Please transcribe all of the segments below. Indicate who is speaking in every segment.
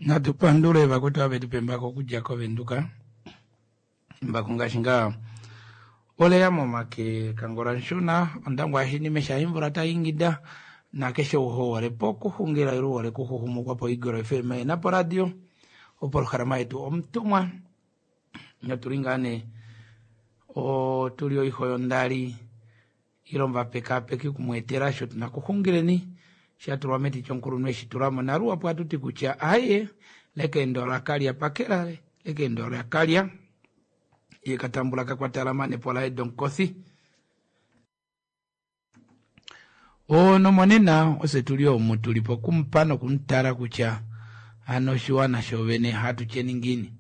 Speaker 1: Natu pandule vakwetu ava vetu pa embako okudja kOvenduka. Embako ngaashi ngaa oleya momake Kangola Nshuna, Ondangwa yashinime shaImvula tai ingida nakeshe ou hole pokuxungila ile uhole kuxuxumukwa poEagle FM yena poradio opolohalama yetu Omutumwa. Notuli ngaa nee otuli oiho yondali ile omuvapekaapeki okumweetela osho tuna kuxungileni sha tulwa meti chomukulunhu eshi tulamo naluhapu ohatu ti kutya aye lekeendo lakalya pakela lekeendo lakalya ye katambula kakwatalama nepola edomkofi. Nomonena ofye tuli omu tuli pokumupa nokumutala kutya hano oshiwana shovene hatu tyeni ngiini.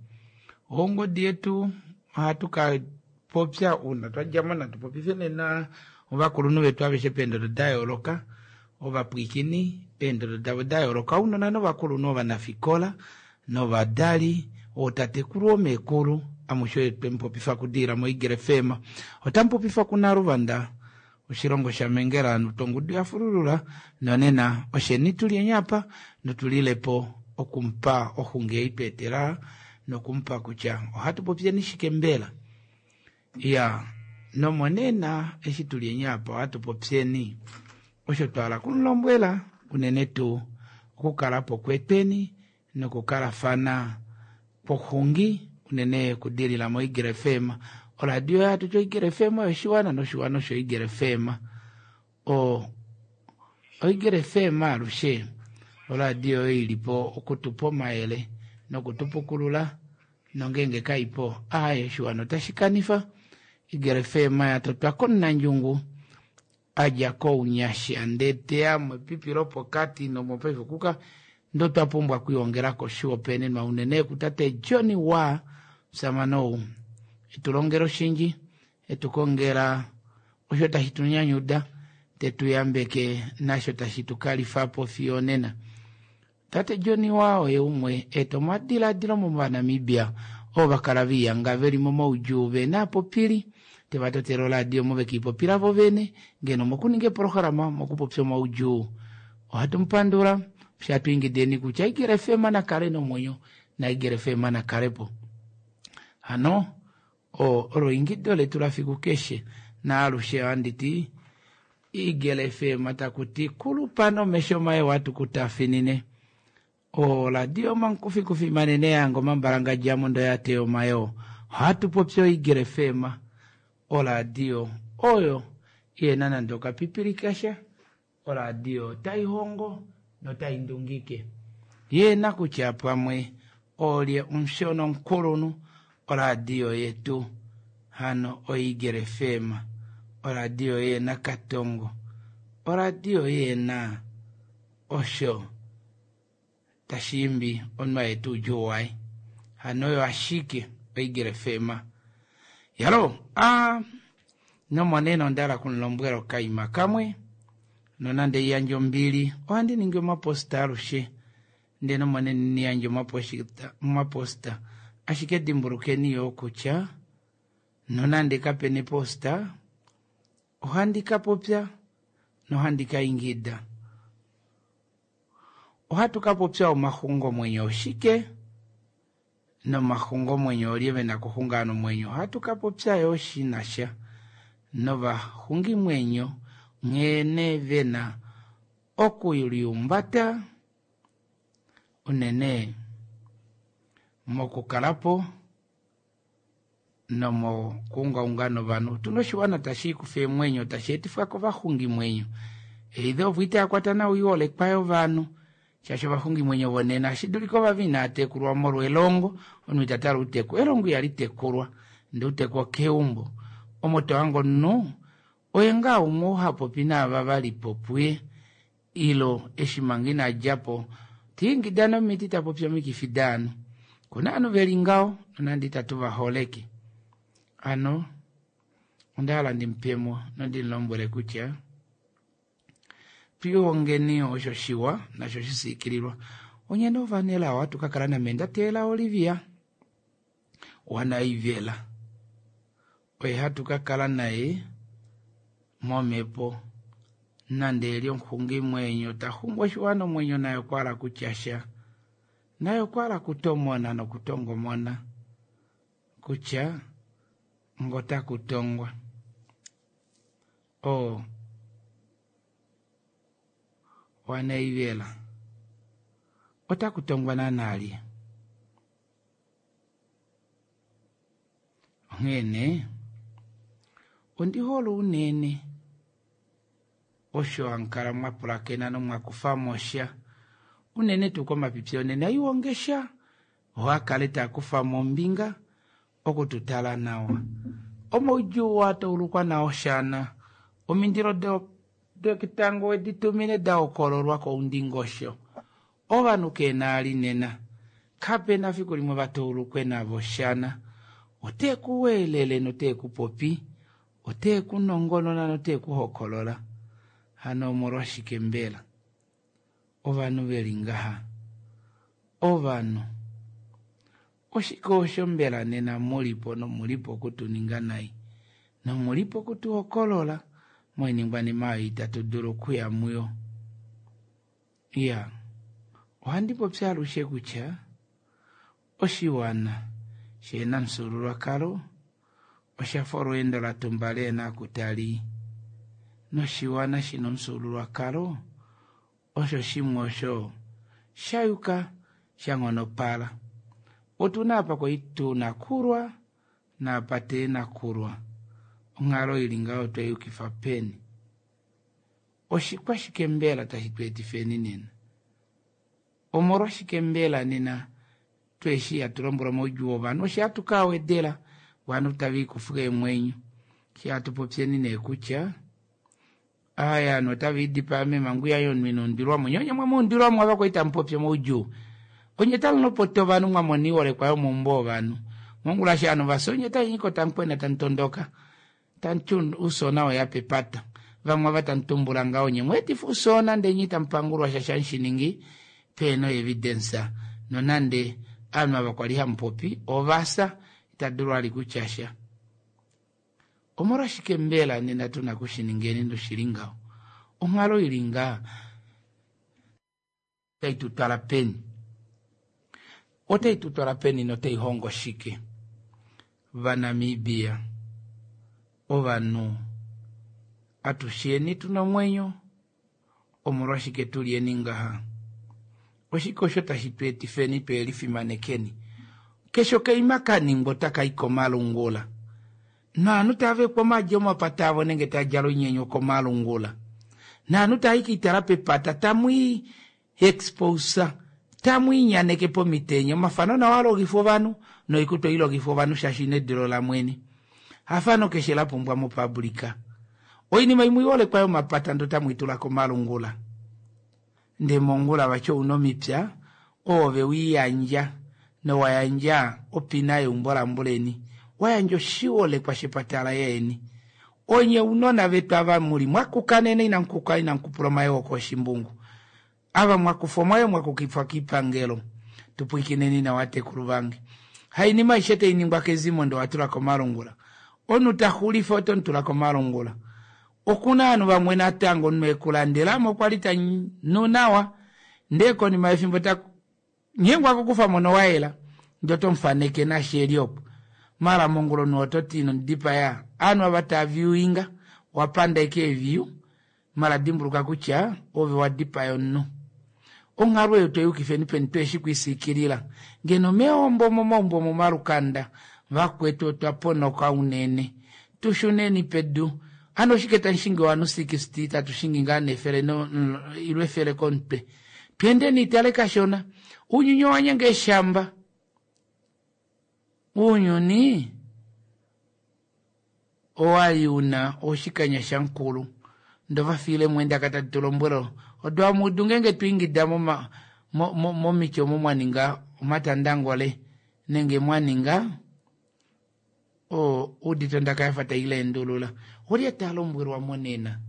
Speaker 1: Ongodi yetu ohatu ka popya uuna twa djamo natu popife nena ovakulunhu vetu aveshe peendodo da yooloka, ovapwiikini peendodo davo da yooloka, ounona novakulunhu, ovanafikola novadali, ootatekulu oomeekulu, amushe twe mupopifa kudiila moEagle FM. Otamu popifa kuNaluvanda, oshilongo shaMengela, tongudu ya fululula, nonena osheni tuli enyapa notulilepo okumupa oxungi ei tweetela nokumupa kutya ohatu popyeni shike mbela. Ya nomonena eshi tuli enyapa ohatu popyeni osho twa hala kumulombwela unene tuu okukala po kwetweni nokukalafana kwoxungi unene kudilila moEagle FM. Oradio yatu choEagle FM yoshiwana noshiwana osho Eagle FM. O Eagle FM alushe oradio oyo ilipo okutupa omayele nokutupukulula nongenge kaipo aye oshiwana otashi kanifa. Eagle FM yatotwa komunandjungu adja kounyasha ndee teya mepipi lopokati nomopaife kuka ndo twa pumbwa okwiongela koshihopaenenwa unene kutate Johnny wa musamane ou etulongela oshindji etukongela osho tashi tu nyanyuda tetu yambeke nasho tashi tu kalifapo fiyo nena. Tate Johnny wa oye umwe eta omadiladilo movanamibia ovo vakala viiyanga veli momaudjuu vena apopili teva totela oradio omo vekiipopila vo vene ngeno mokuninga epolohalama mokupopya omaudjuu. Ohatu mupandula shatu ingideni kutya Eagle FM nakale nomwenyo na Eagle FM nakalepo. Hano olo ingido letu lafiku keshe naalushe ohandi ti Eagle FM takuti kulupa nomesho maye watukutafinine. Oradio mankufi manene yango mambalanga ndo yateyo mayo. Ohatu popi Eagle FM oradio oyo yena nande okapipili kasha oradio tai hongo notai ndungike. Yena kutya pamwe olye omushono omukulunhu oradio yetu hano oEagle FM. Oradio yena katongo. Oradio yena osho tashiimbi omunhu ayetu oudjuu waye. Hano oyo ashike oEagle FM. Yalo, nomonena onda hala okumulombwela okaima kamwe nonande iyandje ombili ohandi ningi omaposta alushe ndee nomonena niyandje omaposta ashike dimbulukeni yoo kutya nonande kapena eposta ohandi kapopya nohandi kaingida. Ohatu kapopya omaxungomwenyo oshike nomaxungomwenyo olye vena kuxunga nomwenyo. Ohatu kapopya yoo shinasha novaxungimwenyo nghene vena okuliumbata unene mokukalapo nomokuungaunga novanhu. Otuna oshiwana tashi ikufa eemwenyo tashi etifwa kovaxungimwenyo. Eidho ovo itayakwata nawa oiholekwa yovanhu shaashi ovaxungimwenyo vonena ashi dulika ovava inaatekulwa molwa elongo omunhu itatala outeku. Elongo ihali tekulwa ndee outeku okeumbo. Omo tohange omunhu oye ngaa umwe oo hapopi naava valipo puye ilo eshi manga inadjapo tiingida nomiti tapopi omikifi daanhu. Kuna ovanhu veli ngaho nonande itatu vaholeke. Hano onda hala ndimupemo nondimulombwele kutya twihongeni osho shiwa nasho shisiikililwa. Onye novanelao ohatu kakala namendateela Olivia wanaivela oye hatu kakala naye momhepo nande eli omuxungimwenyo taxungu oshiwana omwenyo naye okwa hala kutya sha. Naye okwa hala okutomona nokutongomona kutya ngotaku tongwa oo waNaivela otaku tongwa naana lye? Onghee nee ondi hole unene osho hamukala mwa pulakena nomwa kufa mo sha unene tuu komapipi onena ihonge sha oo akale taakufa mo ombinga okututala nawa omaudjuu oo ataulukwa nao shana omindilo doketango wedi tumine dahokololwa koundingosho ovanhu keenaali nena kapena fiku limwe vataulukwe navo shana ote ku weelele note ku popi ote ku nongonona note ku hokolola hano omolwashike mbela ovanhu veli ngaha ovanhu oshike osho mbela nena mulipo nomulipo okutuninga nai nomulipo okutuhokolola moiningwanima oyo itatu dulu okuya muyo iya ohandi popi alushe kutya oshiwana shena omufyuululwakalo oshafa olweendo latumba lehena oku tali noshiwana shina omufyuululwakalo osho shimwe osho shayuka shanghonopala otuna apa kwali tuna kulwa naapa teena kulwa onghalo ili ngaho tweyukifa peni oshikwashike mbela tashi tu etifeni nena omolwashike mbela nena tweshi hatu lombwela omaudjuu ovanhu osho hatu kawedela ovanhu tava ikufa eemwenyo eshi hatu popyeni nee kutya aya ovanhu otava idipaa meemhangu yaye omunhu ina undwilwamo nye onye mwemuundwilwamo ava kwali tamupopi omaudjuu onye tamulopota ovanhu mwamona oiholekwa yomaumbo ovanhu mongula eshi ovanhu vafya onye tamunyiko tamukwena tamutondoka tamuti oufyoona weya pepata vamwe ava tamutumbula ngaho onye mweetifa oufyoona ndee nye itamupangulwa shaashi hamushiningi pehena oevidence nonande ovanhu ava kwali hamupopi ovafya itadulu vali kutya sha omolwashike mbela nena tuna kushiningeni noshili ngaho onghalo ili ngaa otai tutwala peni otai tutwala peni notai hongo shike vaNamibia ovanhu atusheni tuna omwenyo omolwashike tulyeni ngaha oshike osho tashi tu etifeni twelifimanekeni keshe okaima kaningwa otaka i komalungula novanhu tava vekwa omaadi omapata avo nenge tadjala oinyenyo komalungula novanhu tava kiitala pepata tamwii exposa tamwiinyaneke pomitenya omafano nawo alongifwa ovanhu noikutu oilongifwa ovanhu shaashi nedilo lamwene hafano keshe lapumbwa mopublika oinima imwe iholekwa yomapata ndo tamwiitula komalungula ndee mongula vati ouna omipya oove wiiyandja nowayandja opina yeumbo lambuleni wayandja oshiholekwa shepata laye onye unona vetu ava muli mwakuka nena inamukuka inamukupula omayoo koshimbungu ava mwakufa omayo mwakukifwa kiipangelo tupwikineni nawa tekulu vange hainima aishe tainingwa kezimo ndo watula komalungula omunhu taxulifa oto mutula komalungula okuna ovanhu vamwe natango omunhu ekulandelamo okwa li tanu nawa ndee konima yefimbo nyengwa kokufamo nowayela ndee oto mufaneke nashi eli opo mala mongula omunhu ototi ino mudipaya ovanhu ava taaviewinga wapanda ashike eeview mala dimbuluka kutya ove wadipaya omunhu onghalo eyo tweyukifeni peni tweshi kwiisikilila ngeno meombo momaumbo momalukanda vakwetu otwa ponoka unene tushuneni pedu hano oshike tamushingi ovanhu 60 tatu shingi ngaa nefele ilo efele komutwe tweendeni itale kashona uunyuni owanyenga eeshamba uunyuni owali una oshikanya shamukulu ndova fiile mwendaka tadi tulombwela odo amudu ngenge twiingida momiti omo mwaninga omatandangole nenge mwaninga udite ondaka yafa taileendulula olye talombwelwa monena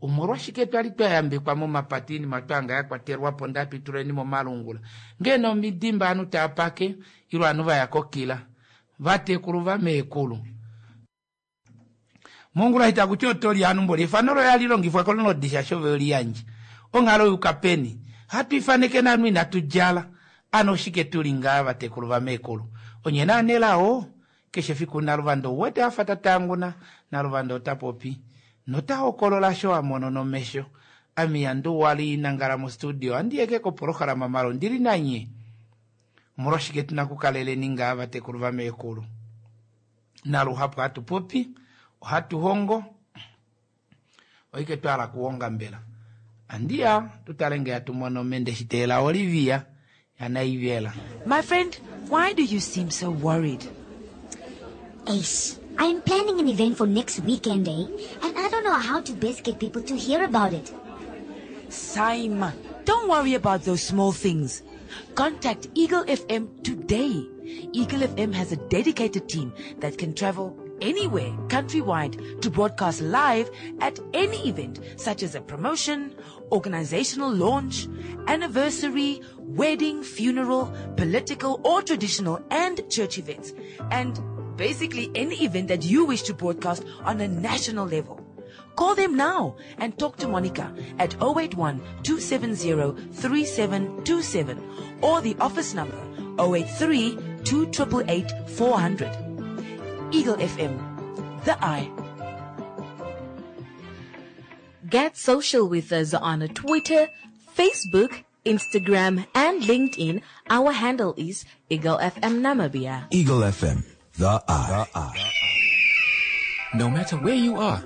Speaker 1: omolwashike twali twayambekwa momapata oinima twanga yakwatelwapo ndee hatwituleni momalungula ngeno omidimba ovanhu taapake ile ovanhu vaya kokila vatekulu vameekulu mongula itakuti otoli ovanhu mboli efano loye alilongifwa kolonodi shaashi ove weliyandja onghalo yuka peni hatu ifaneke novanhu inatu djala. Ano oshike tuli ngaa vatekulu vameekulu? Onye nee anelao, keshe fiku Naluvanda ou wete afa ta tanguna, Naluvanda ota popi nota hokolola osho a mono nomesho. Ame ihandi uhala nangala mostudio ohandi eke kopolohalama mala ondili nanye. Omolwashike tuna okukaleleni ngaa vatekulu vameekulu? Naluhapu hatu popi, ohatu hongo, oike twa hala okuhonga mbela? Andiya tutale ngee hatu mono mende shiteela Olivia yaNaivela.
Speaker 2: My friend, why do you seem so worried?
Speaker 3: Eish, I'm planning an event for next weekend, eh? And I don't know how to best get people to hear about it.
Speaker 2: Saima, don't worry about those small things. Contact Eagle FM today. Eagle FM has a dedicated team that can travel anywhere countrywide to broadcast live at any event such as a promotion, organizational launch, anniversary, wedding, funeral, political or traditional and church events, and basically any event that you wish to broadcast on a national level. Call them now and talk to Monica at 081 270 3727 or the office number 083 288 400. Eagle FM, the eye.
Speaker 4: Get social with us on Twitter, Facebook, Instagram, and LinkedIn. Our handle is Eagle FM Namibia.
Speaker 5: Eagle FM, the eye. The eye.
Speaker 6: No matter where you are,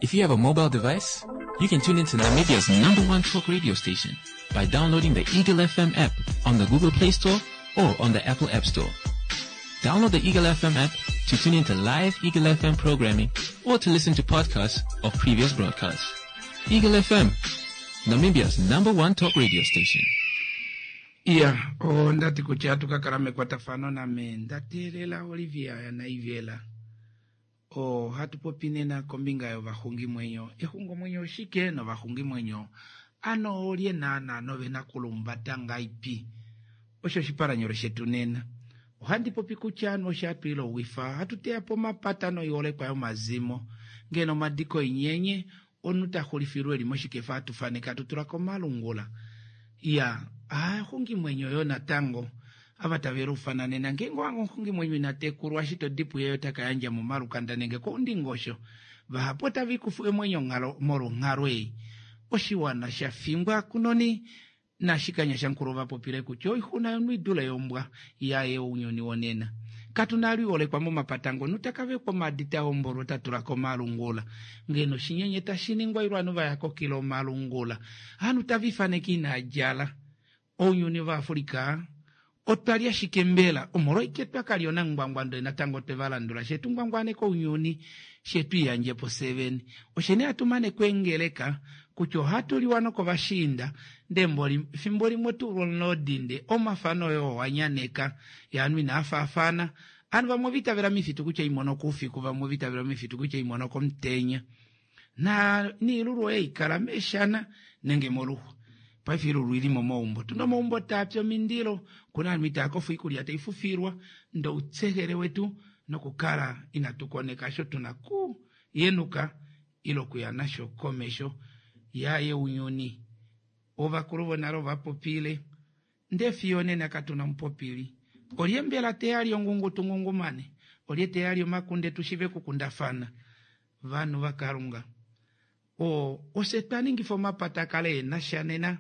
Speaker 6: if you have a mobile device, you can tune into Namibia's number one talk radio station by downloading the Eagle FM app on the Google Play Store or on the Apple App Store. Download the Eagle FM app to tune into live Eagle FM programming or to listen to podcasts of previous broadcasts. Eagle FM, Namibia's number one talk radio station.
Speaker 1: Iya, ondati kutya hatu ka kala mekwatafano name nda teelela Olivia yaNaivela. Ohatu popi nena kombinga yovaxungimwenyo. Exungomwenyo oshike novaxungimwenyo ano olye naana novena kulumbata ngaipi? Osho oshipalanyole shetu nena. Ohandi popi kutya anu osho hatu ilowifa, hatu teya po omapata noiholekwa yomazimo. Ngeno omadiko oinyenye, omunhu ta xulifilwa eli moshikefa hatu faneke hatu tula komalungula. Iya, aaxungimwenyo yo natango ava tave luufana nena ngeenge owa hanga omuxungimwenyo ina tekulwa eshi to di puye ota ka yandja momalukanda nenge koundingosho. Vahapu otava ikufu eemwenyo molwonghalo ei. Oshiwana sha fingwa kunoni Nashikanya Shankulu ova popile kutya oixuna yomunhu i dule yombwa yaye ounyuni wonena. Katu na lwiholekwa momapata ngono taka vekwa omaadi ta hombolwa ota tula komalungula. Ngeno oshinyenye tashi ningwa ilo ovanhu va ya kokila omalungula. Ovanhu tava ifaneke inaa djala. Ounyuni vaAfrica otwa li ashike mbela omolwaike twa ka li onangwangwa ndele natango otwe va landula she tu ngwangwaneka ounyuni she tu iyandje po fyevene. Oshe nee hatu mane kweengeleka kutya ohatu liwa nokovashiinda ndee mboli efimbo limwe otu ulwa omulodinde omafano oye oo wa nyaneka yaanhu inaa faafana. Ovanhu vamwe ova itavela mifitu kutya imono koufiku vamwe ova itavela mifitu kutya imono komutenya. Na niilulu oye ikala meeshana nenge moluxwa. Paife iilulu ili momaumbo. Tuna omaumbo taa pi omindilo, kuna ovanhu itaa kofa oikulya tai fufilwa, ndee outsehele wetu nokukala inatu koneka osho tuna ku yenuka ile okuya nasho komesho yaye ounyuni. Ovakulu vonale ova popile, ndee fiyo onena katuna omupopili. Olye mbela te ya li ongungu tu ngungumane? Olye te ya li omakunde tu shive kukundafana? Vanhu vaKalunga, o, ofye twa ningifa omapata a kale e na sha nena.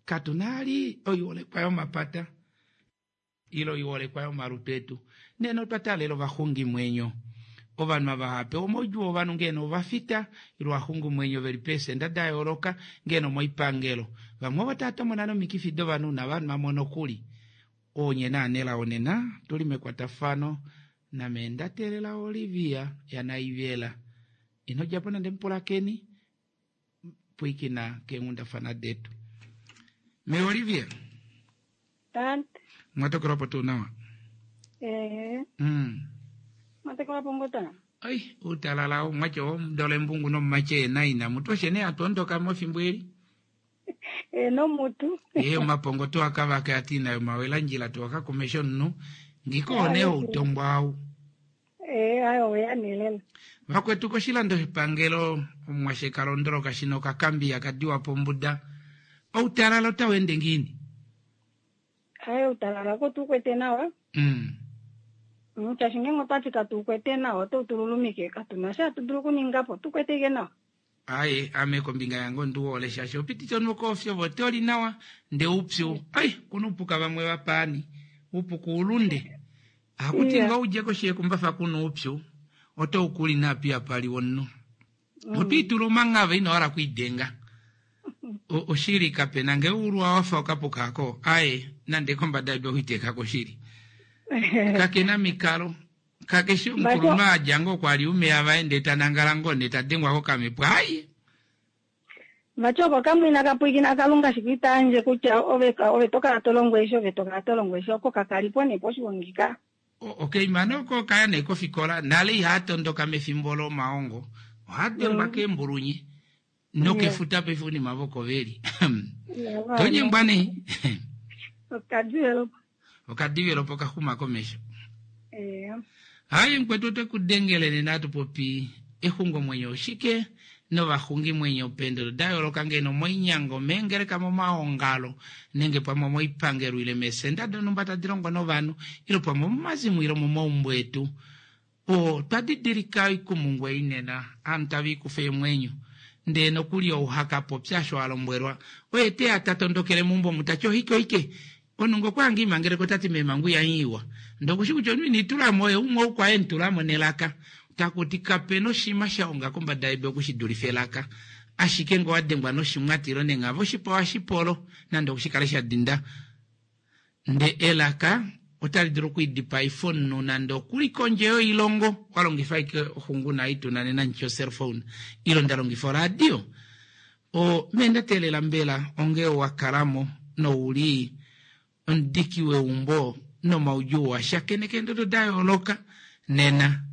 Speaker 1: Katu na ali oiholekwa yomapata ile oiholekwa yomalutu etu. Nena otwa taalela ovaxungimwenyo. Ovanhu ava hava pewa omaudjuu ovanhu ngeeno ovafita ile ovaxungimwenyo ve li peesenda da yooloka ngeeno omoipangelo. Vamwe ovo tava tomona nomikifi dovanhu navanhu vamwe nokuli. Onye naanelao nena tu li mekwatafano name nda teelela Olivia yaNaivela. Ino dja po nande mupulakeni, pwiikina keenghundafana detu. Me Olivia.
Speaker 7: Tante.
Speaker 1: Mwatokelwa po tuu nawa?
Speaker 7: Ee. Mwatokelwa po ngota?
Speaker 1: Ai, uutalala omwatya omudole embungu nomumache ena ina mutu oshe nee hatu ondoka mofimbo eli.
Speaker 7: E nomutu.
Speaker 1: Ee, omapongo to akavaka ati ina yomawelandjila to akakumesha omunhu ngiko one outongwa au.
Speaker 7: Ee, ayo oya nelela.
Speaker 1: Vakwetu koshilando shepangelo omwashe kalondoloka shino okakambiya kadiwa pombuda. Outalala otau ende ngiini?
Speaker 7: Aye utalala ko tukwete nawa. Shaashi ngenge otwati katukwete nawa oto tululumike katuna sha hatu dulu okuninga po tukwete ike nawa.
Speaker 1: Aye ame kombinga yange ondiwole shaashi opitite omunhu koofyo votoli nawa ndee oupyu ai kuna oupuka vamwe vapaani oupuka oulunde hakuti ngoo udje koshi yekumbafa kuna oupyu oto ukuli naapi apa pali omunhu otwiitula omanghava ino hala okwiidenga oshili kapena ngee ulwa wafa okapuka ako aye nande kombada yedu owitekako shili kakena mikalo kakeshi omukulunhu adja ngoo kwali umeya vaye ndee tanangala ngoo ndee tadengwa kokamhepo aye
Speaker 7: Vati oko kamwina kapwiikina kalunga shike itaandje kutya ove ove tokala tolongo eshi ove tokala tolongo eshi oko kakalipo nee poshigongi ka.
Speaker 1: Okay mane oko kaya nee kofikola nale ihaa mefimbo lomaongo ohaa dengwa keembulunye nokefuta paife unima voko veli tonyengwa nee
Speaker 7: Okadivelopo.
Speaker 1: Okadivelopo kaxuma komesho. Hayi mukwetu ote ku dengele nena hatu popi exungomwenyo oshike novaxungimwenyo peendodo da yooloka ngeno moinyango meengeleka momaongalo nenge pamwe moipangelo ile meesenda donhumba tadi longo novanhu ile pamwe momazimo ile momaumbo etu. Otwa didilika oikumungu ei nena ovanhu tava ikufa eemwenyo ndee nokuli ou hakapopya osho a lombwelwa oye te ya ta tondokele meumbo omu tati ohike ohike omunhu ngee okwa hanga imangeleko otati meemhangu ihanyiiwa ndee okushi kutya omunhu ine itulamo oye umwe ou kwaye emutulamo nelaka takuti kapena oshinima sha honga kombada yedu okushidulifa elaka ashike ngee owadengwa noshimwati ile nenghava oshipa ohashipolo nande okushikale sha dinda Ndee elaka otali dulu okwiidipaifa omunhu nande okuli kondje yoilongo wa longifa ashike oxungu naai tuna nena nditye ocellphone ile nda longifa oradio. O, mee nda teelela mbela onge wa kalamo nouli omudiki weumbo nomaudjuu wa shakeneka eendodo da yooloka nena,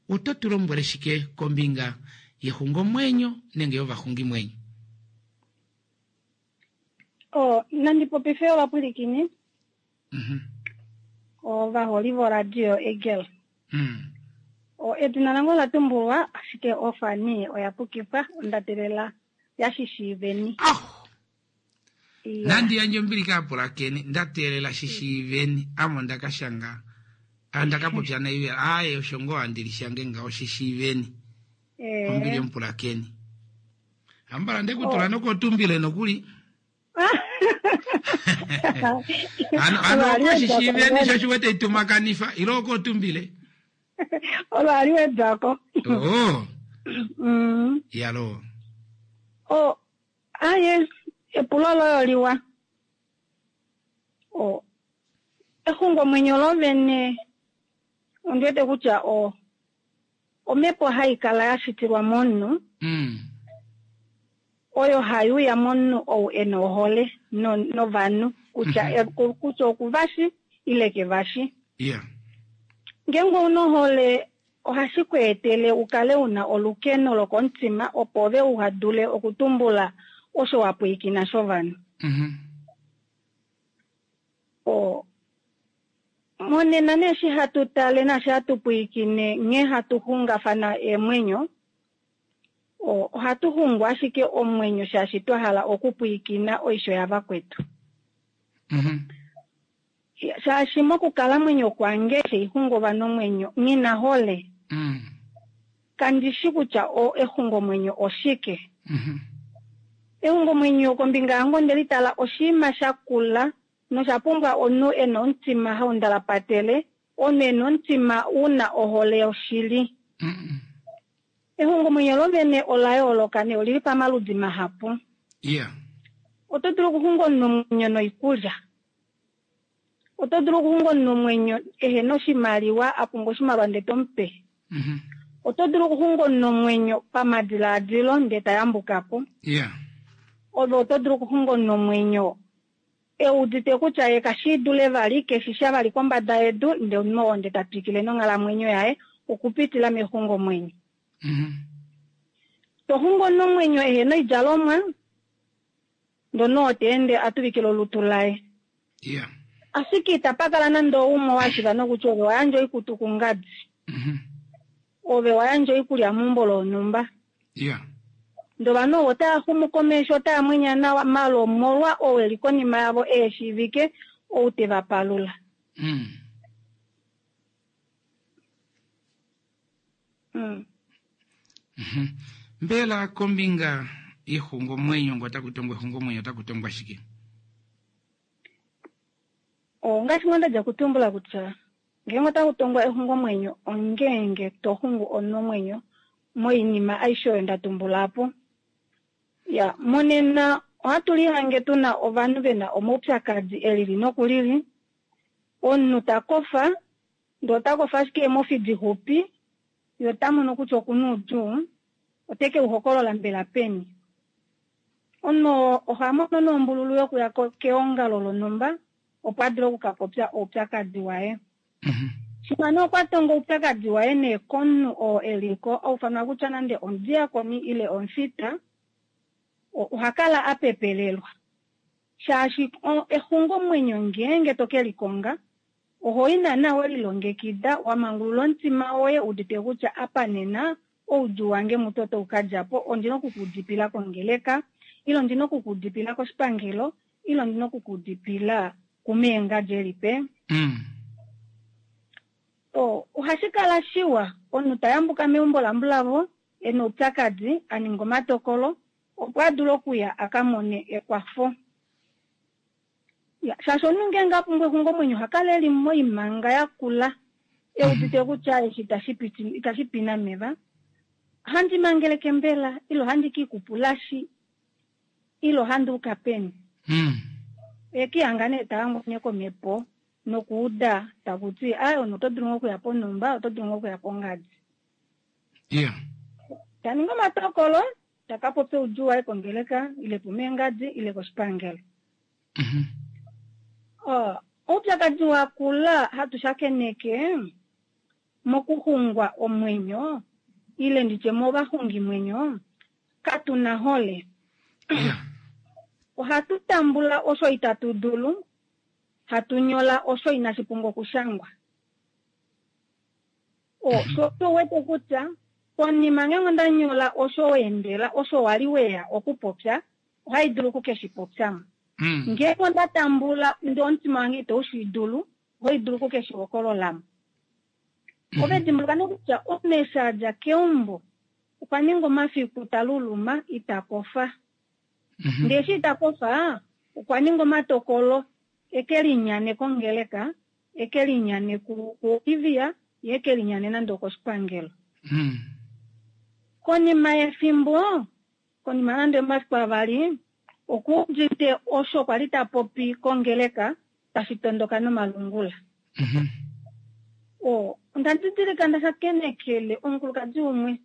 Speaker 1: oto tu lombwele shike kombinga yexungomwenyo nenge yovaxungimwenyo?
Speaker 7: Oh, nandi popife ovapwilikini. Ovaholi voradio Eagle. O, edina lange ola tumbulwa, ashike ofani oya pukifwa, onda teelela ya shishiiveni.
Speaker 1: Nandi yandje ombili kaapulakeni, nda teelela shishiiveni, ame onda ka shanga, onda ka popya naivela, aaye osho ngoo handi li shange ngaho shishiiveni. Ombili yomupulakeni. Ambala nde ku tula nokotumbile nokuli. Ano ano oko shishiiveni sho shiwete itumakanifa ile oko tumbile.
Speaker 7: Olo ali wedako.
Speaker 1: Oh. Yalo.
Speaker 7: Oh, aye epulo loye oliwa. Oh. Exungomwenyo lovene ondi wete kutya o omhepo hai kala ya shitilwa momunhu oyo hai uya momunhu ou e na ohole novanhu kutya kutya okuvashi ile kevashi. Ngeenge ou na ohole ohashi ku etele u kale u na olukeno lokomutima opo ove uha dule okutumbula osho wa pwiikina shovanhu. O, monena nee eshi hatu tale naashi hatu pwiikine nghee hatu xungafana eemwenyo, o, ohatu xungu ashike omwenyo shaashi twa hala okupwiikina oisho yavakwetu. Shaashi mokukalamwenyo kwange eshi xungu ovanhu omwenyo, nghi na hole. Kandi shi kutya o exungomwenyo oshike. Exungomwenyo kombinga yange onde litala oshinima sha kula nosha pumbwa omunhu e na omutima hau ndalapatele, omunhu e na omutima u na ohole yoshili. Exungomwenyo lovene ola yooloka nee olili pamaludi mahapu. Oto dulu okuxunga omunhu omwenyo noikulya. Oto dulu okuxunga omunhu omwenyo ehe na oshimaliwa, a pumbwa oshimaliwa ndee to mu pe. Oto dulu okuxunga omunhu omwenyo pamadilaadilo ndee ta yambuka po. Ove oto dulu okuxunga omunhu omwenyo e udite kutya ye kashi dule vali, keshi sha vali kombada yedu, ndee omunhu oo ndee ta twikile nonghalamwenyo yaye okupitila mexungomwenyo. To xungu omunhu omwenyo ehe na oidjalomwa, ndee omunhu oo ta ende a tuvikile olutu laye. Ashike itapa kala nande oumwe wa shiiva nokutya ove wa yandja oikutu kungadi. Ove wa yandja oikulya meumbo lonhumba. Ndee ovanhu ovo otava xumu komesho, otava mwenya nawa, maala omolwa ou eli konima yavo ehe shiivike, ou te va palula.
Speaker 1: Mbela kombinga yexungomwenyo ngo otaku tongwa exungomwenyo otaku tongwa shike?
Speaker 7: Ongaashi ngoo nda dja kutumbula kutya ngeenge otaku tongwa exungomwenyo ongeenge to xungu omunhu moinima aishe oyo nda tumbula po. Ya, monena ohatu lihange tuna ovanhu vena omaupyakadi elili nokulili. Omunhu ta kofa, ndee ota kofa ashike eemofi dixupi, ye ota mono kutya okuna oudjuu, ote ke u hokolola mbela peni. Omunhu oha mono nombululu yokuya keongalo lonhumba opo a dule okukapopya oupyakadi waye. Shimha nee okwa tonga oupyakadi waye nee komunhu oo e li ko, aufanwa kutya nande omudiakoni ile omufita, oha kala a pepelelwa. Shaashi exungomwenyo ngeenge to ke likonga, oho i naana we lilongekida, wa mangulula omutima woye u udite kutya apa nena oudjuu wange mutu otau ka dja po, ondi na okukuudipila kongeleka, ile ondi na okukuudipila koshipangelo, ile ondi na okukuudipila kumeengadji elipe. Ohashi kala shiwa omunhu ta yambuka meumbo lambulavo e na oupyakadi, a ninga omatokolo opo a dule okuya a ka mone ekwafo. Ya, shaashi omunhu ngeenge a pumbwa exungomwenyo oha kala e li moimanga yakula, e udite kutya eshi itashi pi nameva. Ohandi mangeleke mbela, ile ohandi ka ikupulashi, ile ohandi uka peni? Oye kihanga nee ta hangwa komhepo nokuuda taku ti, ai, omunhu oto dulu ngoo okuya ponhumba, oto dulu ngoo okuya pongadi. Ta ningi omatokolo, ta ka popya oudjuu waye kongeleka, ile pomeengadi, ile koshipangelo. Oupyakadi wa kula hatu shakeneke mokuxungwa omwenyo, ile nditye movaxungimwenyo, katu na hole. Ohatu tambula osho itatu dulu, hatu nyola osho inashi pumbwa okushangwa. Sho osho wete kutya konima ngeenge onda nyola osho wa endela, osho wa li weya okupopya, ohai dulu oku ke shi popyamo. Ngeenge onda tambula ndee omutima wange itau shi dulu, ohai dulu oku ke shi hokololamo. Ove dimbuluka nee kutya omunhu eshi a dja keumbo okwa ninga omafiku ta luluma ita kofa. Ndee eshi ita kofa okwa ninga omatokolo eke linyane kongeleka, eke linyane kuOlivia, ye eke linyane nande okoshipangelo. Konima yefimbo, konima nande omafiku avali, okuudite osho kwa li ta popi kongeleka tashi tondoka nomalungula. Onda didilika nda shakenekele omukulukadi umwe.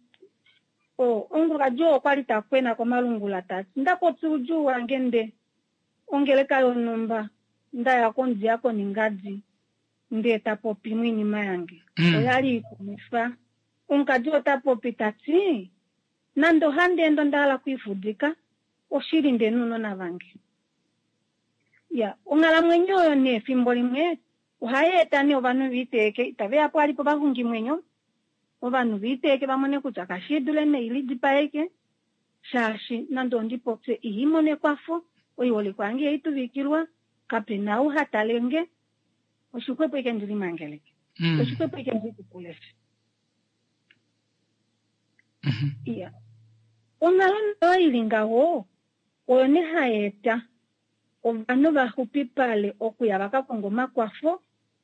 Speaker 7: Omukulukadi oo okwa li ta kwena komalungula ta ti, nda popya oudjuu wange nde ongeleka yonhumba nda ya komudiakoni ngadi ndee ta popi moinima yange. Oya li ikumwifa. Omukadi ota popi ta ti, nande ohandi ende onda hala okwiifudika, oshili nde nounona vange. Ya, onghalamwenyo oyo nee efimbo limwe ohai eta nee ovanhu va iteeke, itave ya po vali povaxungimwenyo, ovanhu va iteeke va mone kutya kashi dule nee lidipaeke, shaashi nande ondi popye ihai mono ekwafo, oiholikwa yange ihai tuvikilwa, kape na ou ha tale nge, oshixwepo ike ndi limangeleke, oshixwepo ike ndi kukuleshe. Iya, onghalo oyo ili ngaho oyo nee hai eta ovanhu va xupipale okuya va ka konga omakwafo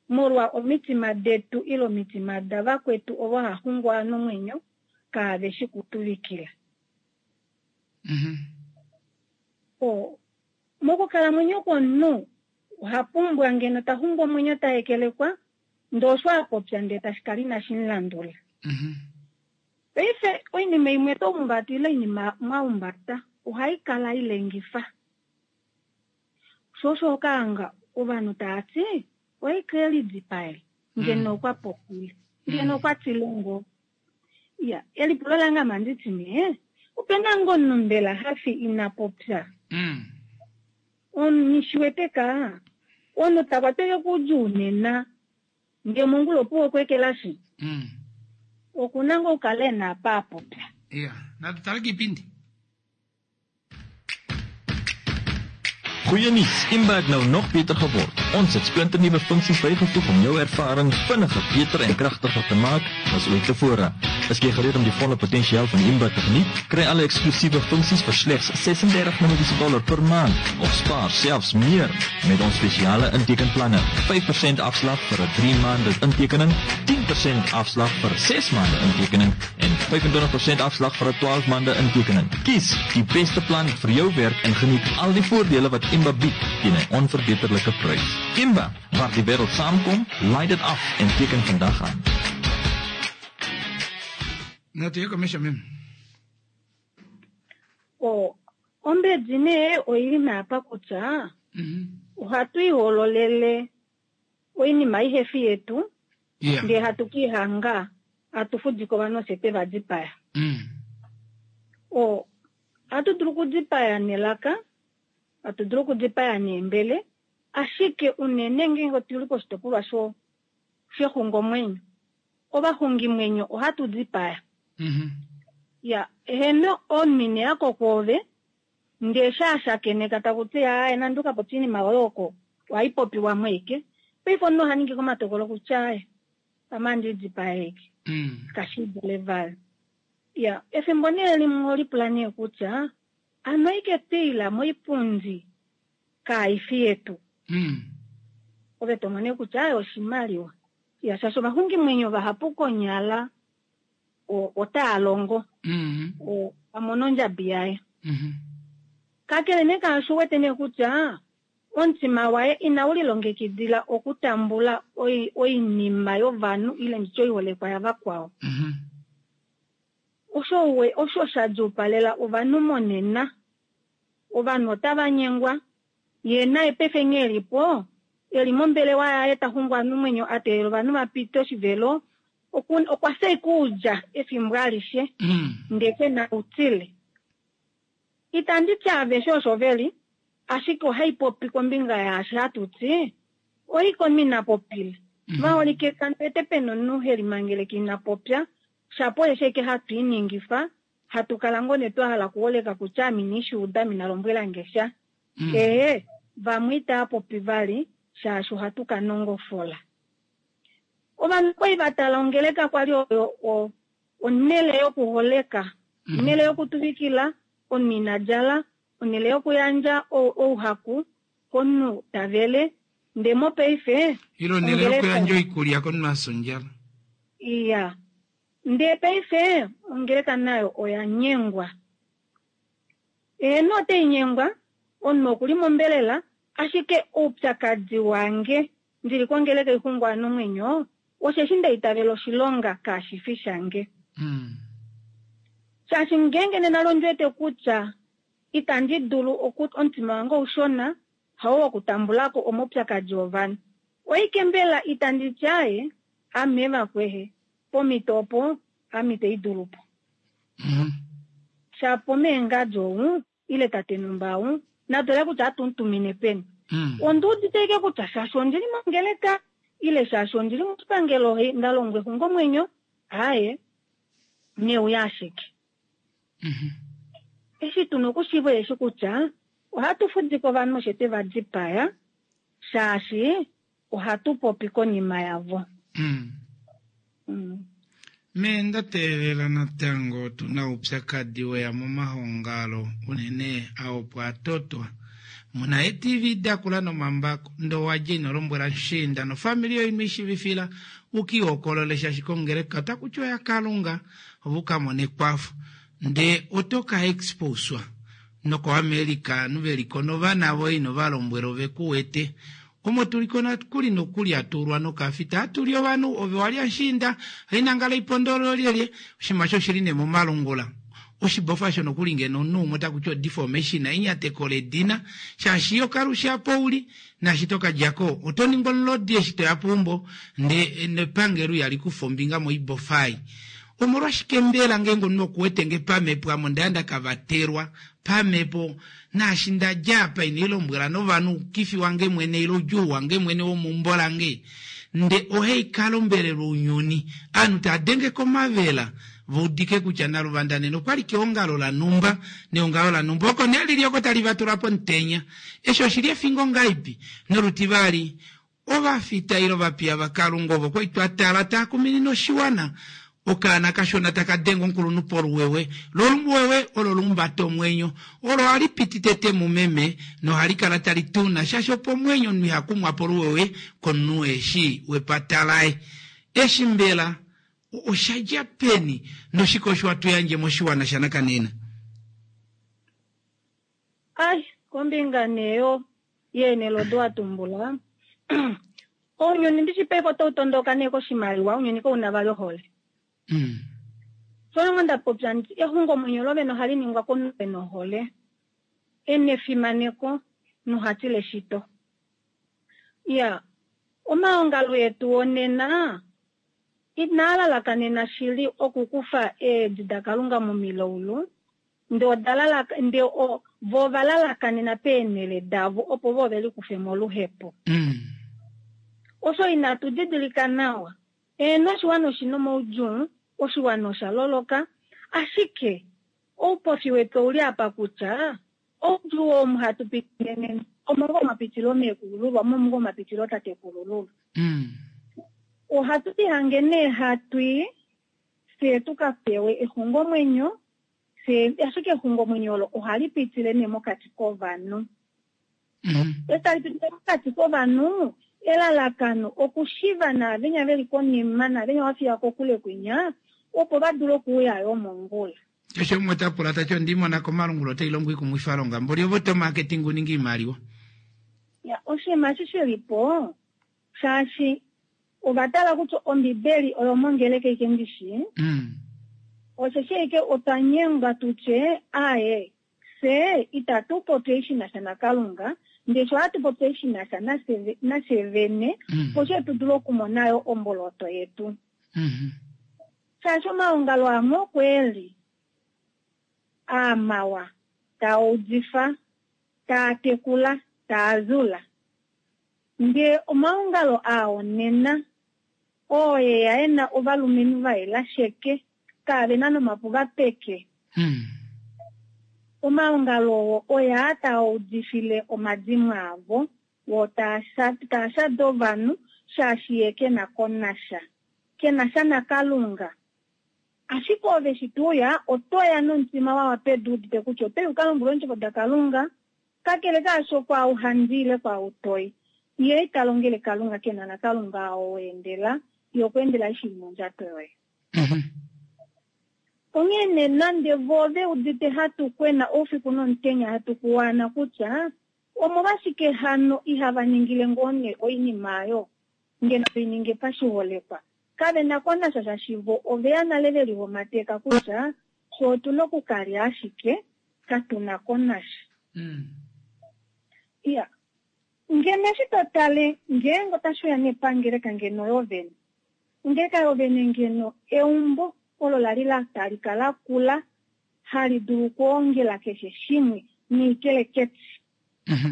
Speaker 7: molwa omitima detu ile omitima davakwetu ovo ha xungwa nomwenyo kaave shi kutuvikila. Mokukalamwenyo kwomunhu oha pumbwa ngeno ta xungwa omwenyo ta hekelekwa ndee osho a popya ndee tashi kala inashi mu landula. Paife oinima imwe to humbata ile oinima mwa humbata ohai kala ilengifa. Sho osho okaanga ovanhu tava ti oye ke lidipaele ngeno okwa popile ngeno okwa tile ngoo. Ya, elipulo lange ame anditi nee, opena ngoo omunhu mbela hafi ina popya? Nghi wete ka omunhu ta kwatweke koudjuu nena ndee mongula opuwo okweekelashi. Okuna ngoo okukala e na apa a popya.
Speaker 1: Ya, natu tale kiipindi.
Speaker 8: Goeie nuus, Imba het nou nog beter geword. Ons het splinternuwe funksies bygevoeg om jou ervaring vinniger, beter en kragtiger te maak as ooit tevore. Is jy gereed om die volle potensiaal van Imba te geniet? Kry alle eksklusiewe funksies vir slegs 36 Namibiese dollar per maand of spaar selfs meer met ons spesiale intekenplanne. 5% afslag vir 'n 3 maande intekening, 10% afslag vir 6 maande intekening en 25% afslag vir 'n 12 maande intekening. Kies die beste plan vir jou werk en geniet al die voordele wat Imba bied teen 'n onverbeterlike prys. Imba, waar die wêreld saamkom, laai dit af en teken vandag aan.
Speaker 1: Natu ye komesho meme.
Speaker 7: O, ombedi nee oili naapa kutya ohatu ihololele oinima ihefi yetu
Speaker 1: Yeah.
Speaker 7: ndee hatu kiihanga hatu fudika ovanhu ofye twe va dipaya. O, ohatu dulu okudipaya nelaka, hatu dulu okudipaya neembele, ashike unene ngeenge otuli koshitopolwa sho shexungomwenyo, ovaxungimwenyo ohatu dipaya. Ya, eheno omunhu yako kwoove, ndee shaashakeneka taku ti aaye nande ukapopya oinima yoye oko, ohaipopiwa mweike. Paife omunhu oha ningi omatokolo kutya aaye, pamwe ohandi dipaya eke. Kashidule vali. Ya, efimbo nee limwe olipula nee kutya, ano ike twiila moipundi kaifi yetu. Ove tomone kutya aaye oshimaliwa. Ya, shaashi ovaxungimwenyo vahapu konyala otaa longo. Amona ondjabi yaye. Kakele nee kaashi uwete nee kutya omutima waye inau lilongekidila okutambula oinima yovanhu ile nditye oiholekwa yavakwao. Osho sha djuupalela ovanhu monena. Ovanhu otava nyengwa, ye naye paife nghee elipo, eli mombelewa yaye ta xungu ovanhu omwenyo, a teelela ovanhu va pite oshivelo, okwa fya oikulya efimbo alishe, ndee ke na outile. Itandi ti aveshe osho veli, ashike ohaipopi kombinga yaashi hatu ti, oikomi ina popile. Vaholike kandwete pena omunhu helimangeleke ina popya, shapo osheshi ashike hatu iningifa, hatu kala ngoo nee twa hala okuholeka kutya ame ina ishiuda, ame ina lombwela nge sha. Ehe, vamwe itava popi vali, shaashi ohatu ka nongofola. Ovanhu okwali va tala ongeleka kwali oyo onhele yokuholeka, onhele yokutuvikila, omunhu ina djala, onhele yokuyandja ouhaku komunhu ta vele, ndee mopaife
Speaker 1: Ile onhele yokuyandja oikulya komunhu a fya ondjala.
Speaker 7: Iya. Ndee paife ongeleka nayo oya nyengwa. Eheno otai nyengwa, omunhu okuli mombelela, ashike oupyakadi wange ndili kongeleka ixungwa nomwenyo, osheshi nda itavela oshilonga kashifi shange. Shaashi ngeenge nena londwete kutya itandi dulu omutima wange oushona, hao wokutambulako omaupyakadi ovanhu. Oike mbela itandi ti aaye, ame vakwehe, pomhito opo ame itei dulu po. Shapo meengadi ou, ile tate numba ou, natole kutya atumutumine peni. Ondi udite ike kutya shaashi ondili mongeleka, ile shaashi ondili moshipangelo nda longwa exungomwenyo, aaye, neuya ashike. Eshi tuna okushiiva eshi kutya ohatu fudika ovanhu osho twe va dipaya, shaashi ohatu popi konima yavo.
Speaker 1: Me nda teelela natango tuna oupyakadi weya momahongalo unene aopo atotwa. Muna eTV dakula nomambako, ndoo wadja ino lombwela mushiinda nofamili yoye ino ishivifila ukiihokolole shaashi kongeleka otaku tiwa oyaKalunga ove ukamone ekwafo. Ndee oto ka exposwa nokoAmerica ovanhu veliko novana voye ino va lombwela ove ku wete. Omo tuliko nokuli nokuli atuulwa nokafita atuli ovanhu ove walya mushiinda hainangala oiponda olyelye oshinima osho oshili nee momalungula. Oshibofa osho nokuli ngeno omunhu umwe otaku ti odeformation enyateko ledina shaashi yo kalushe apa uli naashi to ka djako oto ningwa omulodi eshi toya peumbo ndee nepangelo ihali kufa ombinga moibofa ei. Omolwashike mbela ngeenge omunhu okuwete nge pamhepo ame onda ya nda ka vatelwa pamhepo naashi nda dja apa ina ilombwela novanhu oukifi wange mwene ile oudjuu wange mwene womeumbo lange. Nde ohai kala ombelela ounyuni. Ovanhu tava denge komavela va udike kutya Naluvanda nena okwali keongalo lanumba neongalo lanumba oko nee lili oko tali va tula pomutenya. Eshi oshili efingo ngaipi? Nolutivali, ovafita ile ovapiya vaKalunga ovo kwali twa tala taa kuminine oshiwana okaana kashona taka denge omukulunhu poluwewe. Lo oluwewe olo olumbata omwenyo. Olo ohali piti tete mumeme nohali kala tali tuna shaashi opo omwenyo omunhu iha kumwa poluwewe komunhu eshi wepata laye. Eshi mbela osha dja peni noshike osho hatu yandje moshiwana shanakanena?
Speaker 7: Ai, kombinga nee yo yeenhele odo wa tumbula, ounyuni ndishi paife otau tondoka nee koshimaliwa, ounyuni kau na vali ohole. Sho nda popya nditi exungomwenyo lovene ohali ningwa komunhu e na ohole, e na efimaneko noha tila eshito. Iya, omaongalo etu onena inaa lalakanena shili okukufa eedi daKalunga momilaulu, Ndee oda lalaka, ndee o, vo ova lalakanena peenhele davo opo vo ve likufe moluhepo. Osho inatu didilika nawa. Eeno, oshiwana oshi na omaudjuu, oshiwana osha loloka, ashike oupofi wetu ou li apa kutya oudjuu oo omu hatu pitile nena, omo ngoo mwa pitile oomeekulululwa, mo omo ngoo mwa pitile ootatekulululwa. Ohatu lihange nee hatu i fye tu ka pewe exungomwenyo, Fye, ashike exungomwenyo olo ohali pitile nee mokati kovanhu. Eshi tali pitile mokati kovanhu, elalakano okushiva naavenya ve li konima naavenya wa fiya kokule kwinya, opo va dule okuuya yo mongula.
Speaker 1: Keshe umwe ota pula ta ti, Onda imona komalungula otai longo oikumwifalonga, mboli ovo to marketing u ninge oimaliwa.
Speaker 7: Ya, oshinima eshi shi li po, shaashi ova tala kutya Ombibeli oyomongeleka aike ndi shii, osheshi aike otwa nyengwa tu tye, Aaye, fye itatu popi ei shi na sha naKalunga, ndele fye ohatu popi ei shi na sha nafye vene, opo fye tu dule okumona yo omboloto yetu. Shaashi omaongalo amwe oko e li aa mawa, taa udifa, taa tekula, taa zula, Ndee omaongalo aa onena, oo e ya e na ovalumenhu va yela sheke, kaave na nomapuva peke. Omaongalo oo oyaa taa udifile omadimo avo, woo taa taa shade ovanhu, shaashi ye ke na ko nasha. Ke na sha naKalunga. Ashike ove eshi to uya, oto ya nomutima wa wa pedu udite kutya oto i u ka lombwelwe eendjovo daKalunga, Kakele kaasho, kwaau handi ile kwaau toi, ye ita longele Kalunga ke na naKalunga oo wa endela, ye okwa endela eshi li mondjato yoye. Onghee nee nande vo ve udite hatu kwena oufiku nomutenya hatu kuwaana kutya, Omolwashike hano ihava ningile ngoo nee oinima oyo, ngeno ve i ninge pashiholekwa? Kave na ko nasha shaashi vo ove ya nale ve lihomateka kutya fye otu na okukalya ashike, katu na ko nasha. Iya, ngeno eshi to tale, ngeenge otashi uya nee pangeleka ngeno yovene, ongeleka yovene ngeno eumbo olo la li la talika la kula, hali dulu okwoongela keshe shimwe noikeleketi,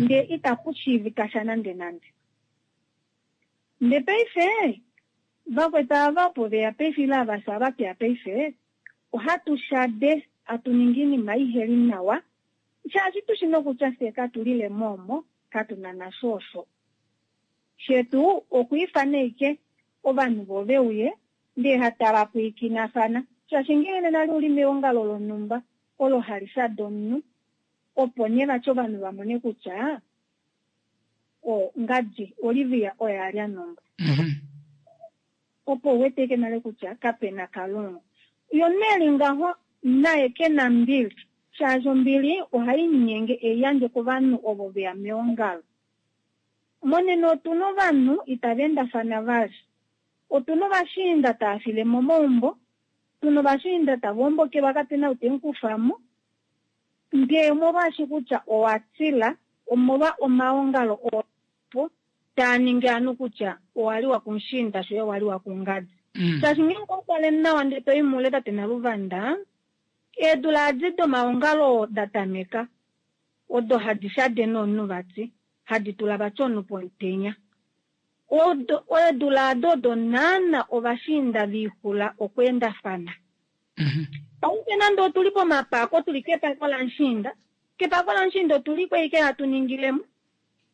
Speaker 7: ndee itaku shiivika sha nandenande. Ndee paife, vakwetu ava opo ve ya paife ile ava fye ava twe ya paife, Ohatu shade, hatu ningi iinima iheli nawa, shaashi tu shi nokutya fye katu lile mo omo, katu na nasho osho. Shetu okwiifana ashike ovanhu vo ve uye, ndee hatava pwiikinafana, shaashi ngeenge nena li uli meongalo lonhumba olo hali shade omunhu, opo nee vati ovanhu va mone kutya o, ngadi, Olivia oye a lya nombwa. Opo u weteke nale kutya kape na Kalunga. Yo nee ngaho naye ke na mbili, shaashi ombili ohai linyenge e i yandje kovanhu ovo ve ya meongalo. Monena otu na ovanhu itava endafana vali. Otu na ovashiinda tava file momaumbo, tu na ovashiinda tava ombokelwa kape na ou te mu kufa mo, ndee omolwaashi kutya owa tila omolwa omaongalo oo po taa ningi ovanhu kutya owa liwa kumushiinda shoye owa liwa kungadi. Shaashi ngeenge owa tale nawa ndee to i muule tate Naluvanda, eedula adi domaongalo da tameka odo hadi shade nomunhu vati, hadi tula vati omunhu pomutenya. Eedula ado odo naana ovashiinda viixula okweendafana. Paife nande otuli pomapako, tuli kepako lamushiinda, kepako lamushiinda otuli ko ashike hatu ningilemo.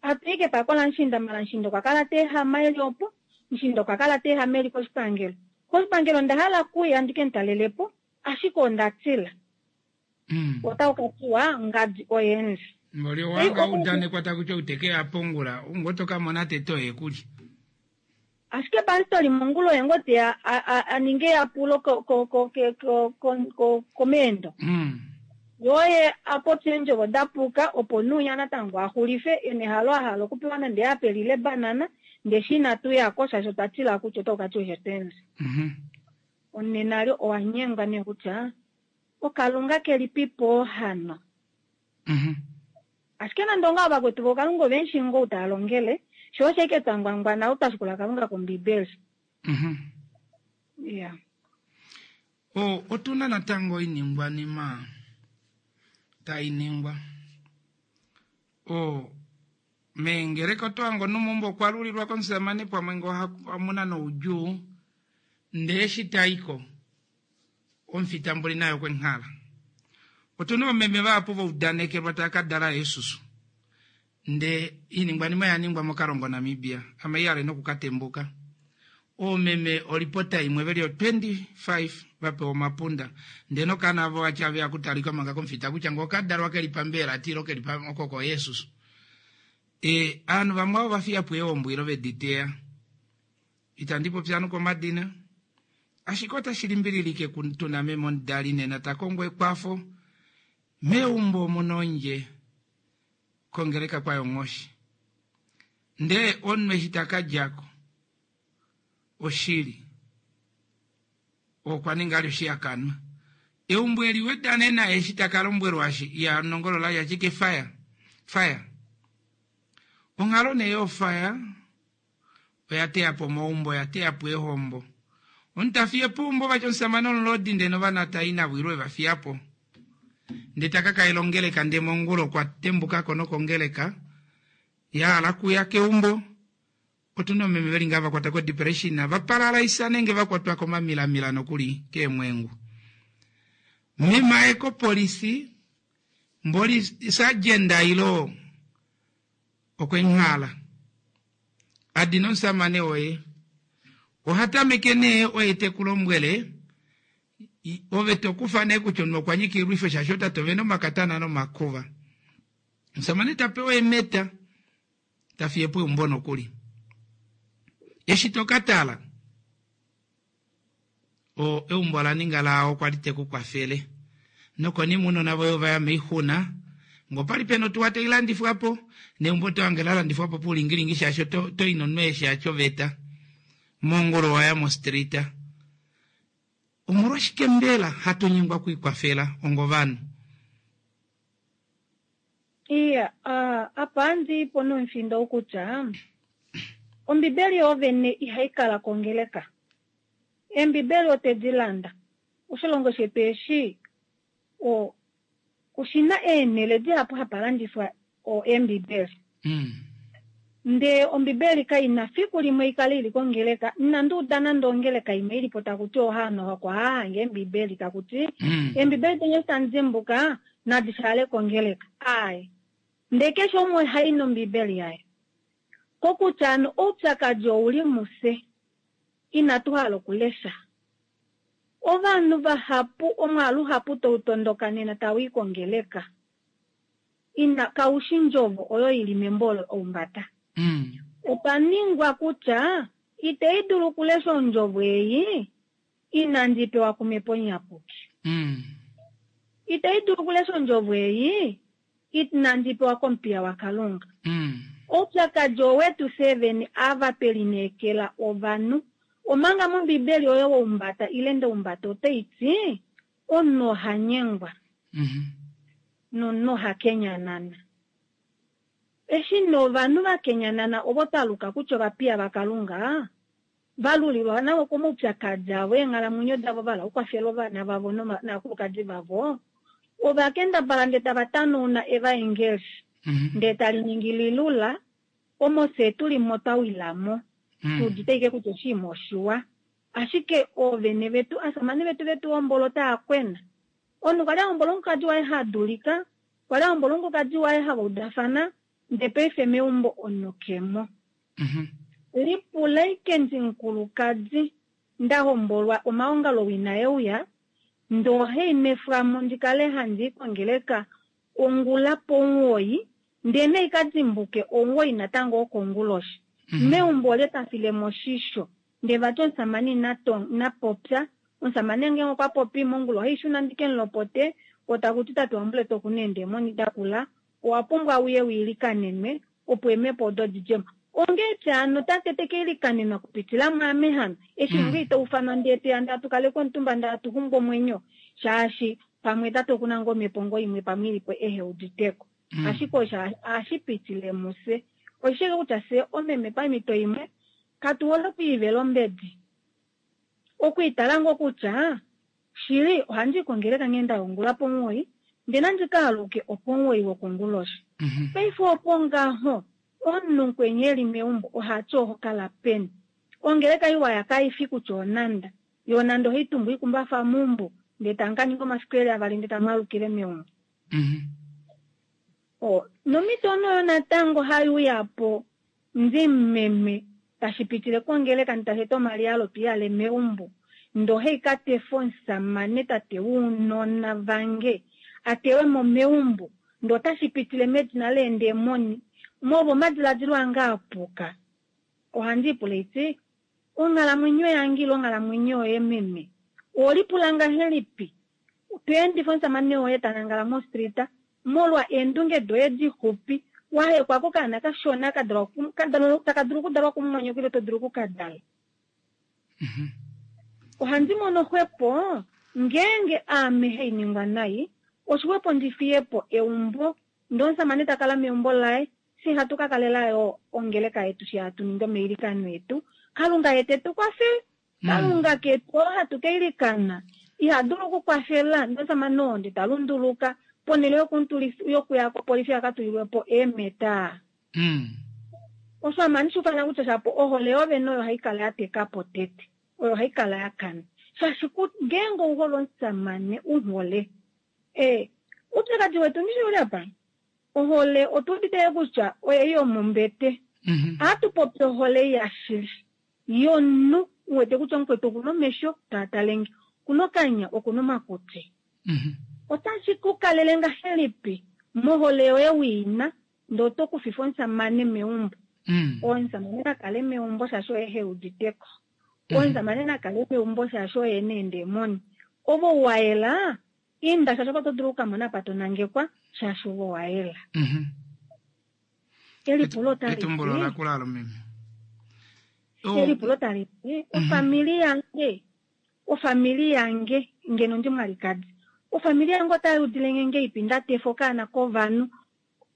Speaker 7: Hatu i kepako lamushiinda, mala mushiinda okwa kala ta ehama eli opo, mushiinda okwa kala ta ehama eli koshipangelo. Koshipangelo onda hala okuya ndi ke mu talele po, ashike onda tila. Otaku ka tiwa ngadi oyendji.
Speaker 1: Mboli owanga udanekwa taku ti ou te ke ya pongula, ou ngoo to ka mona tete oye kulye.
Speaker 7: Ashike pastori mongula oye ngoo teya a ninge eyapulo komeendo. Ye oye a popye eendjovo da puka opo nuunya natango a xulife e na ehalo a hala okupewa nande eapeli ile ebanana, ndee eshi inatu ya ko shaashi otwa tila kutya otaku ka tiwa oshe tu endja. Onena lyo owa nyengwa nee kutya oKalunga kelipipo hano. Ashike nande ongaho vakwetu voKalunga ove mu shii ngoo ou tava longele, sho osho ashike twa ngwangwana ou twa shikula Kalunga kOmbibeli. Iya.
Speaker 1: O, otu na natango oiningwanima tai ningwa. O, meengeleka oto hange omunhu meumbo okwa lulilwa komusamane pamwe ngoo omu na noudjuu, ndee eshi ta i ko, omufitambuli naye okwe nghala. Otu na oomeme vahapu va udanekelwa tava ka dala eesusu. Ndee oiningwanima oya ningwa moKalongo Namibia, ame ihale noku ka tembuka. Oomeme olipota imwe ve li o 25 va pewa omapunda, ndee nokaana avo vati ave ya kutalika manga komufita kutya ngee oka dalwa ke li pambeela ati ilo ke li oko ko eesusu. E, ovanhu vamwe ava ova fiya po eehombo ilo ve di teya. Itandi popi ovanhu komadina, ashike otashi limbililike tu na meme omudali nena ta kongo ekwafo meumbo omu na ondje kongeleka kwa yonghoshi. Ndee omunhu eshi ta ka dja ko, oshili, okwa ninga ali oshihakanwa. Eumbo eli weda nena eshi ta ka lombwelwa shi ya nongolola ya ashike fire, fire. Onghalo nee yo fire oya teya po omaumbo, oya teya po eehombo. Omunhu ta fiye po eumbo vati omusamane omulodi ndee novana ta i navo ile eva fiya po. Ndee ta ka kaela ongeleka ndee mongula okwa tembuka ko nokongeleka ya hala kuya keumbo. Otu na oomeme ve li ngaa va kwatwa kodepression, va paralaisa nenge va kwatwa komamilamila nokuli keemwengu. Meme aye kopolisi mboli sergeant ilo okwe nghala a dina omusamane woye. Oha tameke nee oye te ku lombwele ove to kufa nee kutya omunhu okwa nyika oilwifo shaashi otate ove na omakatana nomakuva. Omusamane ta pewa eemeta ta fiye po eumbo nokuli. Eshi to ka tala o eumbo ola ninga laao kwa li te ku kwafele. Nokonima ounona voye ova ya moixuna, ngee opali pena otuwa tai landifwa po, neumbo oto hange la landifwa po poulingilingi shaashi oto, oto i nomunhu eshi atya oveta. Mongula owa ya mostrita. Omolwashike mbela hatu nyengwa okwiikwafela ongovanhu?
Speaker 7: Iya, apa handi i po nomufindo ou kutya, Ombibeli yoovene ihai kala kongeleka. Eembibeli otwe di landa. Oshilongo shetu eshi o, oshi na eenhele dihapu hapa landifwa o, eembibeli. Ndee Ombibeli kai na fiku limwe i kale i li kongeleka. Inandi uda nande ongeleka imwe i li po taku ti ohaano oko haa hange Eembibeli, taku ti, Eembibeli deni eshi tamu dimbuka, nadi shaale kongeleka. Aaye. Ndee keshe umwe oha i nOmbibeli yaye. Kokutya hano oupyakadi ou li mufye. Inatu hala okulesha. Ovanhu vahapu, omwaalu uhapu tau tondoka nena tau i kongeleka. Ina, kau shi ndjovo oyo i li membo olo oumbada. Opa ningwa kutya itei dulu okulesha ondjovo ei inandi i pewa kuMhepo Iyapuki. Itei dulu okulesha ondjovo ei inandi i pewa komupiya waKalunga. Oupyakadi owetu fye vene ava twe lineekela ovanhu. Omanga mOmbibeli oyo woumbada ile ndoumbada otai ti, Omunhu oha nyengwa nomunhu oha kenyanana. Eshi nee ovanhu va kenyanana ovo twa luka kutya ovapiya vaKalunga, va lulilwa navo komaupyakadi avo eenghalamwenyo davo va hala okukwafela ovana vavo novakulukadi vavo, ova kendabala ndee tava tanauna evaengeli ndee tali ningi lilula, omo fye tu li mo twa wila mo. Tu udite ashike kutya oshinima oshiwa. Ashike oovene vetu, asamane vetu vetu hombola otava kwena. Omunhu kwali a hombola omukadi waye ha dulika, kwali a hombola omukadi waye hava udafana, ndee paife meumbo omunhu kemo. Lipula ashike ndimukulukadi nda hombolwa omaongalo wina euya, ndee ohai nwefwamo ndi kale handi i kongeleka ongula pomuwoi, ndee nai ka dimbuke omuwoi natango wokonguloshi. Meumbo olye ta filemo oshisho? Ndee vati omusamane ina ina popya. Omusamane ngeenge okwa popi mongula ohai shuna ndi ke mu lopote, ko taku ti tate waMbuleta oku na eendemoni da kula, owa pumbwa uye u ilikanenwe opo eemhepo odo di dje mo. Onghee tya hano tate te ka ilikanenwa kupitila mwaame hano, eshi ngoo ita ufanwa ndee te ya ndee hatu kaleke omutumba ndee hatu xungu omwenyo, shaashi pamwe tate oku na ngoo omhepo ngoo imwe pamwe i li po ehe udite ko. Ashike osho ohashi pitile mufye. Oshishike kutya fye omeme pamhito imwe katu hole okwiivela ombedi. Okwiitala ngoo kutya shili ohandi i kongeleka nghee nda ongula pomuwoi ndee nandi ka aluke opomuwoi wokonguloshi. Paife opo ngaho omunhu mukweni e li meumbo ohati oho kala peni? Ongeleka iwa ya kai fi kutya onanda. Yo onanda ohai tumbu oikumbafa meumbo ndee tamu ka ninga omafiku eli avali ndee tamu alukile meumbo. O, nomhito oyo natango hai uya po ndi meme tashi pitile kongeleka ndi tashi eta omaliyalo tu yale meumbo. Ndee ohai ka tefa omusamane tate wounona vange a tewe mo meumbo. Ndee otashi pitile medina leendemoni. Molwa omadiladilo ange a puka, ohandi ipula iti, Onghalamwenyo yange ile onghalamwenyo yoye meme, oho lipula ngahelipi? To endifa omusamane woye ta nangala mostrita molwa eendunge doye dixupi, wa hekwa kokaana kashona ka dalwa taka dulu okudalwa kumumwanyoko ile to dulu oku ka dala. Ohandi mono xwepo ngeenge aame hai ningwa nai, oshixwepo ndi fiye po eumbo ndee omusamane ta kala meumbo laye, fye hatu ka kalela yo ongeleka yetu shi hatu ningi omailikano etu. Kalunga ye te tu kwafele. Kalunga ketu oo hatu ka ilikana iha dulu okukwafela ndee omusamane oo ndee ta lunduluka ponhele yokuya kopolifi a ka tulilwe po eemeta. Osho ame ohandi shi ufana kutya shapo ohole yoovene oyo hai kala ya teka po tete, oyo hai kala ya kana. Shaashi ngeenge ou hole omusamane u hole, ee, oupyakadi wetu ndishi ouli apa? Ohole otu udite yo kutya oye yomombete. Ohatu popi ohole yashili yomunhu u wete kutya omukwetu oku na omesho taa tale nge, oku na okanya, oku na omakutsi. Otashi ku kalele ngahelipi mohole yoye wi na ndee oto kufifa omusamane meumbo? Omusamane na kale meumbo shaashi oye he udite ko. Omusamane na kale meumbo shaashi oye e na eendemoni. Ove ou wa yela, inda shaashi opo to dulu oku ka mona apa to nangekwa shaashi ove owa yela. Elipulo otali ti,
Speaker 1: Etumbulo lakula alo meme.
Speaker 7: Elipulo tali ti, ofamili yange, ofamili yange, ngeno ndi mwalikadi, ofamili yange otai udile nge ngeipi nda tefa okaana kovanhu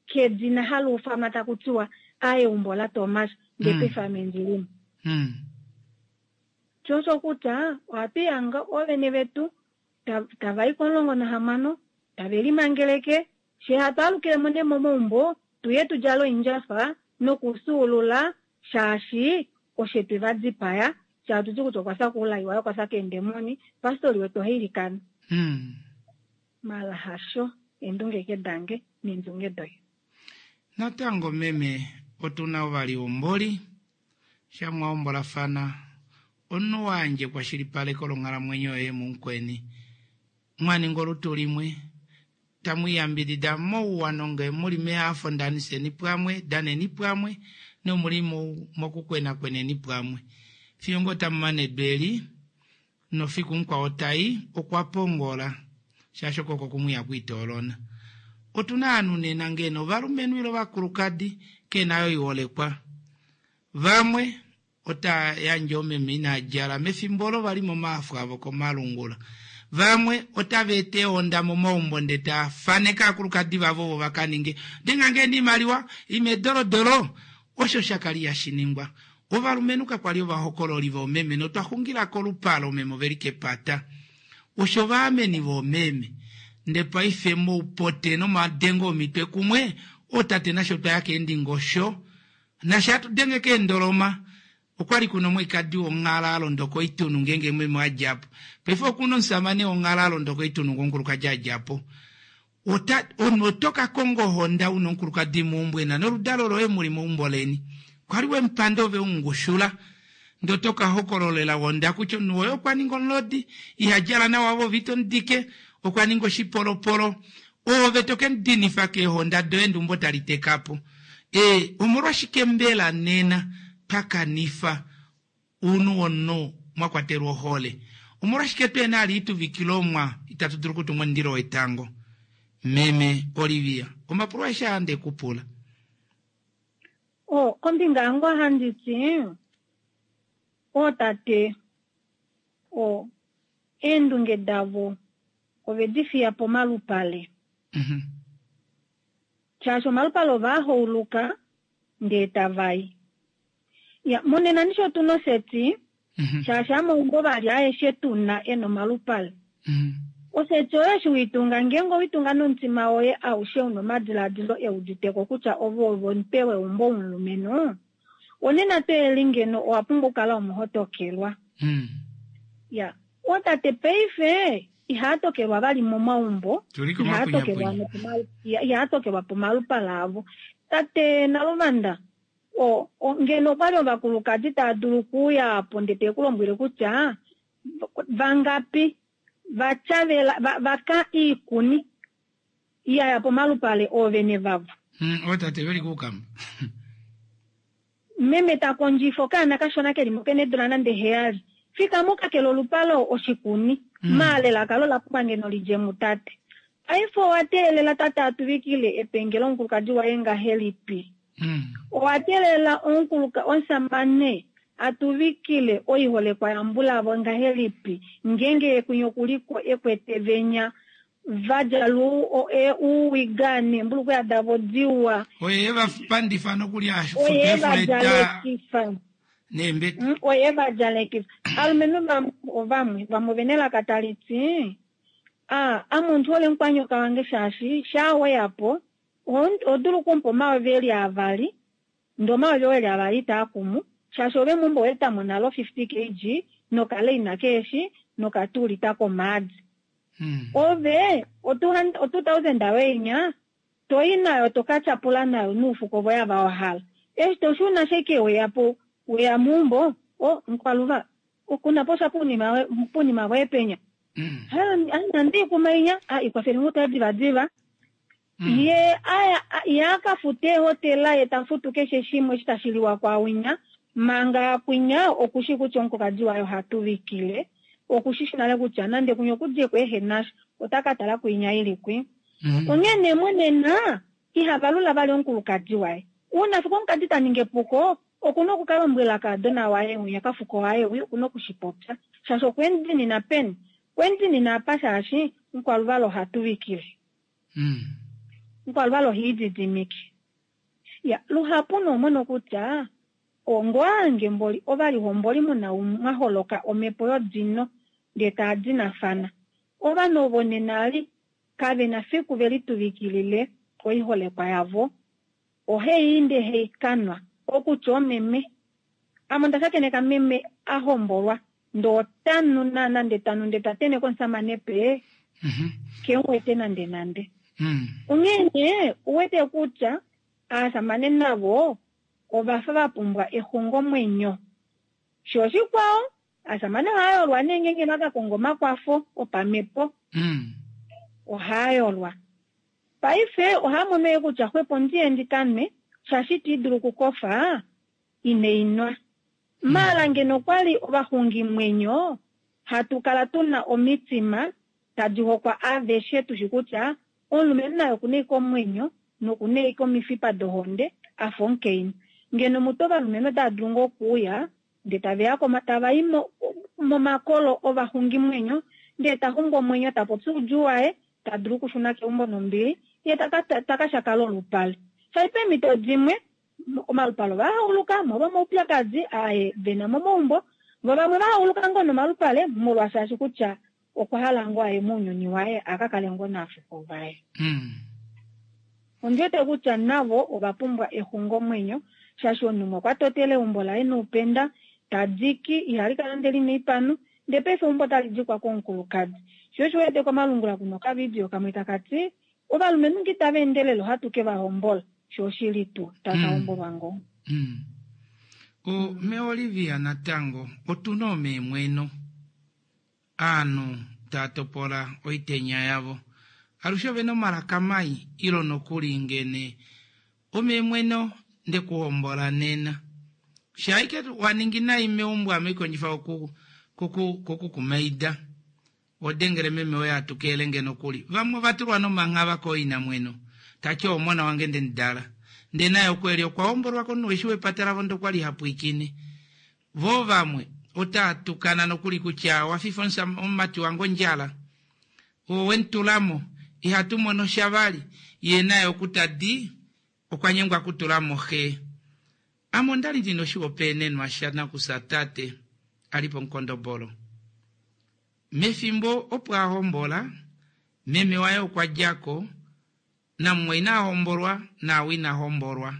Speaker 7: kedina hali ufanwa taku tiwa a eumbo laTomas, ndee paife ame ndi li mo. Sho osho kutya ohatu ihanga oovene vetu tava i komulongo nahamano tave limangeleke, Fye hatu alukile mo nee momaumbo tu ye tu djale oindjafa nokusuulula shaashi oshe twe va dipaya, fye hatu ti kutya okwa fya koulai waye, okwa fya keendemoni, pastori wetu oha ilikana. Mala hasho, eendunge ke dange neendunge doye.
Speaker 1: Natango meme otu na ovalihomboli, sha mwa hombolafana, omunhu wa yandja ekwashilipaleko longhalamwenyo yoye mumukweni, mwa ninga olutu limwe, tamu iyambidida mouwa nonge mu li mehafo ndaniseni pwamwe, daneni pwamwe, nomu li mokukwenakweneni pwamwe. Fiyo ngoo tamu mane edu eli, nofiku mukwao tai, okwa pongola, shaashi oko oko kumwe ihaku itoolona. Otu na ovanhu nena ngeno ovalumenhu ile ovakulukadi, ke na yo oiholekwa. Vamwe Ota yandje omeme inaa djala mefimbo olo va li momaafo avo komalungula. Vamwe otava eta eehonda momaumbo nde taa faneke aakulukadi vavo ovo va ka ninge denga nge niimaliwa ime dolodolo. Osho sha kali hashi ningwa. Ovalumenhu kakwa li ovahokololi voomeme notwa xungila kolupale omeme ove li kepata. Osho ovaameni voomeme. Nde paife moupote nomadengo omitwe kumwe, ootate nasho twa ya keendingosho. Nafye hatu denge keendoloma. Okwali kuna omwalikadi wonghala a londa koitunu ngeenge meme a dja po. Paife okuna omusamane wonghala a londa koitunu ngee omukulukadi a dja po. Ota, omunhu oto ka konga ohonda una omukulukadi meumbo ena noludalo loye muli meumbo leni. Kwali wemupanda ove umungushula. Ndee oto ka hokololela ohonda kutya omunhu woye okwa ninga omulodi, iha djala nawa ove ito mudike, okwa ninga oshipolopolo. Oove to ke mudinifa keehonda doye ndee eumbo tali teka po. Ee, omolwashike mbela nena twa kanifa ounhu womunhu mwa kwatelwa ohole? Omolwashike tuhena ali ituvikilomwa itatu dulu okutunga omundilo wetango? Meme Olivia, omapulo aeshe aa nde ku pula.
Speaker 7: O, kombinga yange ohandi ti, ootate, o, eendunge davo ove di fiya pomalupale. Shaashi omalupale ova a hauluka ndee tava i. Ya, monena ndishi otu na oseti, shaashi hamaumbo vali aeshe tu na e na omalupale. Oseti oyo eshi weitunga, ngeenge oweitunga nomutima woye aushe una omadilaadilo e uditeko kutya ove ove omutwe weumbo womulumenhu, onena to eli ngeno owa pumbwa okukala omuhotokelwa. Ya, ootate paife ihaa tokelwa vali momaumbo, ihaa tokelwa ihaa tokelwa pomalupale avo. Tate Naluvanda, o, o, ngeno okwali ovakulukadi tava dulu okuuya apo ndee te ku lombwele kutya vangapi va tyavela, va, va ka iikuni ya ya pomalupale oovene vavo.
Speaker 1: Ootate veli kuukamba.
Speaker 7: Meme ta kondjifa okaana kashona ke li mo kena eedula nande heyali. Fikama u ka kele olupale oshikuni. Maala elaka lo la pumbwa ngeno li dje mutate. Paife owa teelela tate a tuvikile epenge lomukulukadi waye ngahelipi? Owa teelela omusamane a tuvikile oiholekwa yambulavo ngahelipi ngeenge ye kwinya oku li ko e kwete venya va djala uuwiga neembulukweya davo diwa.
Speaker 1: Oye e va pandifa nokuli a futa
Speaker 7: Oye e va
Speaker 1: eefuleta
Speaker 7: djalekifa.
Speaker 1: neembete.
Speaker 7: Oye e va djalekifa. Alumenhu vamwe ovamwe, vamwe ove na elaka tali ti, A, ame ondi hole mukwanyoka wange shaashi shaa we ya po, oho dulu okumupa omayovi e li avali, ndee omayovi oo e li avali itaa kumu, shaashi ove meumbo owa eta mo nale o 50 kg nokaleina keeshi nokatuulita komaadi. Ove o 2000 yoye inya to i nayo to ka tyapula nayo nuufuko voye ava wa hala. Eshi to shuna sheke weya po weya meumbo, o mukwaluva kuna po sha pounima voye penya. Ha, nande ikuma inya, a ikwafele ngoo tale divadiva. Ye aya, ye a ka fute ehotela ye ta futu keshe shimwe eshi tashi liwa kwaawinya, manga kwinya oku shii kutya omukulukadi waye oha tuvikile, oku shi shi nale kutya nande kwinya oku dje ko ehe na sha, ota ka tala kwinya i li kwi. Onghee nee monena iha valula vali omukulukadi waye. Uuna fiku omukadi ta ningi epuko, oku na oku ka lombwela kaadona waye winya kafuko waye wi, oku na oku shi popya. Shaashi okwe mu dinina peni? Okwe mu dinina apa shaashi mukwaluvala oha tuvikile. Mukwaluvala oha ididimike. Ya, luhapu nee omono kutya ongoange mboli ovalihomboli muna mwa holoka omhepo yodino ndee taa dinafana. Ovanhu ovo nena li kave na fiku ve lituvikilile oiholekwa yavo. Ohe i ndee hei kanwa. Okutya omeme. Ame onda shakeneka meme a hombolwa ndee ota nu naana ndee ta nu ndee ta tenheke omusamane pee ke mu wete nande nande. Onghee nee uwete kutya aasamane navo ova fa va pumbwa exungomwenyo. Sho oshikwao, aasamane ohava yolwa nee ngeenge va ka konga omakwafo opamhepo. Ohava yolwa. Paife ohava mono yo kutya xwepo ndiye ndi ka nwe, shaashi ita i dulu okukofa ine i nwa. Maala ngeno okwali ovaxungimwenyo hatu kala tu na omitima tadi hokwa aveshe tu shi kutya omulumenhu naye oku na ashike omwenyo noku na ashike omifipa dohonde a fa omukainhu. Ngeno mutu ovalumenhu otava dulu ngoo okuuya ndee tave ya tava i momakolo ovaxungimwenyo ndee ta xungu omwenyo ta popi oudjuu waye ta dulu okushuna keumbo nombili ye ta ka shakala olupale. Shaashi peemhito dimwe omalupale ova hauluka molwa omaupyakadi aye ve na momaumbo, vo vamwe va hauluka ngoo nomalupale molwashaashi kutya okwa hala ngoo aye mounyuni waye a ka kale ngoo naafuko vaye. Ondi wete kutya navo ova pumbwa exungomwenyo shaashi omunhu umwe okwa totela eumbo laye noupenda. Tadiki ihali kala nande lina oipanu, ndee paife eumbo otali dikwa komukulukadi. Sho osho wete komalungula kuna okavidio kamwe taka ti, Ovalumenhu nge itava endelele ohatu ke va hombola. Sho oshili tuu, taka hombolwa ngoo.
Speaker 1: O, meOlivia natango otu na omeemweno. Aanhu taa topola oitenya yavo. Alushe ove na omalaka mai, ilo nokuli ngene omeemweno nde ku hombola nena. Shaike wa ningi nai meumbo ame kondjifa oku ku ku kumaida. Odengele meme woye a tukeele nge nokuli. Vamwe ova tulwa nomanghava kooinamweno. Ta ti omona wange nde mu dala. Ndee naye oku eli okwa hombolwa komunhu eshi wepata lavo ndee okwa li ha pwiikine. Voo vamwe otaa tukana nokuli kutya owa fifa omumati wange ondjala. Owe mu tula mo. Ihatu mono sha vali. Yee naye oku ta di okwa nyengwa kutula mo xe. Ame onda li ndi na oshihopaenenwa sha nakufya tate a li pomukondobolo. Mefimbo opo a hombola, meme waye okwa dja ko, namumwaina a hombolwa naau ina hombolwa.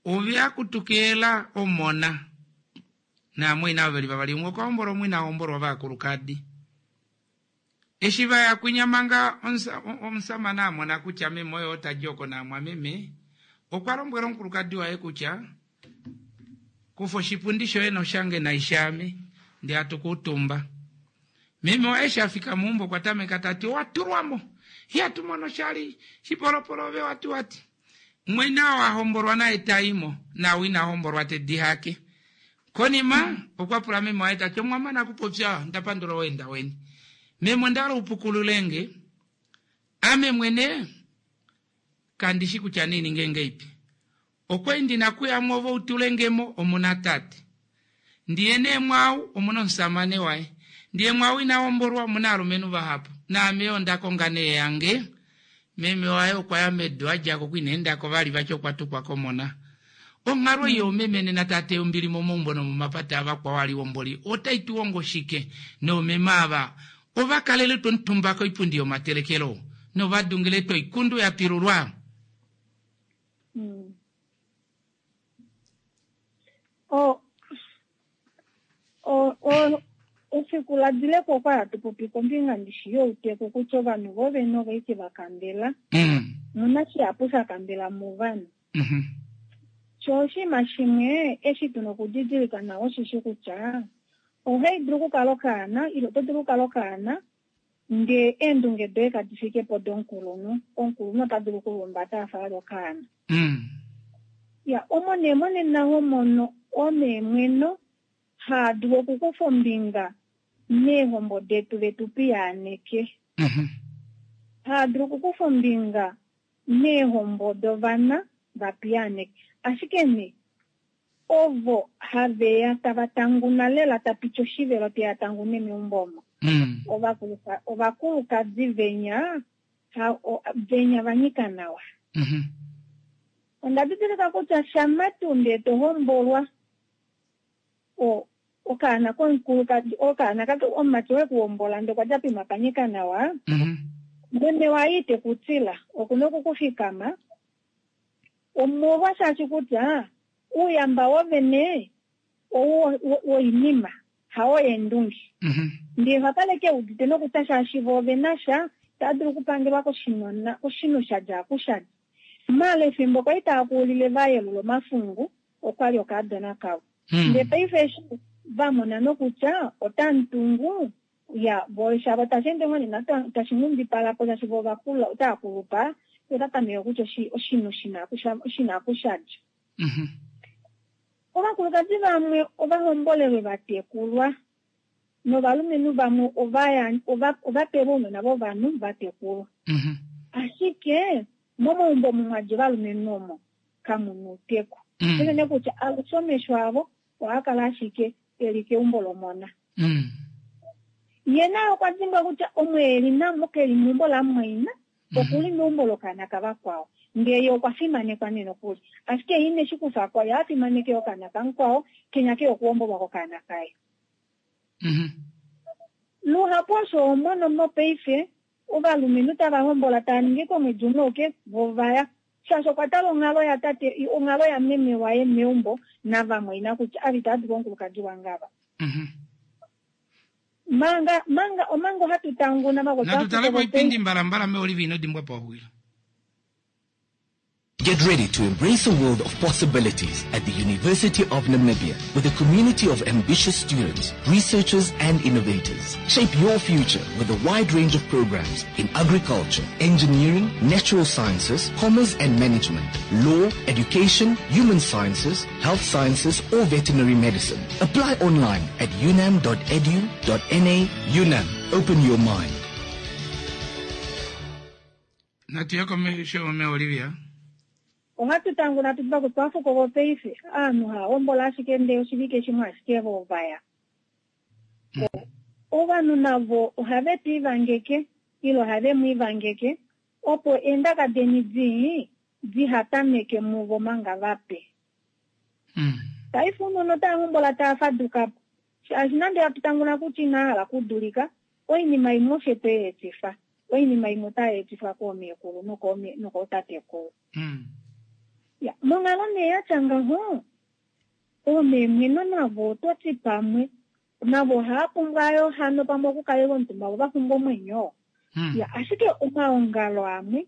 Speaker 1: Ove a kutukeela omona naamwaina ove li vavali, umwe okwa hombolwa umwe ina hombolwa ovakulukadi. Eshi va ya kwinya manga omusamane a mona kutya meme oye ota di oko naamwameme, okwa lombwela omukulukadi waye kutya, Kufa oshipundi shoye noshange naishaame, ndee hatu kuutumba. Meme waye eshi a fika meumbo okwa tameka ta ti, Owa tulwa mo! Ihatu mono shali! Shipolopolo ove wati wati. Mumwaina oo a hombolwa naye ta i mo, naau ina hombolwa te di hake. Konima, okwa pula meme waye ta ti, Omwa mana okupopya? Onda pandula oweenda weni. Meme, onda hala u pukulule nge. Ame mwene kandi shi kutya nii ninge ngeipi. Okwa li ndi na kuya mo ove u tule nge mo, omu na tate. Ndi ye nee mwaau, omu na omusamane waye. Ndi ye mwaau ina hombolwa, omu na aalumenhu vahapu. Naame yo onda konga nee yange. Meme waye okwa ya medu a dja ko ku ina enda ko vali vati okwa tukwa komona. Onghalo ei yoomeme nena taa teya ombili momaumbo nomomapata avakwao aliwomboli otai tu hongo shike? Noomeme ava ova kalele tuu omutumba koipundi yomatelekelo nova dungile tuu oikundu ya pilulwa?
Speaker 7: O, o, o, efiku la dile ko okwa hatu popi kombinga ndishi youteku kutya ovanhu vo vene ova ike va kambela. Muna shihapu sha kambela movanhu. Sho oshinima shimwe eshi tuna okudidilika nawa osheshi kutya ohai dulu okukala okaana ile oto dulu okukala okaana ndee eendunge doye kadi fike po domukulunhu. Omukulunhu ota dulu okulumbata a fa ali okaana. Ya, omo nee monena ho mono omeemweno haa dulu okukufa ombinga meehombo detu ve tu piyaaneke. Haa dulu okukufa ombinga meehombo dovana va piyaaneke. Ashike nee, ovo have ya tava tanguna lela ta piti oshivelo te ya tangune meumbo omo. Ovakulukadi venya, ha, venya va nyika nawa. Onda didilika kutya shama tuu ndee to hombolwa, o, okaana komukulukadi, okaana ka, omumati we ku hombola ndee okwa dja poima pa nyika nawa, meme waye ite ku tila, oku na oku ku fikama, omolwa shaashi kutya ouyamba wovene ou woinima, hao eendunge. Ndee oha kala ke udite nokutya shaashi vo ove na sha, itava dulu okupangelwa koshinona, koshinhu sha dja aku sha dja. Maala efimbo kwali tava kuulile va yelula omafungu, okwali okaadona kavo. Ndee paife eshi va mona nokutya otamu tungu, ya, vo shavo tashi ende ngoo nee tashi nghundipala po shaashi vo ovakula, otava kulupa, ota tameke kutya oshinhu shina aku sha dja. Ovakulukadi vamwe ova hombolelwe va tekulwa, novalumenhu vamwe ova pelwe ounona vovanhu va tekulwa. Ashike momaumbo omo mwa dja ovalumenhu omo kamu na outeku. Unene kutya alushe omesho avo ohaa kala ashike e li keumbo lomona. Ye naye okwa dimbwa kutya omo e li namo ke li meumbo lamumwaina, oku li meumbo lokaana kavakwao. Ndee ye okwa fimanekwa nee nokuli. Ashike ye ine shi kufa ko, ye a fimaneke okaana kamukwao, kenya ke okuhombolwa kokaana kaye. Luhapu osho ho mono mopaife, ovalumenhu tava hombola tava ningi komwedi umwe auke, vo ova ya. Shaashi okwa tala onghalo yatate, onghalo yameme waye meumbo navamwaina kutya ava itava dulu omukulukadi wange ava. Manga, manga, omanga ohatu tanguna
Speaker 1: Natu tale koipindi mbalambala meOlivia ino dimbwa pauxwila.
Speaker 5: Get ready to embrace a world of possibilities at the University of Namibia with a community of ambitious students, researchers and innovators. Shape your future with a wide range of programs in agriculture, engineering, natural sciences, commerce and management, law, education, human sciences, health sciences or veterinary medicine. Apply online at unam.edu.na. UNAM, open your mind.
Speaker 1: Natu ye komesho me Olivia.
Speaker 7: Ohatu tanguna tu diva kutya ovafuko vopaife aanhu hava hombola ashike ndee oshivike shimwe ashike vo vaya. Ovanhu navo ohave tu ivangeke ile ohave mu ivangeke opo eendaka deni dii diha tameke muvo manga vape. Paife ounona otava hombola tava faduka po shaashi nande hatu tanguna kutya inava hala okudulika, oinima imwe ofye twe i etifa. Oinima imwe otai etifwa koomeekulu nokootatekulu. Ya, monghalo nee ya tya ngaho, oomeemweno navo oto ti pamwe navo ohava pumbwa yo hano pamwe okukalelwa omutumba vo va xunge omwenyo. Ya, ashike omaongalo amwe,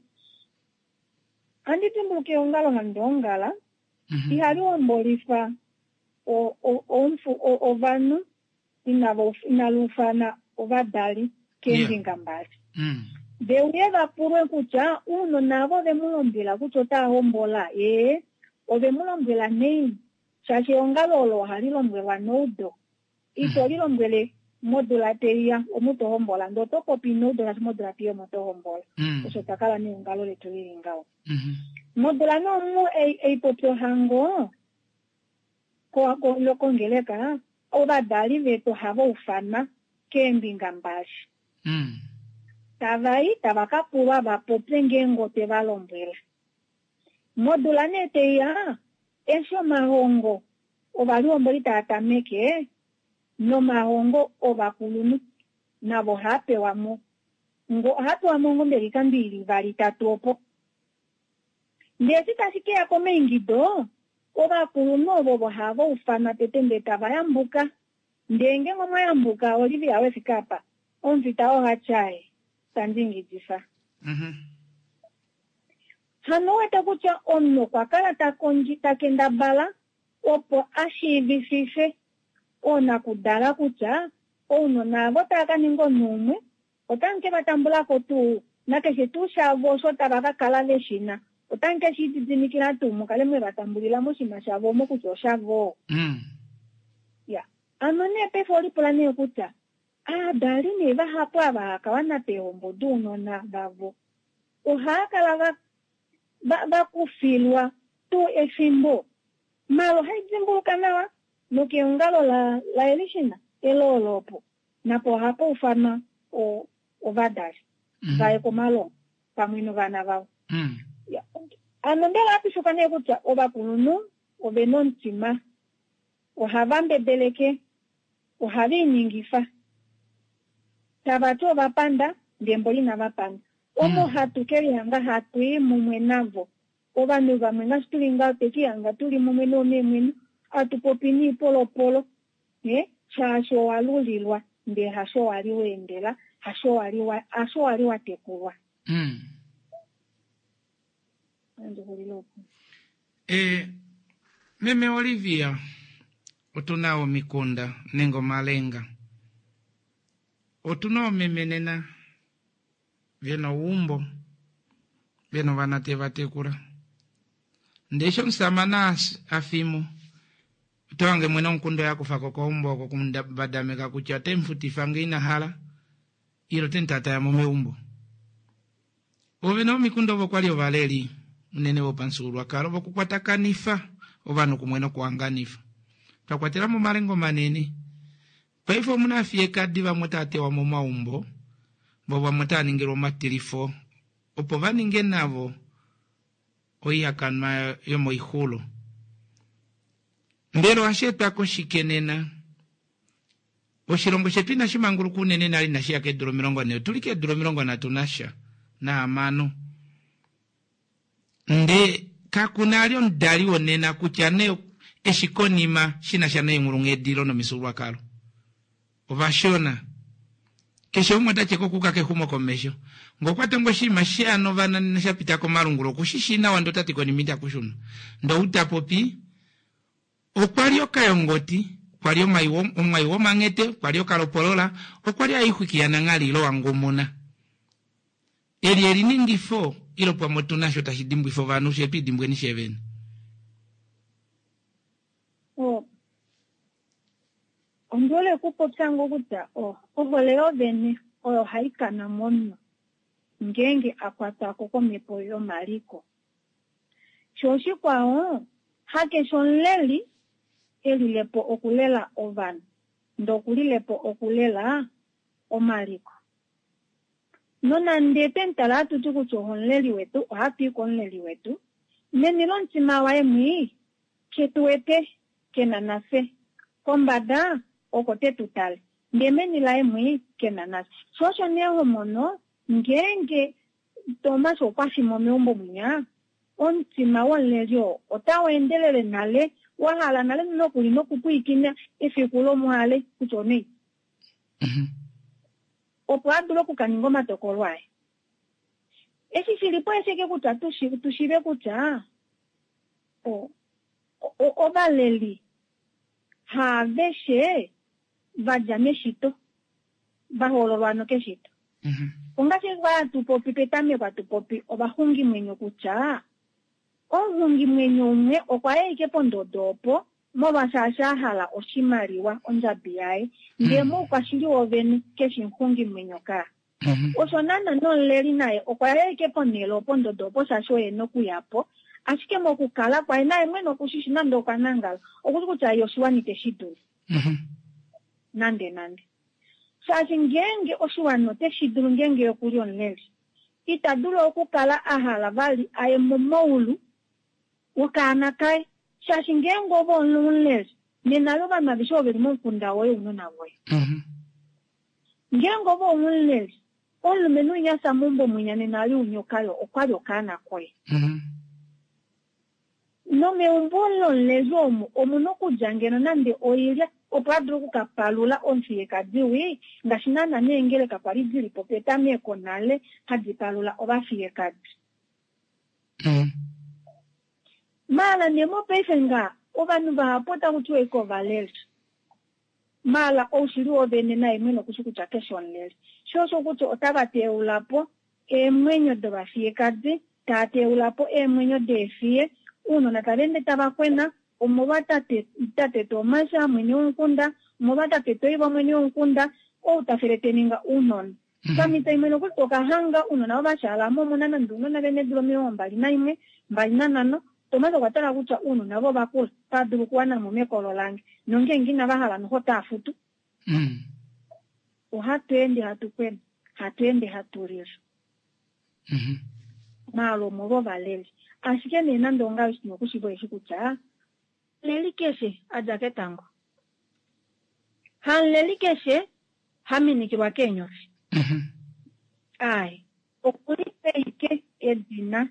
Speaker 7: ohandi dimbuluka eongalo handi ongala, ihali hombolifa ovanhu inali ufana ovadali keembinga mbali. Ve uye va pulwe kutya ounona avo ove mu lombwela kutya otava hombola? Ee, ove mu lombwela naini? Shaashi eongalo olo ohali lombwelwa neudo. Ito li lombwele modula tai ya omu to hombola, ndee oto popi neudo shaashi modula tai ya omo to hombola. Osho twa kala neongalo letu li li ngaho. Modula nee omu ei popi ohango kongeleka, ovadali vetu ohava ufanwa keembinga mbali. Tava i tava ka pulwa va popye ngeenge otwe va lombwela. Modula nee tai ya, eshi omahongo ovalihomboli taa tameke, nomahongo ovakulunhu navo ohaa pewa mo. Ohaa pewa mo ngoo mbela oikando i li ivali itatu opo. Ndee eshi tashi ke ya komaingido, ovakulunhu ovo ovo hava ufanwa tete ndee tava yambuka. Ndee ngeenge omwa yambuka, Olivia we fika apa, omufita oha tya, Ae, tandi ingidifa. Hano ou wete kutya omunhu okwa kala ta kondji, ta kendabala opo a shiivifife oonakudala kutya ounona avo tava ka ninga omunhu umwe, Otamu ke va tambula ko tuu, nakeshe tuu shavo osho tava ka kala ve shi na, otamu ke shi lididimikila tuu mu kale mwe va tambulila moshinima shavo omo kutya oshavo? Ya. Ano nee paife olipula nee kutya, aadali nee vahapu ava hava ka wana peehombo dounona vavo, ohava kala va, va, va kufilwa tuu efimbo? Maala ohai dimbuluka nawa, nokeongalo la, laElishina, eloolo opo. Napo ohapa ufanwa ovadali va ye komalongo pamwe novana vavo. Hano mbela ohatu shuka nee kutya ovakulunhu ove na omutima, ohava mbebeleke, ohave i ningifa tava ti ova panda ndee mboli inava panda. Omo hatu ke lihanga hatu i mumwe navo. Ovanhu vamwe ngaashi tuli ngaho twe ke lihanga tuli mumwe noomeemweno, hatu popi niipolopolo. Nghee, shaashi owa lulilwa, ndee hasho wa li wa endela, hasho wa li wa, hasho wa li wa tekulwa. Nandi xulile opo.
Speaker 1: E, Meme Olivia, otu na omikunda nenge omalenga. Otu na oomeme nena ve na ouumbo, ve na ovana te va tekula. Ndee eshi omusamane a fi mo, oto hange mwene womukunda oye a kufa ko keumbo oko okumubadameka kutya ote mu futifa ngee ina hala, ile ote mu taataya mo meumbo. Oovene vomikunda ovo okwa li ovaleli unene vopamufyuululwakalo vokukwatakanifa ovanhu kumwe nokuhanganifa. Twa kwatela mo omalenga omanene. Paife omu na aafiyekadi vamwe otava tewa momaumbo, vo vamwe otava ningilwa omatilifo opo va ninge navo oihakanwa yomoixulo. Mbela ohashi etwa koshike nena? Oshilongo shetu inashi manguluka unene nale inashi ya keedula 40, otu li keedula 36. Ndee kaku na ali omudali wonena kutya nee eshi konima shi na sha neenghulunghedilo nomifyuululwakalo. Ovashona. Keshe umwe ota tye ko okuuka kexumokomesho. Ngee okwa tongo oshinima sheya novana nena sha pita komalungula oku shi shii nawa ndee ota ti konima itaku shunwa. Ndee ou ta popi okwa li okayongoti, okwa li omwai womanghete, okwa li okalopolola, okwa li aixwiki yananghali ile wangumuna. Eli eliningifo ile pamwe otu na sho tashi dimbwifa ovanhu fye twi dimbweni fye vene?
Speaker 7: Oh. Ondi hole okupopya ngoo kutya oh, ohole yovene oyo hai kana momunhu ngeenge a kwatwa ko komhepo yomaliko. Sho oshikwao, hakeshe omuleli e lile po okulela ovanhu, ndee oku lile po okulela omaliko. Nonande twemutala hatu ti kutya omuleli wetu, ohatu i komuleli wetu, meni lomutima waye mwii, ke tu wete, ke na nafye. Kombada, oko te tu tale, ndee meni laye mwii, ke na nafye. Sho osho nee ho mono, ngeenge Tomas okwa fi mo meumbo mwinya, omutima womuleli oo otau endelele nale, wa hala nale nokuli nokupwiikina efiku lomwale kutya onaini. Opo a dule oku ka ninga omatokolo aye. Eshi shi li po esheke kutya tu shiive kutya ovaleli haaveshe va dja meshito, va hoololwa hano keshito. Ongaashi kwa hatu popi petameko hatu popi ovaxungimwenyo kutya omuxungimwenyo umwe okwa ya ashike pondodo opo molwashaashi a hala oshimaliwa, ondjabi yaye, ndee moukwashili wovene keshi muxungimwenyo kaa. Osho naana nomuleli naye okwa ya ashike ponhele opo ondodo opo shaashi oye ena okuya po, ashike mokukala kwaye naye mwene okushishi nande okwa nangala, okushi kutya ye oshiwana ite shi dulu. Nande nande. Shaashi ngeenge oshiwana ote shi dulu ngeenge ye okuli omuleli, ita dulu okukala a hala vali a ye momaulu wokaana kaye shaashi ngeenge ove omuleli nena yo ovanhu aveshe ovo veli momukunda woye ounona voye. Ngeenge ove omuleli, omulumenhu winya afya meumbo mwinya nena ali unyoka yo okwali okaana koye. Nomeumbo lomuleli omu omuna okudja ngeno nande oilya opo a dule oku ka palula omufiyekadi wii ngaashi naana neengeleka kwali dili po petameko nale hadi palula ovafiyekadi. Maala nee mopaife nga ovanhu vahapu otaku tiwa ashike ovaleli. Maala oushili wovene naye mwene okushi kutya keshe omuleli. Sho osho kutya otava teula po eemwenyo dovafiyekadi, taa teula po eemwenyo deefiye, ounona tava ende tava kwena omolwa tate tate Tomasha mwene womukunda, omolwa tate Toivo mwene womukunda, ou ta fele te ninga ounona. Pamhito imwe nokuli to ka hanga ounona ovashaala mo omuna nande ounona ve na eedula 21, 25, Tomas okwa tala kutya ounona ovo ova kula, otava dulu okuwana mo mekolo lange, nongeenge inava hala noho otava futu. Ohatu ende hatu kwena, hatu ende hatu lili. Maala omolwa ovaleli. Ashike nee nande ongaho eshi tuna okushiiva osheshi kutya, Omuleli keshe a dja ketango. Hamuleli keshe ha minikilwa keenyofi. Aaye. Okulipa ashike edina,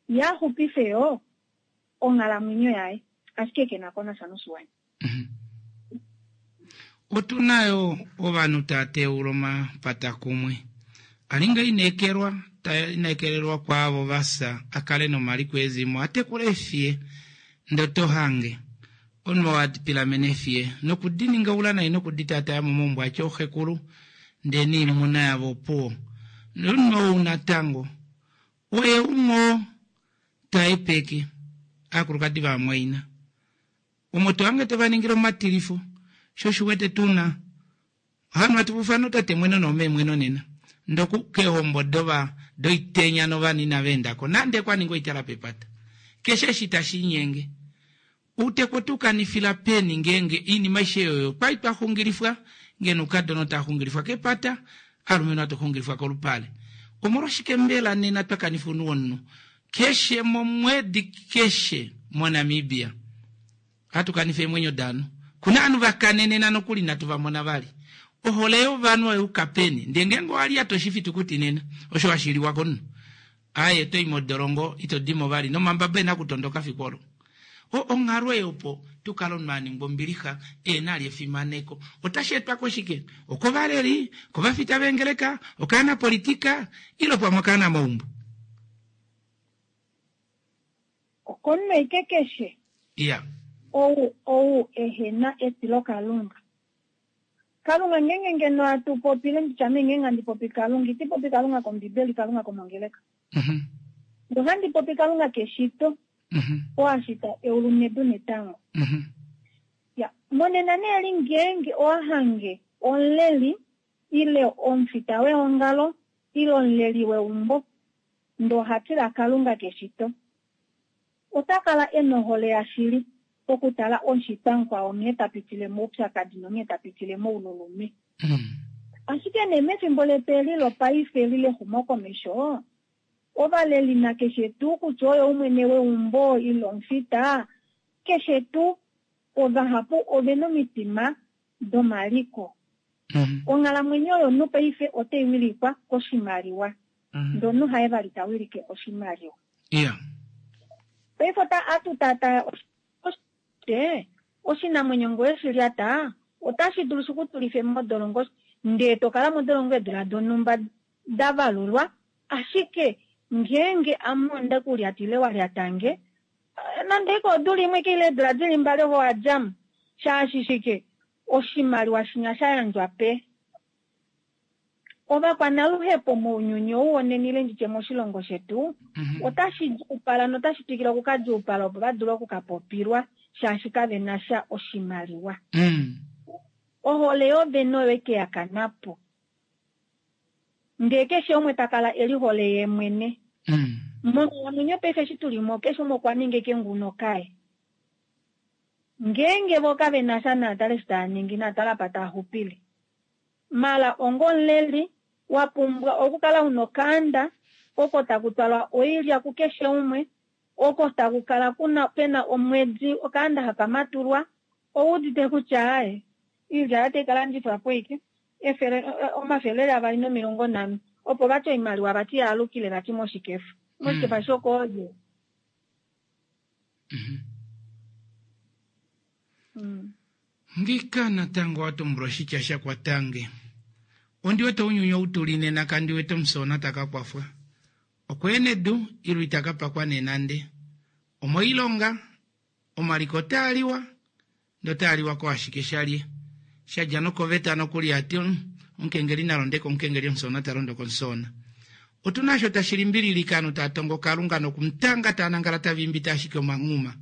Speaker 7: ye a xupife yo onghalamwenyo yaye, ashike ke na ko nasha noshiwana.
Speaker 1: Otu na yo ovanhu taa teula omapata kumwe. A li nga ineekelwa, ta inekelelwa kwaavo va fya, a kale nomaliko ezimo, a tekule eefiye. Ndele oto hange omunhu oo a pilamena eefiye noku di ningaula nai noku di taataya mo momaumbo a tya ooxekulu, ndee noimuna yavo opuwo. Nomunhu ou natango oye umwe oo ta hepeke aakulukadi vamwaina. Omo to hange te va ningile omatilifo, sho oshi wete tu na Hano hatu fufana otatemweno noomeemweno nena. Ndoku keehombo dova doitenya novanhu inava enda ko nande kwa ningwa oitala pepata. Keshe eshi tashi inyenge. Outeku otu kanifila peni ngeenge oinima aishe oyo kwali twa xungilifwa, ngeno oukadona otava xungilifwa kepata, aalumenhu hatu xungilifwa kolupale. Omolwashike mbela nena twa kanifa ounhu womunhu keshe momwedi keshe moNamibia? Ohatu kanifa eemwenyo daanhu. Kuna ovanhu va kanenena nokuli inatu va mona vali. Ohole yovanhu oya yuka peni? Ndee ngeenge owa lyata oshifitukuti nena, osho hashi liwa komunhu. Aaye oto i modolongo ito dimo vali nomambaba ena okutondoka fiku olo. O onghalo ei opo tu kale omunhu a ningwa ombilixa ehena ali efimaneko. Otashi etwa koshike? Okovaleli, okovafita veengeleka, okaanapolitika ile pamwe okaanamaumbo?
Speaker 7: Okomunhu aike keshe.
Speaker 1: Iya.
Speaker 7: Ou ou ehena etilokalunga. Kalunga ngeenge ngeno atu popile nditya ame ngeenge handi popi Kalunga iti popi Kalunga kombibeli Kalunga komongeleka. Ndee ohandi popi Kalunga keshito oo a shita eulu nedu netango. Ya, monena nee li ngeenge owa hange omuleli ile omufita weongalo ile omuleli weumbo ndee oha tila Kalunga keshito, ota kala e na ohole yashili okutala omushitwa mukwao nghee ta pitile moupyakadi nonghee ta pitile moululume. Ashike nee mefimbo letu eli lopaife eli lexumokomesho, ovaleli nakeshe tuu kutya oye umwene weumbo ile omufita, keshe tuu, ovahapu ove na omitima domaliko. Onghalamwenyo yomunhu paife otai wilikwa koshimaliwa, ndee omunhu haye vali ta wilike oshimaliwa. Paife ota atu tata oshite oshinamwenyo ngee oweshi lyata otashi dulu shi ku tulife modolongo ndee to kala modolongo eedula donhumba da valulwa ashike ngeenge ame onde ku lyata ile wa lyatange nande ike odula imwe ike ile eedula dili mbali ove owa djamo shaashi shike oshimaliwa shinya sha yandjwa pe Ovakwanaluhepo mounyuni ou wonena ile nditye moshilongo shetu otashi djuupala notashi twikile okukadjuupala opo va dule okukapopilwa shaashi kave na sha oshimaliwa. Ohole yovene oyo eke ya kana po. Ndee keshe umwe ta kala e lihole yee mwene. Monghalamwenyo paife eshi tu li mo keshe umwe okwa ninga eke nguno kaye. Ngeenge vo kave na sha naatale eshi taa ningi naatale apa taa xupile. Mala onga omuleli, wa pumbwa okukala una okaanda oko taku twalwa oilya kukeshe umwe, oko taku kala kuna pena omwedi okaanda haka matulwa. Ouudite kutya aaye, iilya oyo tai ka landifwa po ike efele, 250 opo vati oimaliwa vati yaalukile vati moshikefa. Moshikefa shokoolye?
Speaker 1: Ngika natango wa tumbula oshitya sha kwatange. Ondi wete ounyuni ou tuli nena kandi wete omusoona ta ka kwafwa. Okweena edu ilo ita ka pakwa nee nande. Omoilonga, omaliko otaa liwa, ndee otaa liwa ko ashike shalye. Sha dja nokoveta nokuli ya ti omukengeli na londe komukengeli omusoona ta londo komusoona. Otu na osho tashi limbililike ovanhu taa tongo Kalunga nokumutanga taa nangala tava imbita ashike omanghuma.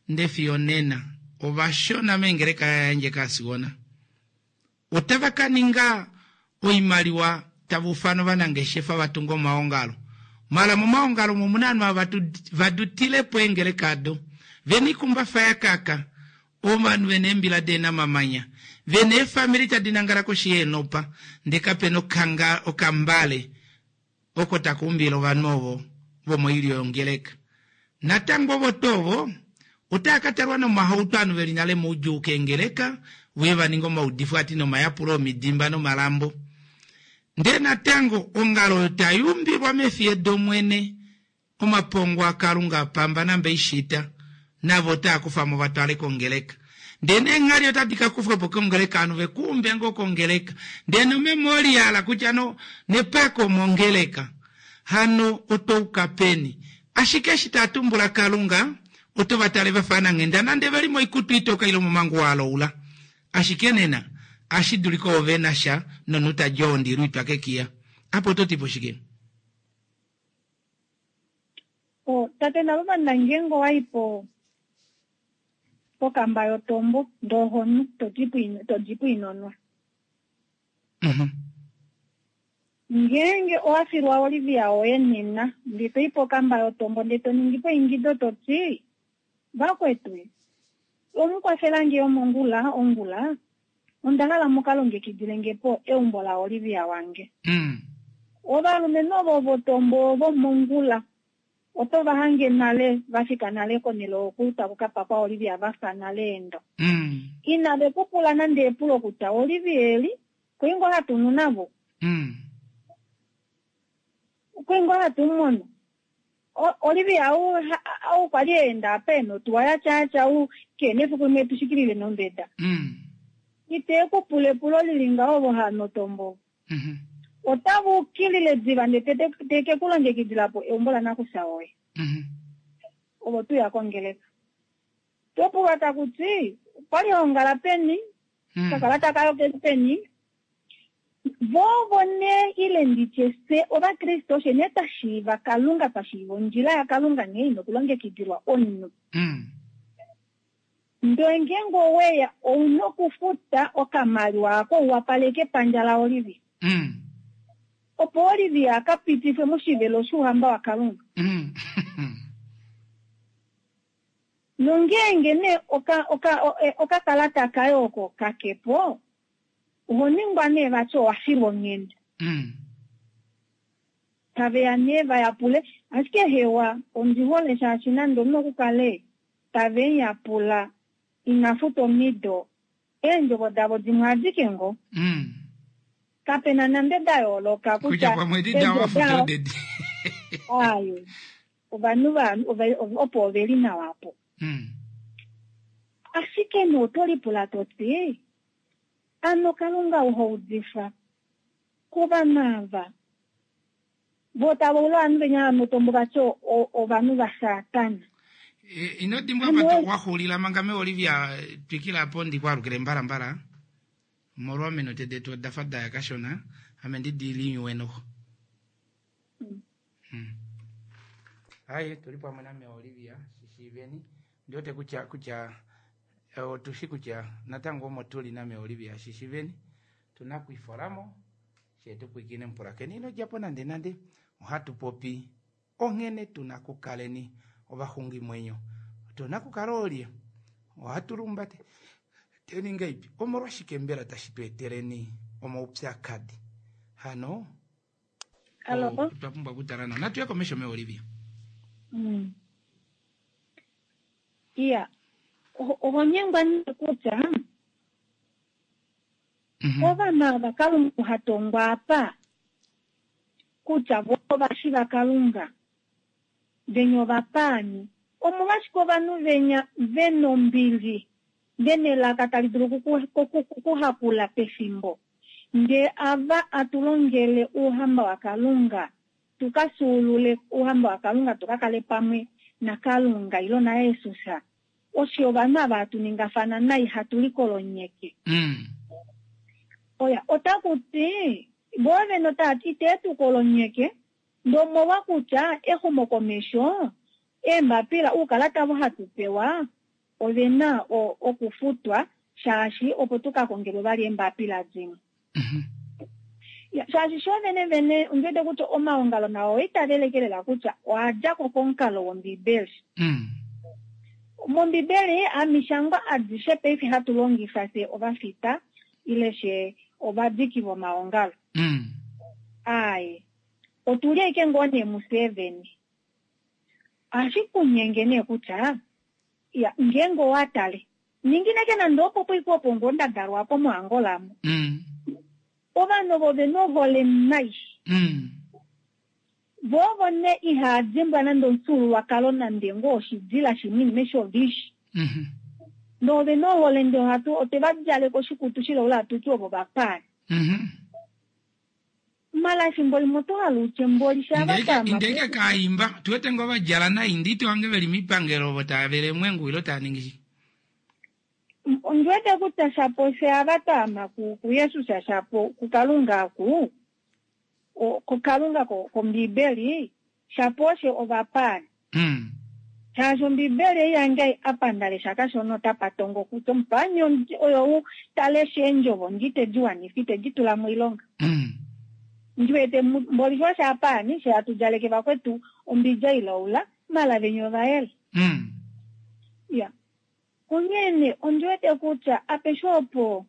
Speaker 1: Nde fiyo onena ovashona meengeleka ya yandje kaasigona. Otava ka ninga oimaliwa tava ufana ovanangeshefa va tunge omaongalo. Mala momaongalo omo omuna ovanhu ava va dutile po eengeleka ado. Ve na oikumbafa ya kaka, ovanhu ve na eembila dehe na omamanya, ve na eefamili tadi nangala koshi yeenopa, ndee kape na okambale oko taka umbile ovanhu ovo vomoilyo yongeleka. Natango ovo tuu ovo otava ka talwa nomahauto ovanhu ve li nale moudjuu keengeleka vuye va ninge omaudifo ati nomayapulo omidimba nomalambo. Ndee natango ongalo oyo tai umbilwa mefiye dOmwene Omapongo aKalunga a pamba namba ishita, navo otaa kufa mo va twale kongeleka. Ndee neenghali otadi ka kufwa po kongeleka ovanhu ve ku umbe ngoo kongeleka. Ndee nomemoriala kutya no, nepako omongeleka. Hano oto uka peni? Ashike eshi taa tumbula Kalunga, oto va tale va fa ananghenda nande ve li moikutu itoka ile omomanguwa aloula. Ashike nena, ashi dulika ovo ve na sha nomunhu ta dja ondilu itwa kekiya. Apa oto ti po shike?
Speaker 7: Oh, tate navo vanangengo wai po pokamba yotombo ndoo honu to dipo inonwa. Ngeenge owa filwa Olivia woye nena ndee to i pokamba yotombo ndee to ningi po eingido to ti, Vakwetu, omu kwafela nge omongula ongula, onda hala mu ka longekidile nge po eumbo laOlivia wange. Ovalumenhu ovo votombo ovo mongula oto va hange nale va fika nale konhele oku taku ka pakwa Olivia va fa nale eendo. Inave ku pula nande epulo kutya Olivia eli kwei ngoo hatu nu navo? Kwei ngoo hatu mu mono? Olivia ou kwali enda apa ena otuwa ya tyatya ou keena efiku limwe tushikilile nombeda. Ite ku pula epulo lili ngaho ovo hanotombo. Otava ukilile diva ndele teke ku longekidila po eumbo lanakufya woye. Ovo tuya kongeleka. Topulwa taku ti okwali ongala peni, kakalata kayo keli peni. Vovo ne ile nditye fye ovakriste oshe ne twa shiiva Kalunga, twa shiiva ondjila yaKalunga nghee ina okulongekidilwa omunhu. Ndele ngeenge oweya ouna okufuta okamaliwa ako u wapaleke epandja laOlivia. Opo Olivia a ka pitifwe moshivelo shouhamba waKalunga. Nongeenge nee okakalata kaye oko kakepo, oho ningwa nee vati owa filwa onghenda. Taveya nee va yapule, ashike hewa ondi hole shaashi nande omunhu okukale tave mu yapula ina futa omido, eendjovo davo dimwe adike ngoo. Kapena nande da yooloka
Speaker 1: kutya pamwe edi da wafuta odedi.
Speaker 7: Aye, ovanhu opo oveli nawa apo. Ashike nee oto lipula to ti, ano Kalunga oha udifa kovanhu ava vo tava ula ovanhu venya vanotombo vati ovanhu vaSatana.
Speaker 1: Ino dimbwa apa waxuulila manga me Olivia twikila apo ndikwaalukile mbalambala omolwa ominute detu oda fa daya kashona ame ndi di linyuwe noho. Aye tuli pamwe name Olivia shishiiveni ndiwete kutya kutya otushi kutya natango omo tuli name Olivia shishiiveni tuna kwifolamo shetu pwikine mpulakeni ino djapo nande nande ohatu popi onghene tuna kukaleni ovaxungimwenyo tuna kukala olye ohatu lumbate teni ngaipi omolwashike mbela tashi tu eteleni omaupyakadi hano otwa pumbwa okutala nawa natuye komesho me Olivia.
Speaker 7: Iya oho nyengwa nee kutya ovanhu ava Kalunga ha tongwa apa kutya vo ovashi vaKalunga venya ovapaani omolwashike ovanhu venya vena ombili vena elaka tali dulu okuhakula pefimbo ndee ava atulongele ouhamba waKalunga tukafyuulule ouhamba waKalunga tukakale pamwe naKalunga ilo naJesus osho ovanhu ava hatu ningafana nai hatu likolonyeke. Oya otaku ti vo vene otava ti ite tu kolonyeke ndomolwa kutya exumokomesho eembapila uukalata avo hatu pewa ovena okufutwa shaashi opo tukakongelwe vali eembapila dimwe. Shaashi sho vene vene ondiwete kutya omaongalo nao oitavelekelela kutya oadjako komukalo wOmbibeli. MOmbibeli amishangwa adishe paife hatu longifa fye ovafita ile fye ovadiki vomaongalo. Aye, otuli ashike ngoo nee mufye vene. Ohashi kunyenge nee kutya ya ngeenge owa tale ningineke nande opo poiko opo ngoo nda dalwa apo moAngola mo. Ovanhu ovo vena ohole nai. Vo ovo nee ihaa dimbwa nande omufyuululwakalo nande ngoo oshidila shimwe inima eshi ovishi. Ndee ovena ohole ndee ohatu otwe va djaleka oshikutu shilaula hatu ti ovo vapaani. Mala efimbo limwe oto hala utye mboli shava tama.
Speaker 1: Indeke kaimba tuwete ngoo vadjala nai nditi wange veli miipangelo ovo tava vele emwengu ilo tava ningi shi.
Speaker 7: Ondiwete kutya shapo fye ava twaama kuJesus shapo kuKalunga aku kuKalunga kOmbibeli shapo oshe ovapaani. Shaashi Ombibeli ei yange apa nda lesha kashona otapa tongo kutya omupaani oyo u ta lesha eendjovo ndi te di wanifa ite di tula moilonga. Ndiwete mboli sho osha apaani she hatu djaleke vakwetu ombidja ilaula mala venya ovayele. Ya. Onghee ondiwete kutya apeshe opo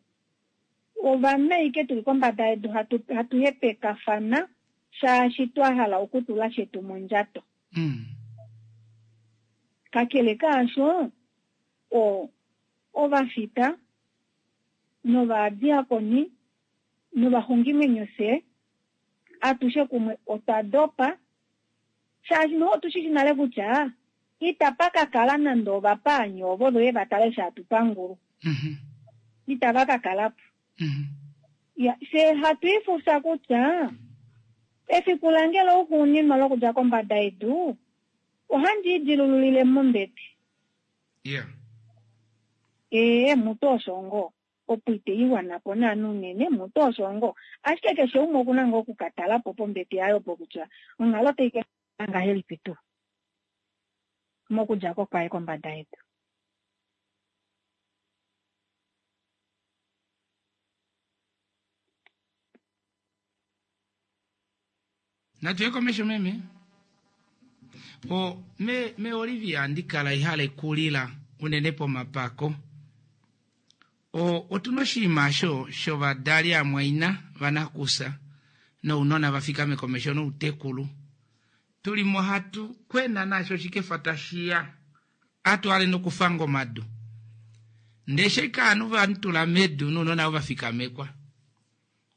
Speaker 7: ovanhu aike tuli kombada yedu hatu hepekafana shaashi twa hala okutula shetu mondjato. Kakele kaasho ovafita novadiakoni novaxungimwenyo fye atushe kumwe otwa dopa. Shaashi noho otu shi shi nale kutya itapa ka kala nande ovapaani ovo ve va tale eshi hatu pangulwa. Itava ka kala po. Ya, fye hatu ifufya kutya efiku lange louxuuninwa lokudja kombada yedu ohandi idilululile mombete.
Speaker 1: Yeah.
Speaker 7: Ee, mutu osho ngoo. Opo ite i wana po naana unene, mutu osho ngoo. Ashike keshe umwe oku na ngoo oku ka tala po pombete yaye opo kutya onghalo otai ka kala ngahelipi tuu mokudja ko kwaye kombada yedu.
Speaker 1: Natu ye komesho meme. O me me Olivia andi kala ihale kulila unene pomapako. O otuna oshinima osho shovadali amwaina vanakusa nounona va fikame komesho noutekulu. Tuli mo hatu kwena naasho oshikefa tashiya. Atu ale nokufanga omadu. Ndee sheka ovanhu va tula medu nounona vo va fikamekwa.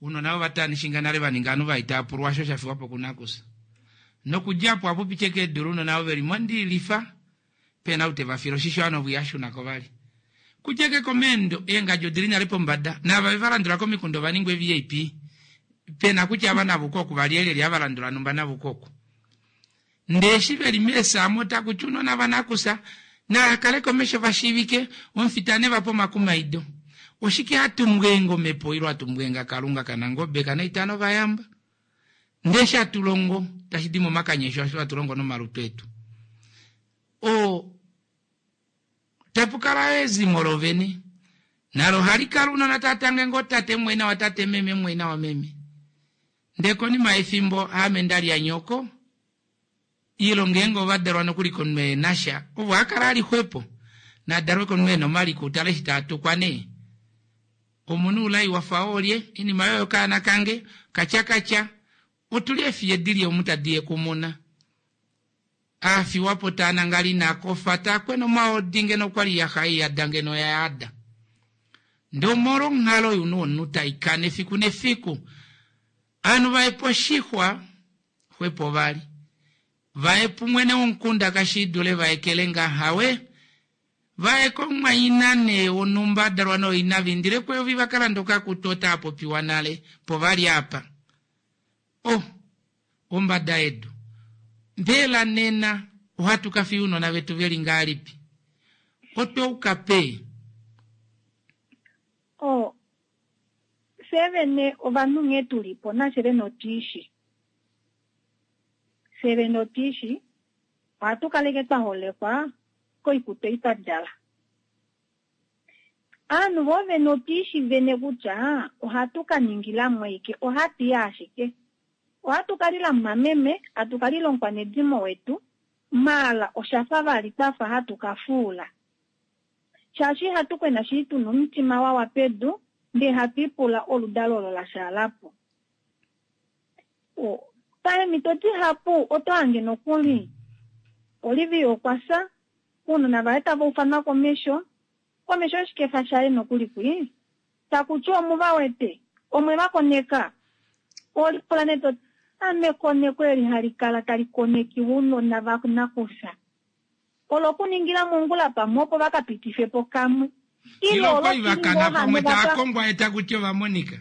Speaker 1: Ounona vo vatanishinga nale va ninga ovanhu vai tava pulwa osho sha fiwa po kunakusa. Nokudja apo ohapu piti eke eedula ounona ovo ve li mondiilifa pena ou te va file oshisho ovanhu ovo iha shuna ko vali. Kudja eke komeendo eengadji odili nale pombada naava ve va landula komikunda ova ningwa eVIP pena kutya ava nava uke oku valyelyelye ava landula numba nava uke oku. Ndee eshi ve li meesaamo otaku ti ounona vanakusa nava kale komesho va shiivike, omufita ne va pe omakumaido. Oshike hatu mbweenga omhepo ile hatu mbweenga Kalunga kaNangobe kaNaitana ovayamba? Ndee eshi hatu longo tashi di momakanya esho osho hatu longo nomalutu etu. O tapu kala ezimo lovene nalo ohali kala ounona tava tange ngoo tate mumwaina watate meme mumwaina wameme. Ndee konima yefimbo aame nda lya nyoko, ile ngeenge ova dalwa nokuli komunhu ehe na sha, ovo a kala a li xwepo, na dalwe komunhu e na omaliko, u tale eshi taa tukwa nee. Omunhu ulai wa fa oolye, oinima yoye okaana kange, katyakatya, otu li eefiye di li omu tadi yekumuna. A fiwa po taa nangala ina kofa, taa kwena omaodi ngeno okwa li ya xa yada ngeno oya yada. Ndee omolwa onghalo younhu womunhu tai kana efiku nefiku, ovanhu va ye poshixwa xwepo vali. Va ye pumwene womukunda kashi dule va ye kelenga hawe. Va ye komumwaina nee wonhumba a dalwa nooina va indile kueyovi va ka lande okakutu otaa popiwa nale po vali apa. Oh, ombada yedu. Mbela nena ohatu ka fiya ounona vetu ve li ngahelipi? Otwe uka peni?
Speaker 7: Oh, fye vene ovanhu nghee tu li po nafye vene otu i shi. Fye vene otu i shi, ohatu kaleke twa holekwa koikutu ei twa djala. Ovanhu vo vene otu i shi vene kutya ohatu ka ningila mwaike, ohatu i ashike. Ohatu ka lila mumameme, hatu ka lila omukwanedimo wetu, maala osha fa vali twa fa hatu ka fuula. Shaashi ihatu kwena shili tu na omutima wa wa pedu, ndee hatu ipula oludalo olo la shaala po. O, paemhito dihapu oto hange nokuli Olivia okwa fya, ounona vaye tava ufanwa komesho, komesho yoshikefa shaye nokuli kwi, taku ti omu va wete, omwe va koneka. Oho lipula nee to ti, Ame ekoneko eli hali kala tali konekiwa ounona va nakufya, olokuningila mongula pamwe opo va ka pitife po kamwe, ile
Speaker 1: Ile okwali va
Speaker 7: oloshili
Speaker 1: kana
Speaker 7: ngoo
Speaker 1: pamwe
Speaker 7: hano va
Speaker 1: tava
Speaker 7: ka
Speaker 1: kongwa ye taku ti ova monika.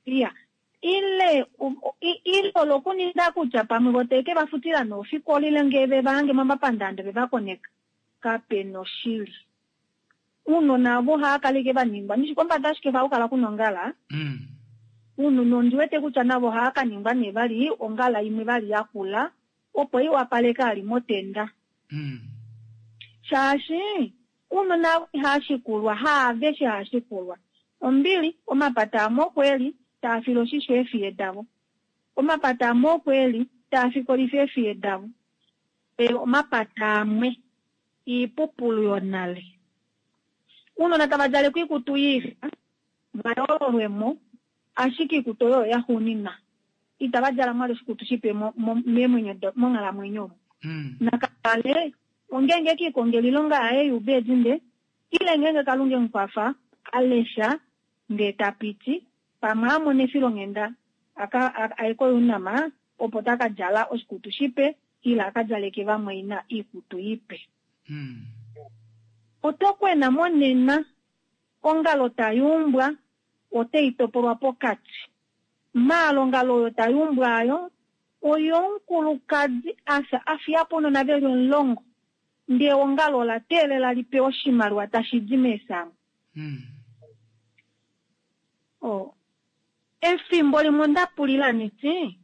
Speaker 7: Iya. Ile, ile olokuninga kutya pamwe vo teke va futila noofikola ile ngee ve va hange momapandaanda ve va koneka. Kape noshili. Ounona ovo ohava kala ashike va ningwa ndishi kombada ashike ohaku kala kuna ongala. Ounona ondi wete kutya navo ohava ka ningwa nee vali ongala imwe vali yakula opo i wapaleke ali motenda. Shaashi ounona avo ihava shikulwa, haaveshe hava shikulwa. Ombili, omapata amwe oko e li taa file oshisho eefiye davo. Omapata amwe oko e li taa fikolifa eefiye davo. Ndele omapata amwe iipupulu yonale. Ounona tava djalekwa oikutu yiifa, va yoololwe mo, ashike oikutu oyo oyaxuuninwa. Itava djala mwali oshikutu shipe meemwenyo monghalamwenyo omu. Nakale ongeenge e ke likongela oilonga yaye youbedinde, ile ngeenge Kalunga e mu kwafa, a lesha, ndee ta piti, pamwe a mona efilonghenda a ka aye koUNAM, opo ta ka djala oshikutu shipe ile a ka djaleke vamwaina oikutu ipe. Oto kwena monena, ongalo tai umbwa otai topolwa pokati. Maala ongalo oyo tai umbwa ayo oyomukulukadi a fya a fiya po ounona ve li omulongo, ndee eongalo ola teelela li pewe oshimaliwa tashi di meesamo. Oh. Efimbo limwe onda pulila niti,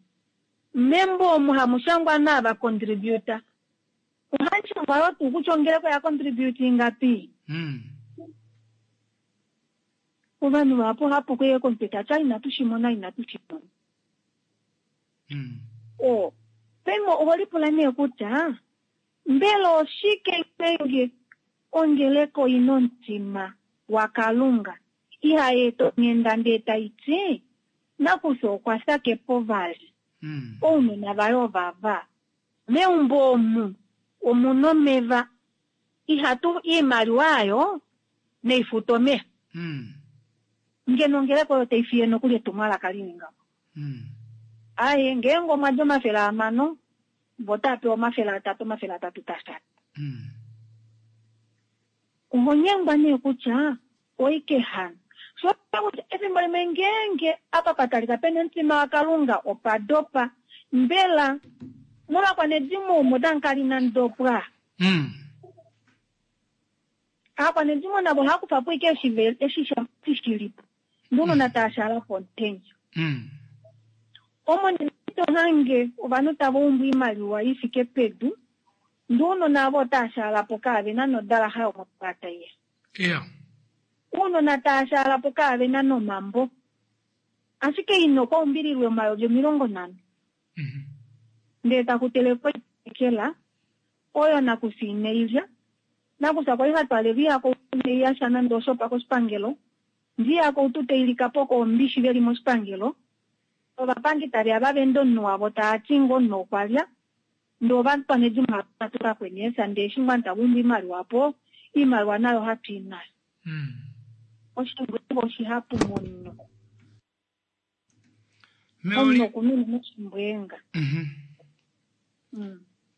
Speaker 7: membo omu hamu shangwa naava contributor, ohamu shangwa yoo tuu kutya ongeleka oya contribute ingapi? Ovanhu vahapu ohava puka komutwe tati ah inatu shi mona inatu shi mona. Oh. Paife oho lipula nee kutya mbela oshike ngeenge ongeleka oi na omutima waKalunga ihai eta onghenda ndee tai ti nakufya okwa fya ke po vali, ounona vaye ovava, meumbo omu omu na omeva, ihatu iimaliwa ayo nai fute omeva. Ngeno ongeleka oyo tai fiye nokuli etumwalaka li li ngaho. Aye, ngeenge omwa dja 600, vo otava pewa 300, 300 tasha. Oho nyengwa nee kutya oike hano. Sho osho kutya efimbo limwe ngeenge apa pa talika pe na omutima waKalunga opa dopa, mbela movakwanedimo omo otamu kala inamu dopwa? Aakwanedimo navo ohava kufa po ashike eshi shi li po, ndee ounona tava shaala pomutenya. Omo nena ito hange ovanhu tava umbu oimaliwa i fike pedu, ndee ounona avo otava shaala po kaave na nodalaxa yomopata iya. Ounona tava shaala po kaave na nomambo. Ashike ina okwa umbililwe 50000. Ndee taku telekwa oitekela oyo nakufya inai lya. Nakufya kwali ha twaalelwa ihako inai yasha nande oshopa koshipangelo. Ndee ihako outu tai lika po koombishi veli moshipangelo. Ovapangi tave ya va vende omunhu wavo tava ti ngoo omunhu okwa lya. Ndee ovakwanedimo hava tuka kweneesa ndee eshi ngoo tava umbu oimaliwa po, oimaliwa nayo hatu i nayo. Oshimbweenga oshihapu momunhu. Omunhu oku na unene oshimbweenga.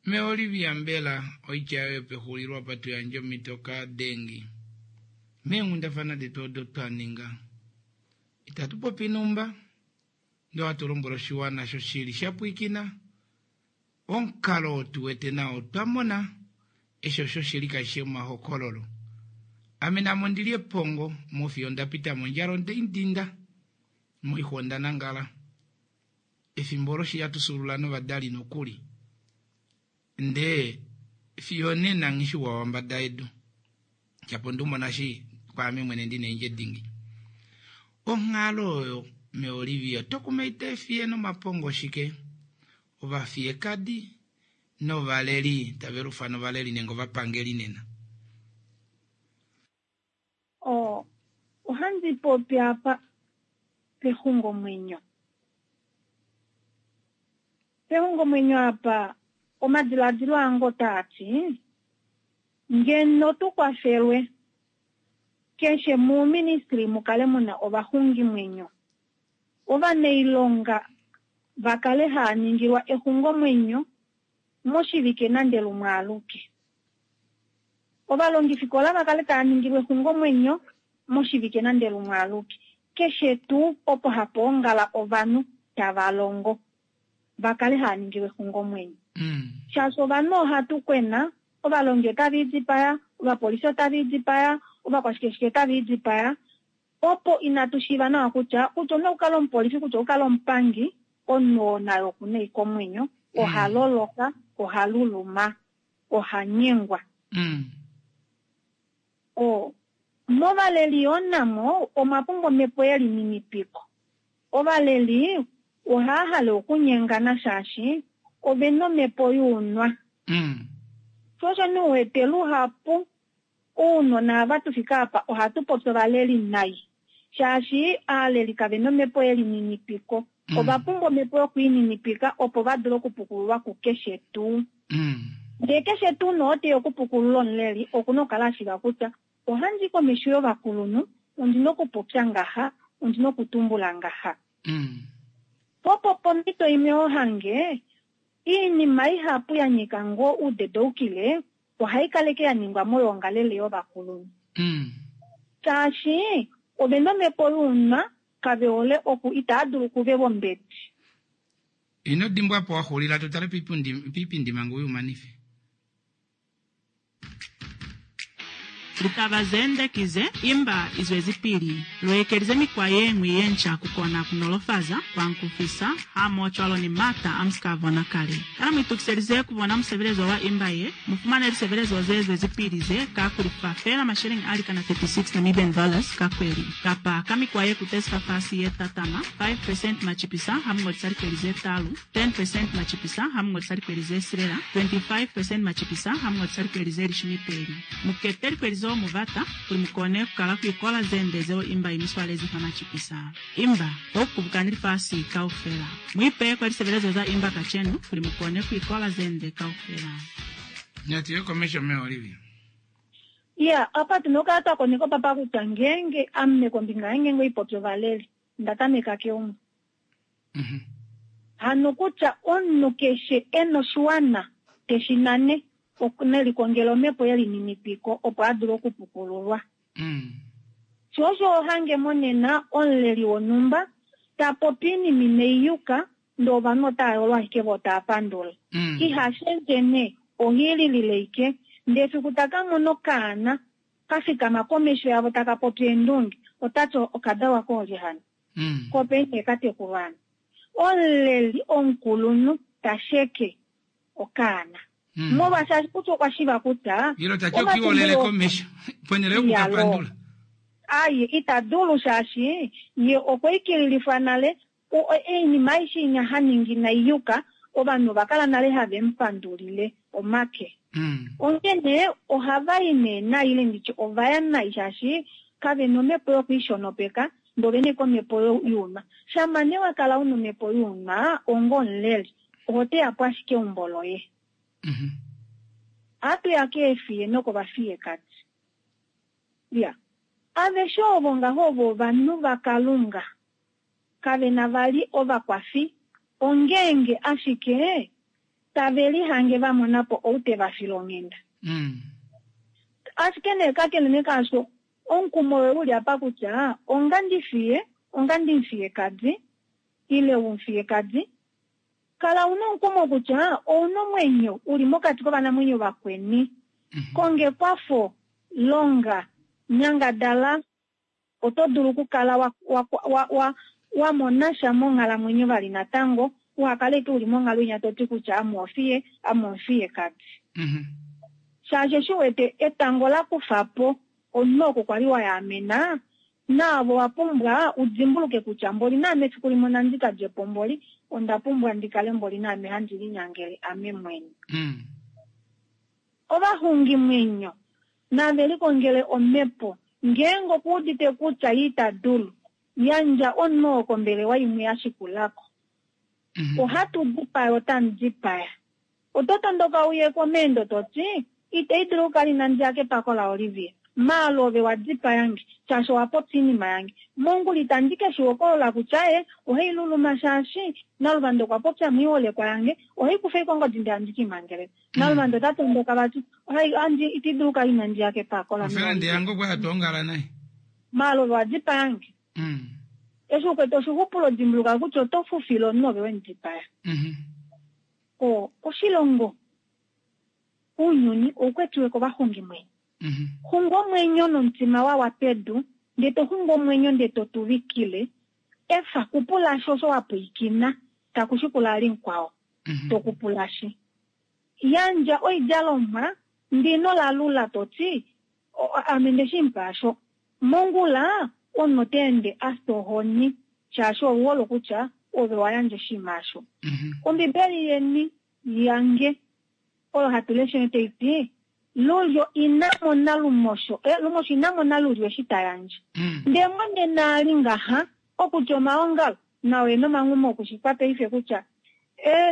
Speaker 1: Me Olivia mbela oitya yoye pexulilo apa tu yandje omhito ka Dengi meenghundafana detu odo twa ninga. Itatu popi numba, ndee ohatu lombwele oshiwana shoshili sha pwiikina omukalo oo tu wete nao otwa mona eshi osho shili kashi shi omahokololo. Ame naame ondi li epongo mofiyo onda pita mondjala onde i dinda, moixwa onda nangala. Efimbo olo shi hatu fyuulula novadali nokuli, ndee fiyo onena nghi shi wa wambada yedu. Shapo onde u mona shi kwaame mwene ndi na eendje dingi. Onghalo oyo meOlivia oto kumaida efiye nomapongo shike? Ovafiyekadi novaleli tave lufana ovaleli nenge ovapangeli nena.
Speaker 7: O, ohandi popi apa pexungomwenyo. Pexungomwenyo apa omadiladilo ange otaa ti, ngeno tu kwafelwe keshe muuministry mu kale mu na ovaxungimwenyo, ovanailonga va kale haa ningilwa exungomwenyo moshivike nande lumwe aluke. Ovalongifikola va kale tava ningilwa exungomwenyo moshivike nande lumwe aluke. Keshe tuu opo hapa ongala ovanhu tava longo va kale hava ningilwa exungomwenyo. Shaashi ovanhu ohatu kwena, ovalongi otava idipaya, ovapolisi otava idipaya, ovakwashikeshike otava idipaya, opo inatu shiiva nawa kutya, kutya omunhu okukala omupolifi, kutya okukala omupangi, omunhu oo naye oku na eikomwenyo, oha loloka, oha luluma, oha nyengwa. O, movaleli yoo namo omwa pumbwa omhepo yelininipiko. Ovaleli ohava hale okunyengana shaashi ove na omhepo younwa. Sho osho nee u wete luhapu ounona ava tu fika apa ohatu popi ovaleli nai shaashi aaleli kave na omhepo yelininipiko. Ova pumbwa omhepo yokwiininipika opo va dule okupukululwa kukeshe tuu. Ndee keshe tuu nee oo teya okupukulula omuleli oku na okukala a shiiva kutya ohandi i komesho yovakulunhu, ondi na okupopya ngaha, ondi na okutumbula ngaha. Po opo pomhito imwe ho hange iinima ihapu ya nyika ngoo oudedoukile ohai kaleke ya ningwa moyoongalele yovakulunhu. Shaashi ove na omhepo younwa, kave hole oku itaa dulu okuvelwa ombedi.
Speaker 1: Ino dimbwa apa wa xulila tu tale piipindi manga uye umanife.
Speaker 9: Litaba zende ki ze, Imba izwezipili. Luekelize mikwa yeñwi yenca kukona kunolofaza, kuankufisa, hamohocwalo ni maata amusika abona kale. Kana muitukiselize kubona musebelezo wa Imba ye? Mufumane lisebelezo ze zwezipili ze ka kulifa feela masheleñi a likana 36 Namibian dollars ka kweli, kapa ka mikwa ye kutezi fafasi ye tatama, 5 percent macipisa hamuñolisa likweli ze talu, 10 percent macipisa hamuñolisa likweli ze silela, 25 percent macipisa hamuñolisa likweli ze lishumi peli. Mukete likweli zeo mubata kuli mukone kukala kuikola zende zeo imba imiswalezi fa macipisa. Imba, bokukubukani lifasi kaufela. Muipeye kwa lisebelezo za imba kacenu kuli mukone kuikola zende kaufela.
Speaker 1: Natu ye komesho mee Olivia.
Speaker 7: Iya, apa tuna okukala twa koneka opapa kutya ngeenge ame kombinga yange ngeenge oipopi ovaleli, nda tameka keumbo. Hano kutya omunhu keshe e na oshiwana te shi nane, ne likongele omhepo yelininipiko opo a dule okupukululwa. Sho osho ho hange monena omuleli wonhumba ta popi oinima inai yuka ndee ovanhu otava yolo ashike voo tava pandula. Iha shendje nee, oha ililile ashike ndee efiku ta ka mona okaana ka fikama komesho yavo taka popi eendunge, ota ti okadalwa koolye hano? Ko peni ka tekulwa hano? Omuleli omukulunhu ta sheke okaana. Molwaashi ashike kutya okwa shiva kutya
Speaker 1: Ile ta ti okiolele komesho ponhele yoku ka pandula.
Speaker 7: Aye, ita dulu shaashi ye okwa ikililifwa nale oinima aishe inya ha ningi inai yuka, ovanhu ova kala nale have mu pandulile omake. Onghene ohava i nee nai ile nditye ova ya nai shaashi kave na omhepo yokwiishonopeka ndee ove na ashike omhepo younwa. Shama nee wa kala una omhepo younwa onga omuleli, oho teya po ashike eumbo loye. Ohatu ya keefiye nokovafiyekadi. Iya. Aveshe ovo ngaho ovo ovanhu vaKalunga. Kave na vali ovakwafi, ongeenge ashike tave lihange va mona po ou te va file onghenda. Ashike nee kakele nee kaasho, omukumo woye u li apa kutya onga ndi fiye, onga ndimufiyekadi, ile wumufiyekadi, kala u na omukumo kutya ou na omwenyo u li mokati kovanamwenyo vakweni. Konga ekwafo, longa, nyangadala, oto dulu okukala wa, wa, wa, wa, wa mona sha monghalamwenyo vali natango, uha kale ike u li monghalo inya to ti kutya ame ofiye, ame omufiyekadi. Shaashi eshi u wete etango la kufa po omunhu oko kwa li wa yaamena, naave owa pumbwa u dimbuluke kutya mboli naame efiku limwe onandi ka dje po mboli, onda pumbwa ndi kale mboli naame handi linyangele ame mwene. Ovaxungimwenyo nave likongele omhepo. Ngeenge okuudite kutya ye ita dulu, yandja omunhu oo kombelewa imwe ya shikula ko. Ohatu dipaya, otamu dipaya. Oto tondoka uye komeendo to ti, Itai dulu okukala inandi ya kepako laOlivia. Maalo ove wa dipaya nge, shaashi owa popya oinima yange. Mongula itandi ke shi hokolola kutya ye ohai luluma shaashi Naluvanda okwa popya moiholekwa yange, ohai kufa ashike ongodi ndele handi ke i mangeleka. Naluvanda ota tondoka vati, ohai andi iti dulu okukala inandi ya kepako la
Speaker 1: Ofelende yange okwa ya twongala naye.
Speaker 7: Maalo ove wa dipaya nge. Eshi u kwete oshixupulo dimbuluka kutya oto fufile omunhu ove we mu dipaya. O, oshilongo, ounyuni ou kwetiwe kovaxungimwenyo. Xunga omwenyo nomutima wa wa pedu, ndee to xunga omwenyo ndee to tuvikile, efa, kupulashi osho wa pwiikina, taku shikula ali mukwao, to kupulashi. Yandja oidjalomwa ndee ino lalula to ti, Ame nde shi mupa asho. Mongula, omunhu ota ende a fya ohoni, shaashi ou hole kutya ove wa yandja oshinima osho. Ombibeli yeni, yange, oyo hatu lesha tai ti, Lulyo ina mona lumosho, lumosho ina mona lulyo eshi ta yandje. Ndee monena a li ngaha, okutya omaongalo nao e na omanghuma okushikwa paife kutya,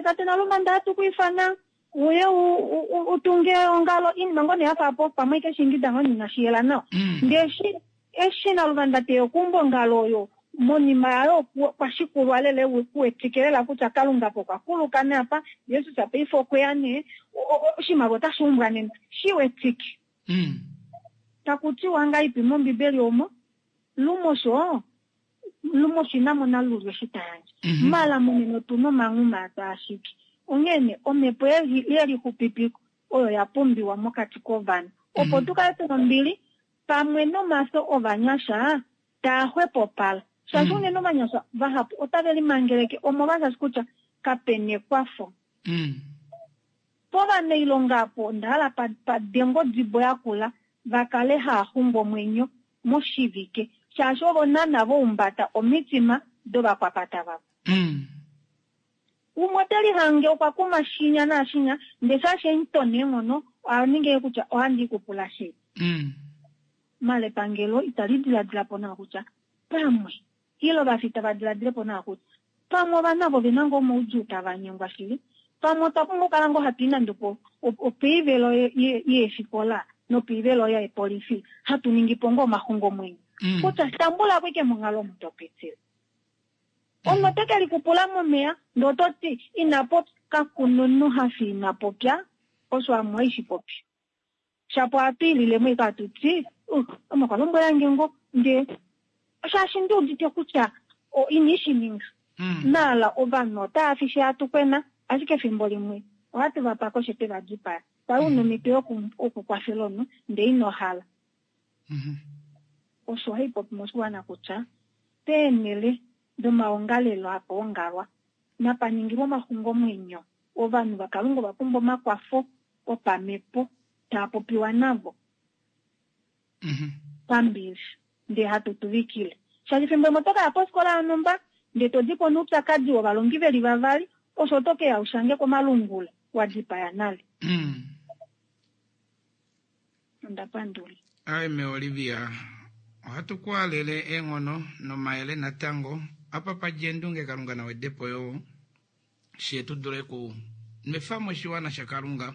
Speaker 7: Tate Nalumanda ohatu ku ifana uye u tunge eongalo, oinima ngoo nee ya fa po, pamwe ike shi ingida ngoo nee inashi yela nawa. Ndee eshi, eshi Naluvanda te ya okuumba ongalo oyo, Monima yayo okwa shikulwa lela kuwetike lela kutya Kalunga po okwa kuluka nee apa, Jesus paife okwe ya nee, oshimaliwa otashi umbwa nena. Shi wetike. Taku tiwa ngahelipi mOmbibeli omo, Lumosho, lumosho ina mona lulyo eshi ta yandje. Mala monena otu na omanghuma taa ashike. Onghee nee, omhepo yelixupipiko oyo ya pumbiwa mokati kovanhu. Opo tu kale tu na ombili pamwe nomafyo ovanyasha taa xwepopala. Shaashi unene ovanyasha vahapu otave limangeleke omolwashaashi kutya kape na ekwafo. Povanailonga apo onda hala pa dengwe odibo yakula va kale haa xungu omwenyo moshivike shaashi ovo naana va umbata omitima dovakwapata vavo. Umwe ote lihange okwa kuma shinya naashinya ndee shaashi emuto neenghono oha ningi kutya ohandi i kupula shili. Mala epangelo itali diladila po nawa kutya pamwe ile ovafita va diladile po nawa kutya pamwe ovanhu avo ove na ngoo omaudjuu tava nyengwa shili. Pamwe otwa pumbwa okukala ngoo hatu i nande opoivelo yeefikola nopoivelo yeepolifi hatu ningi po ngoo omaxungomwenyo. Kutya tambula ko ashike monghalo omu to pitile. Omunhu ote ke likupula momeya ndee oto ti ina popya. Kaku na omunhu ha fi ina popya osho ame ohaishi popi. Shapo ohatu ilile mo ashike hatu ti, ame okwa lombwela nge ngoo ndee shaashi ndi udite kutya ine shi ninga. Maala ovanhu otava fi shi hatu kwena, ashike efimbo limwe ohatu va pake osho twe va dipaya. Kwali una omhito yokukwafela omunhu ndee ino hala. Osho hai popi moshiwana kutya peenhele domaongalelo hapa ongalwa napa ningilwe omaxungomwenyo. Ovanhu vaKalunga ova pumbwa omakwafo opamhepo taa popiwa navo pambili ndee hatu tuvikile. Shaashi efimbo limwe oto ka ya pofikola yonhumba ndee to di po noupyakadi wovalongi ve li vavali, osho oto ke ya u shange komalungula wa dipaya nale. Onda pandula.
Speaker 1: Aime Olivia, ohatu ku halele eenghono nomayele natango apa pa dja eendunge Kalunga na wede po yoo she tu dule ku nwefa mo oshiwana shaKalunga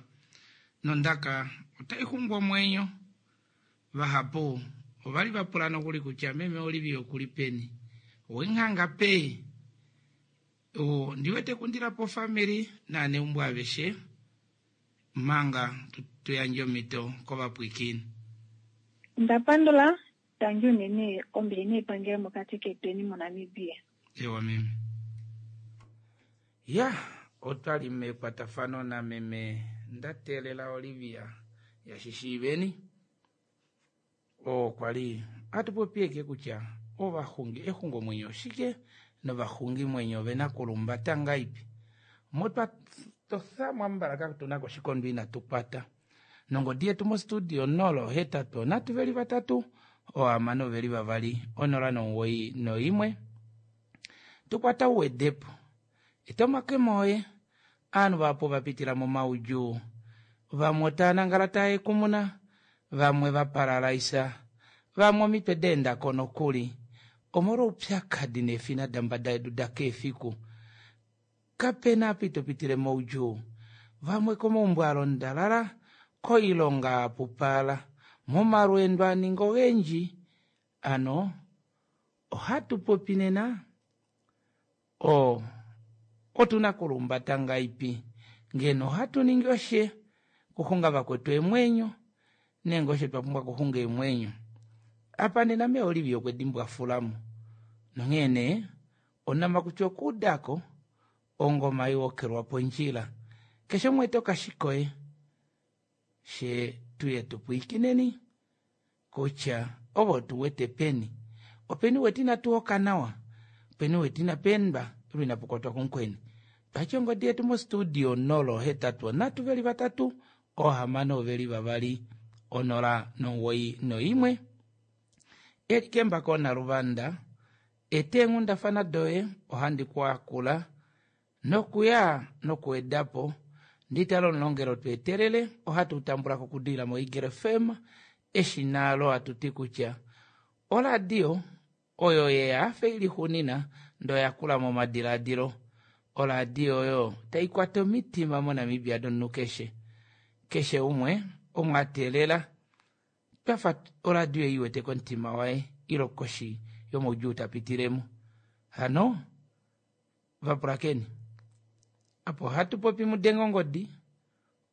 Speaker 1: nondaka otai xungu omwenyo. Vahapu ova li va pula nokuli kutya meme Olivia oku li peni? Owenghanga pe? Ondi wete kundila po ofamili naaneumbo aveshe manga tu yandje omhito kovapwilikini.
Speaker 7: Onda pandula, tangi unene ombili neipangelo mokati ketweni moNamibia.
Speaker 1: Ewa meme. Ya, otwa li mekwatafano nameme Ndateelela Olivia yaShishiiveni. Oo kwa li hatu popi eke kutya ovaxungi exungomwenyo oshike novaxungimwenyo ove na kulumbata ngaipi. Motwa totha mwambala katu na koshikondo inatu kwata. Nongodi yetu mostudio 0 8 3 veli vatatu ohamano veli vavali 0 9 noimwe. Tukwata uwedepo. Eta omakemo oye. Aanhu vahapu ova pitila momaudjuu. Vamwe otava nangala tava ekumuna, vamwe va paralaisa, vamwe omitwe da enda ko nokuli omolwoupyakadi neefina dambada yedu da keefiku. Kape na apa ito pitile moudjuu. Vamwe komaumbo a londalala, koilonga a pupala, momalweendo a ninga ogendji. Ano ohatu popi nena o otu na kulumbata ngaipi ngeno ohatu ningi oshe kuxunga vakwetu eemwenyo nenge oshe twa pumbwa kuxunga eemwenyo. Apa nena mee Olivia okwe dimbwafulamo nonghee nee onama kutya okuudako ongoma iwokelwa pondjila. Keshe umwe eta okashikoye she tuye tu pwiikineni kutya ovo tu wete peni. Openi wete inatu hoka nawa, openi wete inapa endwa ile inapu kwatwa kumukweni. Twatya ongodi yetu mostudio 0 8 3 veli vatatu ohamano veli vavali 0 9 noimwe. Eli kembako naluvanda eta eenghundafana doye ohandi ku akula nokuya nokuwedapo nditale omulongelo tu etelele ohatu tambula ko kudila moEagle FM eshina lo hatu ti kutya oradio oyo yeya afe ili xunina ndo yakula momadiladilo. Oradio oyo tai kwata omitima moNamibia domunhu keshe. Keshe umwe omwa teelela twafa oradio ei iwete komutima waye ilo koshi yomaudjuu ta pitilemo. Hano vapulakeni apo ohatu popi mudenge ongodi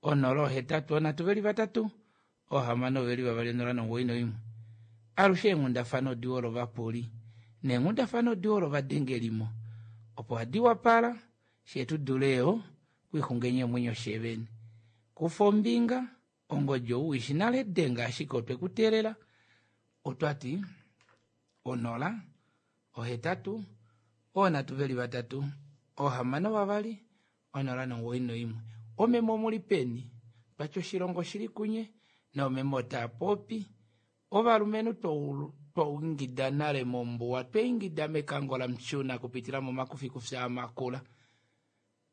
Speaker 1: 083 3 6 2 091. Alushe eenghundafana odiwa olovapuli neenghundafana odiwa olovadengelimo opo hadi wapala shee tu dule yo kwixungenya omwenyo shevene. Kufa ombinga ongodi ou ishi nale denga ashike otwe kuteelela otwati 0 8 3 6 2 0 91. Omeme omuli peni twati oshilongo shili kunye noomeme otaa popi ovalumenhu twaingida nale mombuwa twaingida mekango lamutjuna kupitila momakufikufi amakula.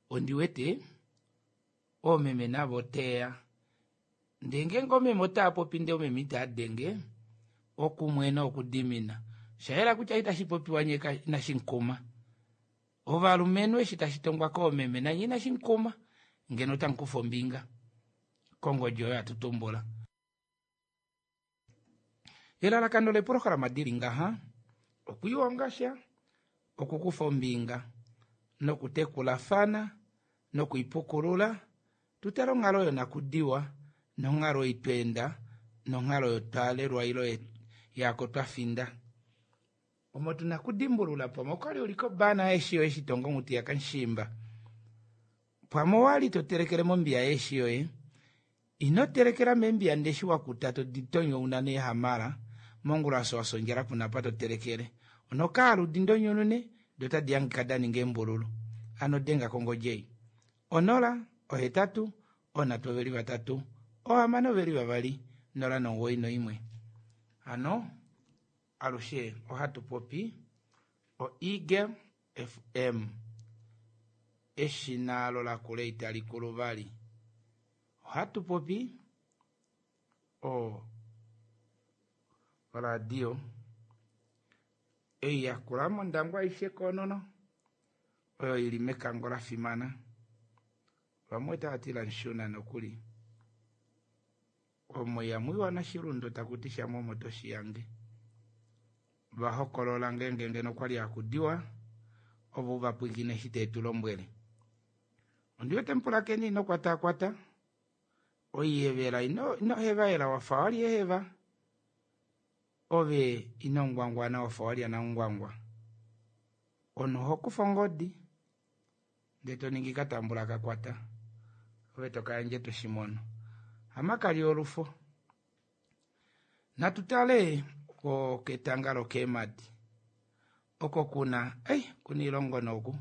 Speaker 1: Ondiwete oomeme navo teya ndee ngeenge omeme otaa popi ndee omeme itaa denge okumwena okudimina oshayela kutya itashi popiwa nye inashi nkuma. Ovalumenhu eshi tashi tongwa koomeme nanye inashi nkuma ngeno otamukufa ombinga kongodi oyo atutumbula. Elalakano leprograma dili ngaha okwiihonga sha, okukufa ombinga nokutekulafana nokuipukulula tutale onghalo yonakudiwa nonghalo ei tweenda nonghalo oyo twaalelwa ilo yaako twafinda. Omo tuna okudimbulula pamwe okwali uli kobana yeeshi yoye eshi tongo onghuti yakamushimba. Pamwe owali to telekele mombiya yeeshi yoye ino telekela membiya ndeshi wakuta todi tonyouna neehamala mongula wasa ondjala kuna apa to telekele. Onokaaludi ndonyunune do tadi hangika da ninga eembululu. Ano denga kongodi ei 0 8 3 6 2 0 91. Hano alushe ohatu popi o Eagle FM eshina alo lakula itali kulu vali. Ohatu popi o radio ei yakula mondangwa aishe koonono oyo ili mekango lafimana. Vamwe otava ti lamushuna nokuli. Omo ihamu nashilundo taku ti shamwe omo toshiyange. Vahokolola ngeenge ngeno okwali hakudiwa ovo vapwilikine eshi tetu lombwele. Ondiwete mupulakeni ino kwatakwata oiyevela ino hevaela wafa wali eheva ove ino ngwangwana wafa walya namungwangwa. Omunhu oho kufa ongodi ndee toningi katambula kakwata ove tokayandje toshimono. Hamakali olufo. Natu tale ketanga lokeemadi oko kuna kuna ilongo noku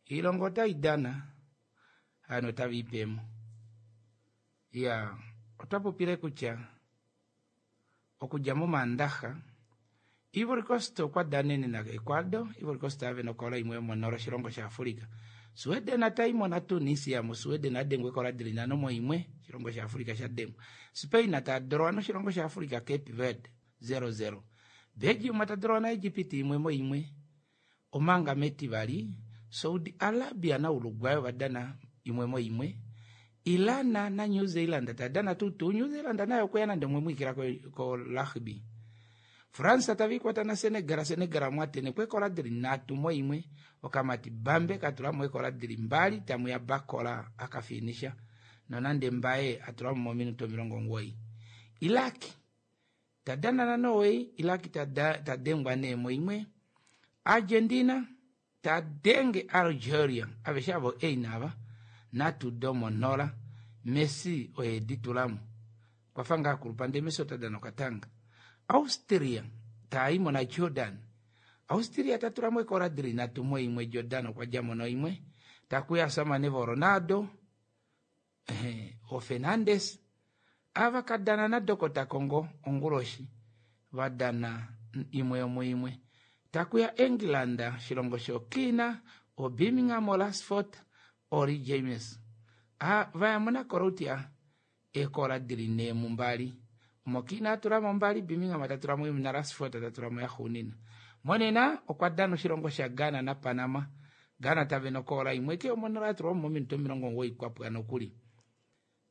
Speaker 1: ilongo otai dana hano otava ipemo. Iya otwa popile kutya okudja momandaxa Ivory Coast okwa danene na Ecuador. Ivory Coast ave nokola imwe yomonolo oshilongo shaAfrika. Sweden ataimo na Tunisia mo Sweden adengwa ekola dili nhano moimwe oshilongo shaAfrika shadengwa. Spain tadorowa noshilongo shaAfrika Cape Verde 0-0. Belgium tadorowa na Egypt imwe moimwe. Omanga metivali Saudi Arabia na Uruguay ovadana imwe moimwe. Iran na New Zealand tadana tutu New Zealand nayo okweya nande omwe mwikila ko rugby. France tavikwata na Senegal, Senegal mwatene kwekola dili nhatu moimwe okamati Bambe katulamo ekola dili mbali tamuya Bakola akafinisha nonande Mbaye atulamo mominuto 90. Iraq tadana na Norway, Iraq tadengwa nee moimwe. Argentina tadenge Algeria aveshe avo einava natu domo nola Messi oye ditulamo kwafa ngaa kulupa ndee Messi otadana okatanga. Austria taimo na Jordan. Austria tatulamo ekola dili nhatu moimwe Jordan okwa djamo noimwe. Takuya samane vo Ronaldo o Fernandes ava kadana na Dokota Congo onguloshi vadana imwe yomuimwe. Takuya England shilongo shokina o Birmingham o Rashford Ori James vayamo na Croatia ekola dili nhee mumbali. Omokina atulamo mbali Birmingham tatulamo imwe na Rashford tatulamo yaxuunina. Monena okwa dana oshilongo sha Ghana na Panama. Ghana tave nokola imwe ke omonala yatulwamo mominute 90 kwapwa nokuli.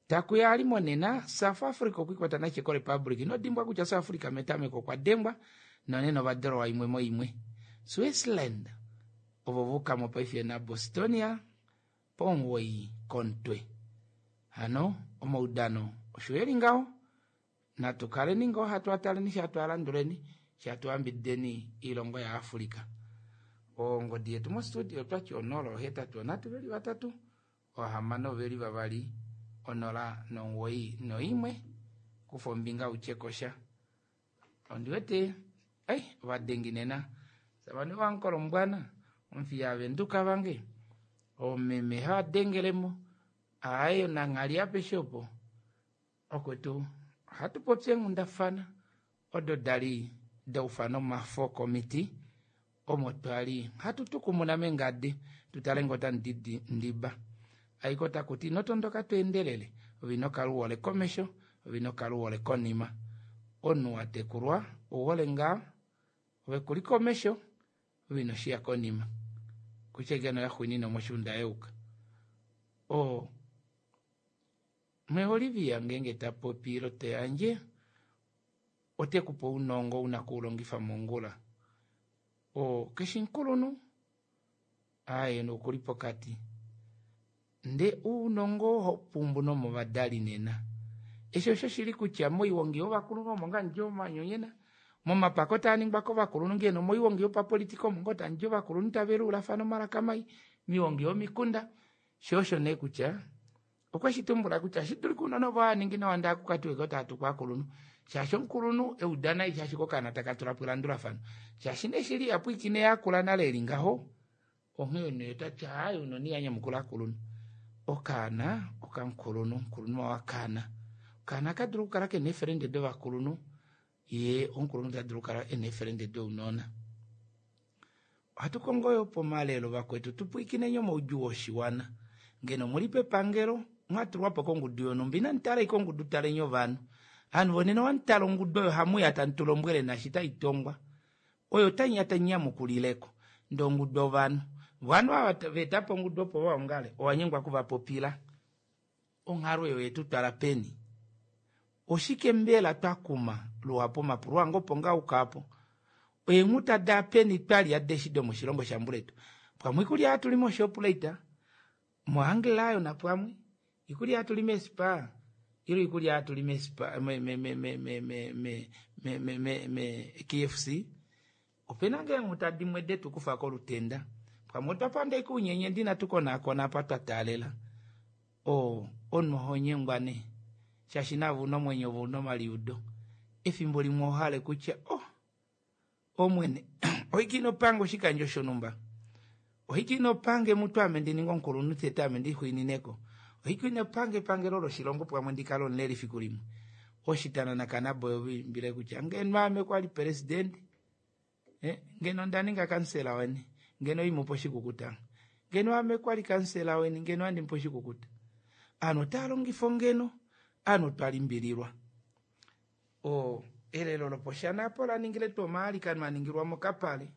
Speaker 1: Takuya ali monena South Africa okwikwata na Czech Republic. Ino dimbwa kutya South Africa metameko okwa dengwa nonena ovadorowa imwe moimwe. Switzerland ovo vukamo paife naBostonia pomuwoi komutwe. Hano omaudano osho eli ngaho natu kaleni ngoo hatu ataleni sha hatu alanduleni sha hatu yambidideni oilongo yaAfrica. Ongodi yetu mostudio otwati 083 622 091 kufa ombinga utye kosha. Ondiwete ei ovadengi nena savane wankolombwana omufiya avenduka vange omeme hadengelemo aaye nanghali apeshe opo okwetu ohatu popi eenghundafana odo dali daufana omafo komiti omo twali hatu tukumuna mengadi tutale ngoo otamu ndiba aiko takuti ino tondoka tweendelele ove ino kala uhole komesho ove ino kala uhole konima omunhu watekulwa ouhole ngaa ove kuli komesho ove ino shiya konima kutya ngeno yaxwinina moshuunda yeuka oo Olivia ngeenge tapopi ilo tayandje otekupe ounongo una kuulongifa mongula oo keshi mukulunhu aaye okuli pokati ndee ounongo ohapumbu nomovadali nena eshi osho shili kutya moiwongi yovakulunhu omo ngaa hamudi omanyonyena momapako taaningwa kovakulunhu ngeno moiwongi yopapolitika omo ngoo tamudi ovakulunhu taveluulafana omalaka mai moiwongi yomikunda shoo osho nee kutya okweshi tumbula kutya oshidulika ounona ovo haaningi nawa ndee akukatiweko taatukwa ovakulunhu shaashi omukulunhu euda nai shaashi kokaana takatulapo elandulafano shaashi nee shili ihapwiikine yakula nale eli ngaho onghee nee otati aaye ounona ihanyamukula ovakulunhu okaana okamukulunhu omukulunhu wakaana okaana akadulu okukala kena eefelende dovakulunhu yee omukulunhu tadulu okukala ena eefelende dounona. Ohatu kongo yo pomalelo vakwetu tupwiikineni omaudjuu oshiwana ngeno muli pepangelo mwatulwapo kongudu yonhumba inamutala ashike ongudu taleni ovanhu ovanhu vonena owamutala ongudu oyo hamuya tamu tulombwele naashi taitongwa oyo taiya tainyamukulileko ndee ongudu ovanhu ovanhu ava veetapo ongudu opo vaongale owanyengwa okuvapopila onghalo oyo yetutwala peni oshike mbela twakuma luhapu omapulo ange opo ngaa ukaapo eenghuta daapeni twalya deshi domoshilongo shambuletu pamwe oikulya hatuli moShoprite moAnglayo napamwe ikulya hatuli meSpar ilo ikulya hatuli meSpar me KFC opena ngoo eenghuta dimwe detukufa kolutenda pamwe otwa panda ashike ounyenye ndee inatu konaakona apa twa taalela oo omunhu ohonyengwa nee shaashi nave una omwenyo ove una omaliudo efimbo limwe ohale kutya oh omwene oike inopange oshikandjo shonhumba oike inopange mutu ame ndininge omukulunhu tete ame ndixwiinineko oike inopange epangelo loshilongo pamwe ndikale omuleli fiku limwe oshitana nakanaboy oviimbile kutya ngeno ame kwali president ngeno ndaninga kansela weni ngeno imupa oshikukuta ngeno ame kwali kansela weni ngeno andimupa oshikukuta ovanhu otaalongifa ongeno ovanhu otwalimbililwa o elelo loposhana apo laningile tuu omaalikano aningilwa mokapale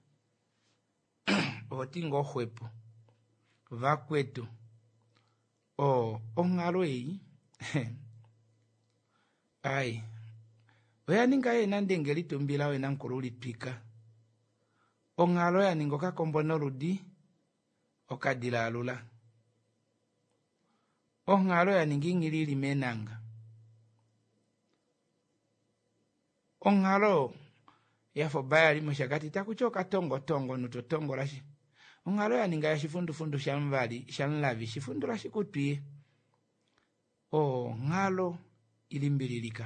Speaker 1: ohoti ngoo xwepo vakwetu o onghalo ei ai oyaninga yee nande litumbila wena mukulu litwika onghalo yaninga okakombo noludi okadila alula onghalo yaninga inghilili meenanga onghalo yafa obayali moshakati takuti okatongotongo omunhu totongola shi onghalo yaninga yashifundufundu shamuvali shamulavi shifundula shikutwiye onghalo ilimbililika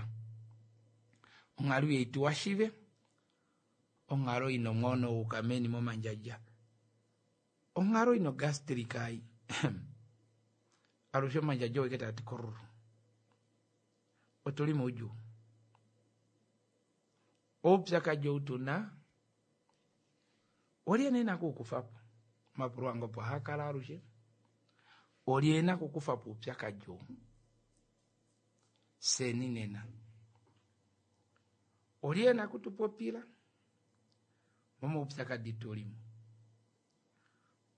Speaker 1: onghalo ihaituwa shive onghalo ina omwono wauka meni momandjadja onghalo ina ogastrika ai alushe omandjadja oweke taati kororo otuli moudjuu oupyakadi ou tuna olye nee ena kuukufapo omapulo ange opo haakala alushe olye ena okukufapo oupyakadi ou fyeni nena olye ena okutupopila momaupyakadi tulimo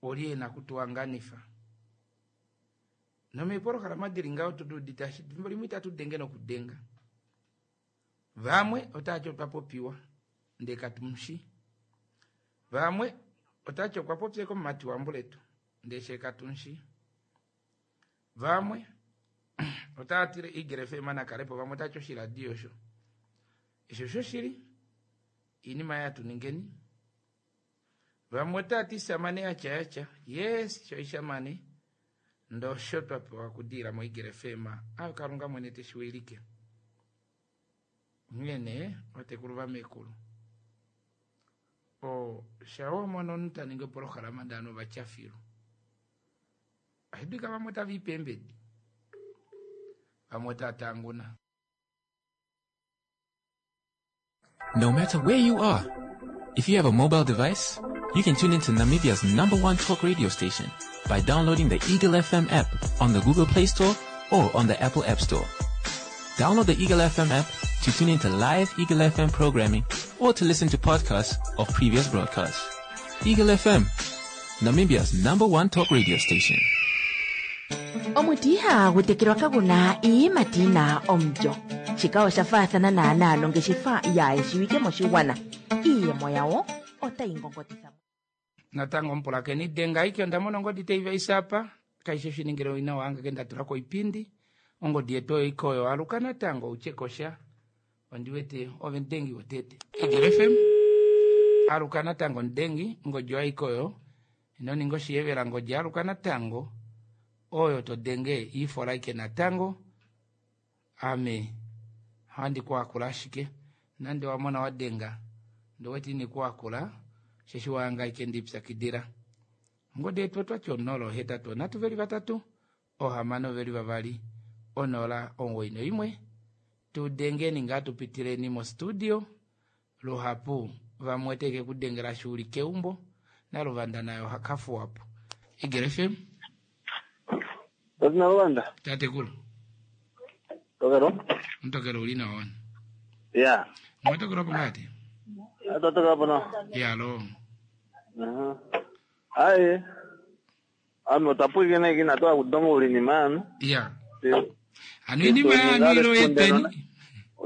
Speaker 1: olye ena okutuhanganifa nomeepolohalama dili ngaho tuduudite ashike efimbo limwe itatu denge nokudenga vamwe otaati otwa popiwa ndee katumushi. Vamwe otati okwa popya komumati wambuletu ndee she katunshi. Vamwe otava tile Eagle FM nakalepo, vamwe otati oshiladi osho. Esho shoshili iinima yatu ningeni. Vamwe otava ti samane yatya yatya, yes shoishamane ndosho twa pewa kudiila moEagle FM. Ayo Kalunga mwene teshi wilike. Onghee nee vatekulu vamekulu o sha wa mona omunhu ta ningi opolohalama ndee ovanhu ova tya filu, ohashi dulika vamwe otava i peembedi, vamwe otava tanguna.
Speaker 6: No matter where you are, if you have a mobile device, you can tune into Namibia's number one talk radio station by downloading the Eagle FM app on the Google Play Store or on the Apple App Store. Download the Eagle FM app to tune into live Eagle FM programming or to listen to podcasts of previous broadcasts. Eagle FM, Namibia's number one talk radio station.
Speaker 2: Omuti ihagu tekelwa kagu na iiyimati yi na omulyo. Shika osha faathana naanaa nongeshefa yaa shiwike moshigwana. Iiyemo yawo otayi ngongotitha.
Speaker 1: Natango omupulakeni denga aike onda mona ongodi tai vaisa apa kaishi oshiningile owina wange ke nda tula koipindi ongodi yetu oyo ike oyo aluka natango utye kosha ondi wete ove mudengi wotete Eagle FM aluka natango mudengi ngodi oyo aike oyo ino ninga oshiyevela ngodi aluka natango oyo to denge ifola aike natango ame ohandi ku akula ashike nande wa mona wa denga ndi wete ini ku akula osheshi wanga aike ndipyakidila ongodi yetu otwati 0 8 3 3 6 2 0 9 1 tu dengeni ngaa tu pitileni mo studio luhapu vamwe oteke ku dengela shi uli keumbo naluvanda naye oha kafuwapo Eagle FM
Speaker 10: Tati naluvanda.
Speaker 1: Tatekulu.
Speaker 10: Tokelo.
Speaker 1: Mutokelo uli nawa wani.
Speaker 10: Ya.
Speaker 1: Mwatokelo po ngati?
Speaker 10: Atotokelo po no.
Speaker 1: Ya lo.
Speaker 10: Aye. Ano tapwikene kina toa kudongo ulinima ano.
Speaker 1: Ya. Ano inima yanu ilo yeteni.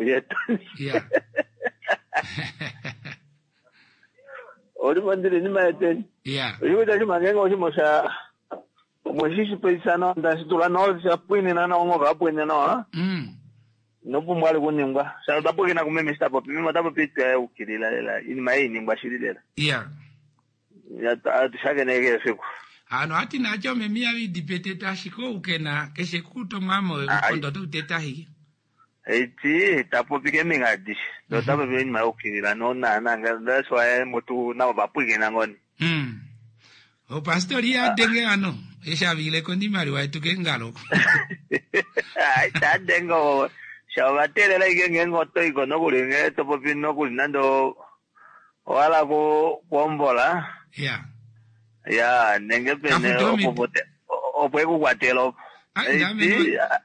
Speaker 10: Yeteni.
Speaker 1: Ya.
Speaker 10: Oli mandile inima yeteni.
Speaker 1: Ya.
Speaker 10: Oshikuita shimangenga oshimosha mweshishipesana ndashitula no shapwinina no ngoka apwinina no. Nopumbwa ali kuningwa. Sha tapwikina kumeme shitapopi. Meme tapopi itwa ukilila lela. Inima hii ningwa shili lela.
Speaker 1: Ya.
Speaker 10: Ya tushakeneke esiku.
Speaker 1: Ano ati nacho memi avidipeteta ashike oukena keshe kutomwamo omukondo otauteta ashike.
Speaker 10: Eti tapopi keminga adishe. Tapopi inima yokukilila no na na that's why mutu nabo bapwikina ngoni.
Speaker 1: Opastori adenge ano eshavileko ndimaliwa yetu kengalo.
Speaker 10: Ai tadengo shawatelela ike ngengo otoiko nokuli nge topopi nokuli nando wala ku kuombola.
Speaker 1: Ya.
Speaker 10: Ya nenge pene opo opo ekukwatela opo.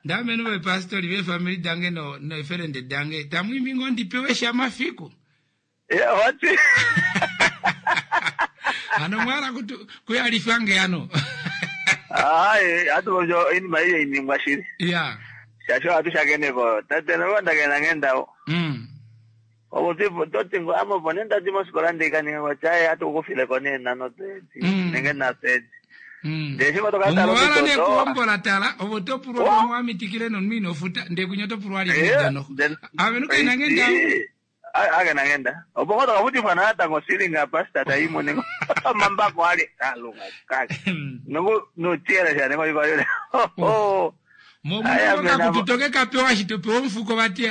Speaker 1: Ndamene vepastori vefamily dange no neferende dange tamwimbi ngo ndipewe shamafiku.
Speaker 10: Ya wati.
Speaker 1: Ano mwala kutu kuyalifange ano.
Speaker 10: Ai atu jo inima iyo iningwa shili.
Speaker 1: Ya.
Speaker 10: Shasho atu shakeneko tate nolwanda kena ngendawo. Opo tipo totingo amo pone ndati mosikola ndikaninga kwachaye atu kufileko nena no teti nenge na teti. Ndeshe kwatokatala
Speaker 1: Omwala ne kuombola tala opo topulwa mwamitikile nomwino ofuta ndekunya topulwa ali ngedano. Avenu kena ngendawo.
Speaker 10: Akena ngenda. Opo kwatokafutifwa natango silinga pastor taimo nengo mambako ali kalunga kake. Nongo notiela sha nengo iko yule. Oh.
Speaker 1: Momuka kututoke kapewa shitopewa omufuko vati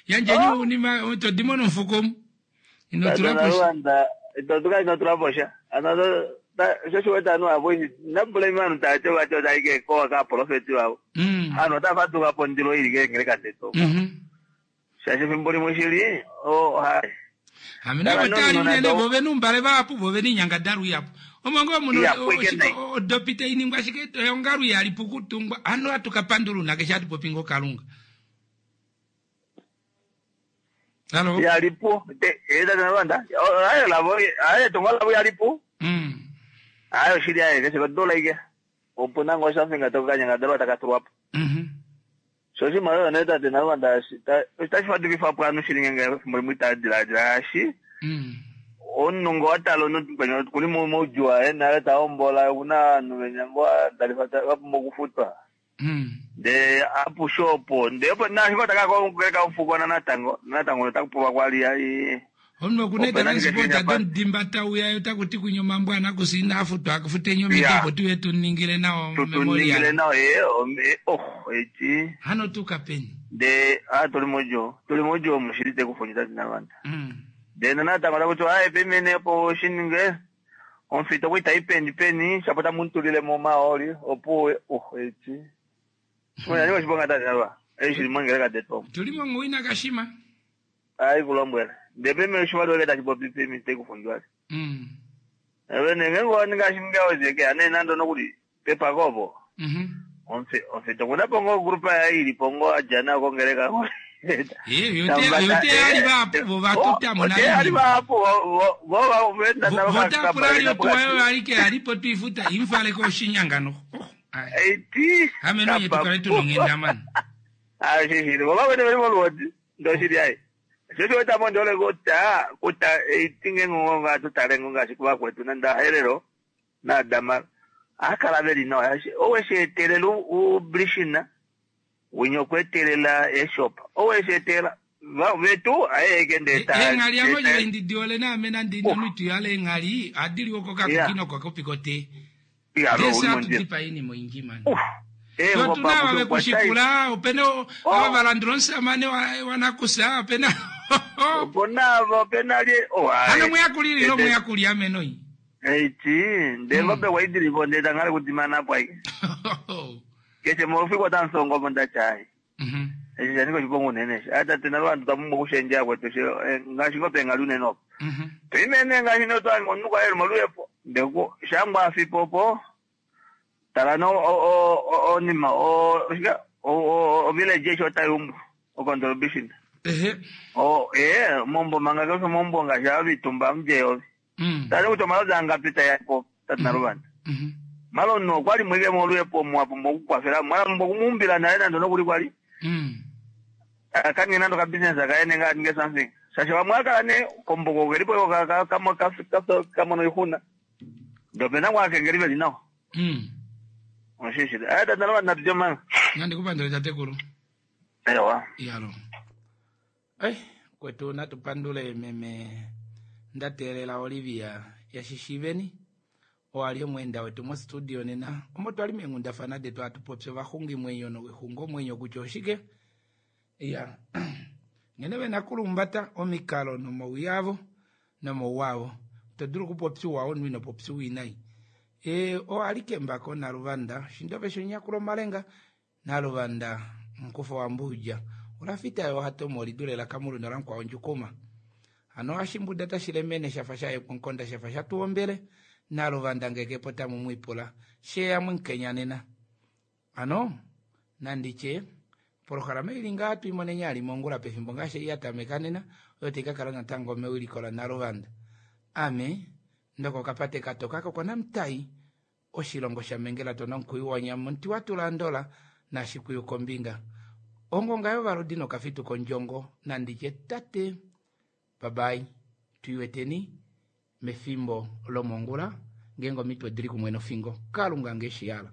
Speaker 1: yandjeni unima todimo nomufuko mu. Inotula
Speaker 10: posha. Itotuka inotula posha. Ano shoshiweta anu avo nabula imanu tate vacho taike kowa ka profeti vavo. Ano tafatuka pondilo ili ke ngereka teto. Shashe fimbo limwe shili oh hai.
Speaker 1: Amina votali unene vove numbale vapo vove ninyangadharu yapo. Omongo muno odopite iningwa shike yongaru yalipo kutungwa ano atukapandulu nake shati popingo kalunga. Halo.
Speaker 10: Yalipo te eda na rwanda. Ayo lavo ayo tunga lavo yalipo. Ayo shili ayo kese dola ike. Opo nango something atoka nyangadharu atakatulwapo. So shi mayo neta te na rwanda tashi fatukifa pwanu shili ngenge fimbo limwe itadila shi. Omunhu ngo watala omunhu mukweni kuli moudjuu waye nale tahombola okuna ovanhu venya ngo adalifa vapumbwa okufutwa. Ndee apushe opo ndee opo naasho taka kongeleka omufukona natango natango otakupulwa kwali ai.
Speaker 1: Omunhu okuna eetransport domudimba tauya ye otaku ti kwinya omambo anakusa inaa futwa akufuteni omiti opo tuye tuningile nawa
Speaker 10: Tutuningile nawa ee oh eti.
Speaker 1: Hano tuka peni?
Speaker 10: Ndee a tuli moudjuu tuli moudjuu omu shili tekufundja tati nalwanda. Ndee natango taku tiwa aaye pemene opo ushininge omufita okwa itayi peni peni shapo tamu mutulile mo omahooli opo oh eti. Osha oshiponga tati nalwa eshi shili mongeleka detu omu.
Speaker 1: Tuli mongowina kashima.
Speaker 10: Ai kulombwela. Ndee peme oshimaliwa ke tashi popi pemi tekufundjwa. Eve nge ngo ninga shinga ozeke ane nando nokuli pepako opo. Omufita okuna po ngo grupa yaye ili po ngo adja nayo kongeleka.
Speaker 1: Yote ali vahapu vo vatutamo
Speaker 10: ali vahapu vo venda
Speaker 1: votapula ali otuwa yo alike alipo tuifuta imfale koshinyanga no.
Speaker 10: Eti.
Speaker 1: Ame nonye tukale tunonghenda mani.
Speaker 10: Ah shishili vo vawene veli moluhodi ndoshili ai. Shosho weta mo ndole kuta kuta eti nge ngo tutale ngo ngaashi kuvakwetu nanda Herero naDamara. Akala veli nawa owesheetelela ublishina winya okweetelela eshop owesheetela vetu aye ndeta
Speaker 1: eenghali amo joindidiole naame nandi nomitu yale eenghali adiliwa kokakuki nokokakopi kotee ndesi atudipa inima oyindji mani otuna ava vekushikula opena ava valandula omusamane wanakusa opena
Speaker 10: oponavo opena lye
Speaker 1: hano muyakuli lilo muyakuli amenoi
Speaker 10: eti ndee ngombe kwaidilipo ndee tangale kudimana apo aike keshe mofiko otamusongo opo ndatyai eshi shanika oshiponga unene eshi atate nalo vantu twapumbwa okushendja kwetu ngaashi ngo pengali unene opo toimene ngaashi notwange omunhu kwayeli moluhepo ndeku shangwa afipo opo tala no onima oshika ovillage eshi otayumbu ocontribution ee mombo manga kesho mombo ngaashi avitumba mudjeyovi tali kuti omalozi angapi tayapo tati naluvanda malo no okwali mwike moluhepo mwapumbwa okukwafela mwapumbwa okumuumbila nale nando nokuli kwali akange nando ka business akaye nenga aninge something shasha vamwe akala ne komboko kelipo kamono oixuna ndee opena kwaakengeli veli nawa oshishili aye tati naluvanda natutye manga
Speaker 1: nandikupandule tatekulu
Speaker 10: ewa
Speaker 1: iyalo kwetu natupandule meme ndateelela Olivia yashishiveni owali omweenda wetu mostudio nena omo twali meenghundafana detu atupopya ovaxungimwenyo noxungomwenyo kutya oshike ya nghene vena kulumbata omikalo nomauya avo nomauwa avo todulu okupopya omunhu ino popya winayi owali kembako naluvanda shindove shonyakulo omalenga naluvanda mukufa wambuudja olafita yo hatomo lidulela kamulu nolamukwa ondjukuma hano ashimbuda tashilemene shafa shayekonkonda shafa shatuombele naluvanda ngekepo tamu mwipula sheya mwinkenya nena ano nanditye polohalama ili ngaa tuimonenya ali mongula pefimbo ngaashi yatameka nena oyo taikakala natango mewiliko la naluvanda ame ndoko kapate katoka kokona mutai oshilongo shamengela tona omukuyu wanyama omuti watula ndola nashikuyu kombinga ongonga yovaludi nokafitu kondjongo nanditye tate babai tuiweteni mefimbo lomongula ngeenge omitwe dili kumwe nofingo kalunga ngeshiyala.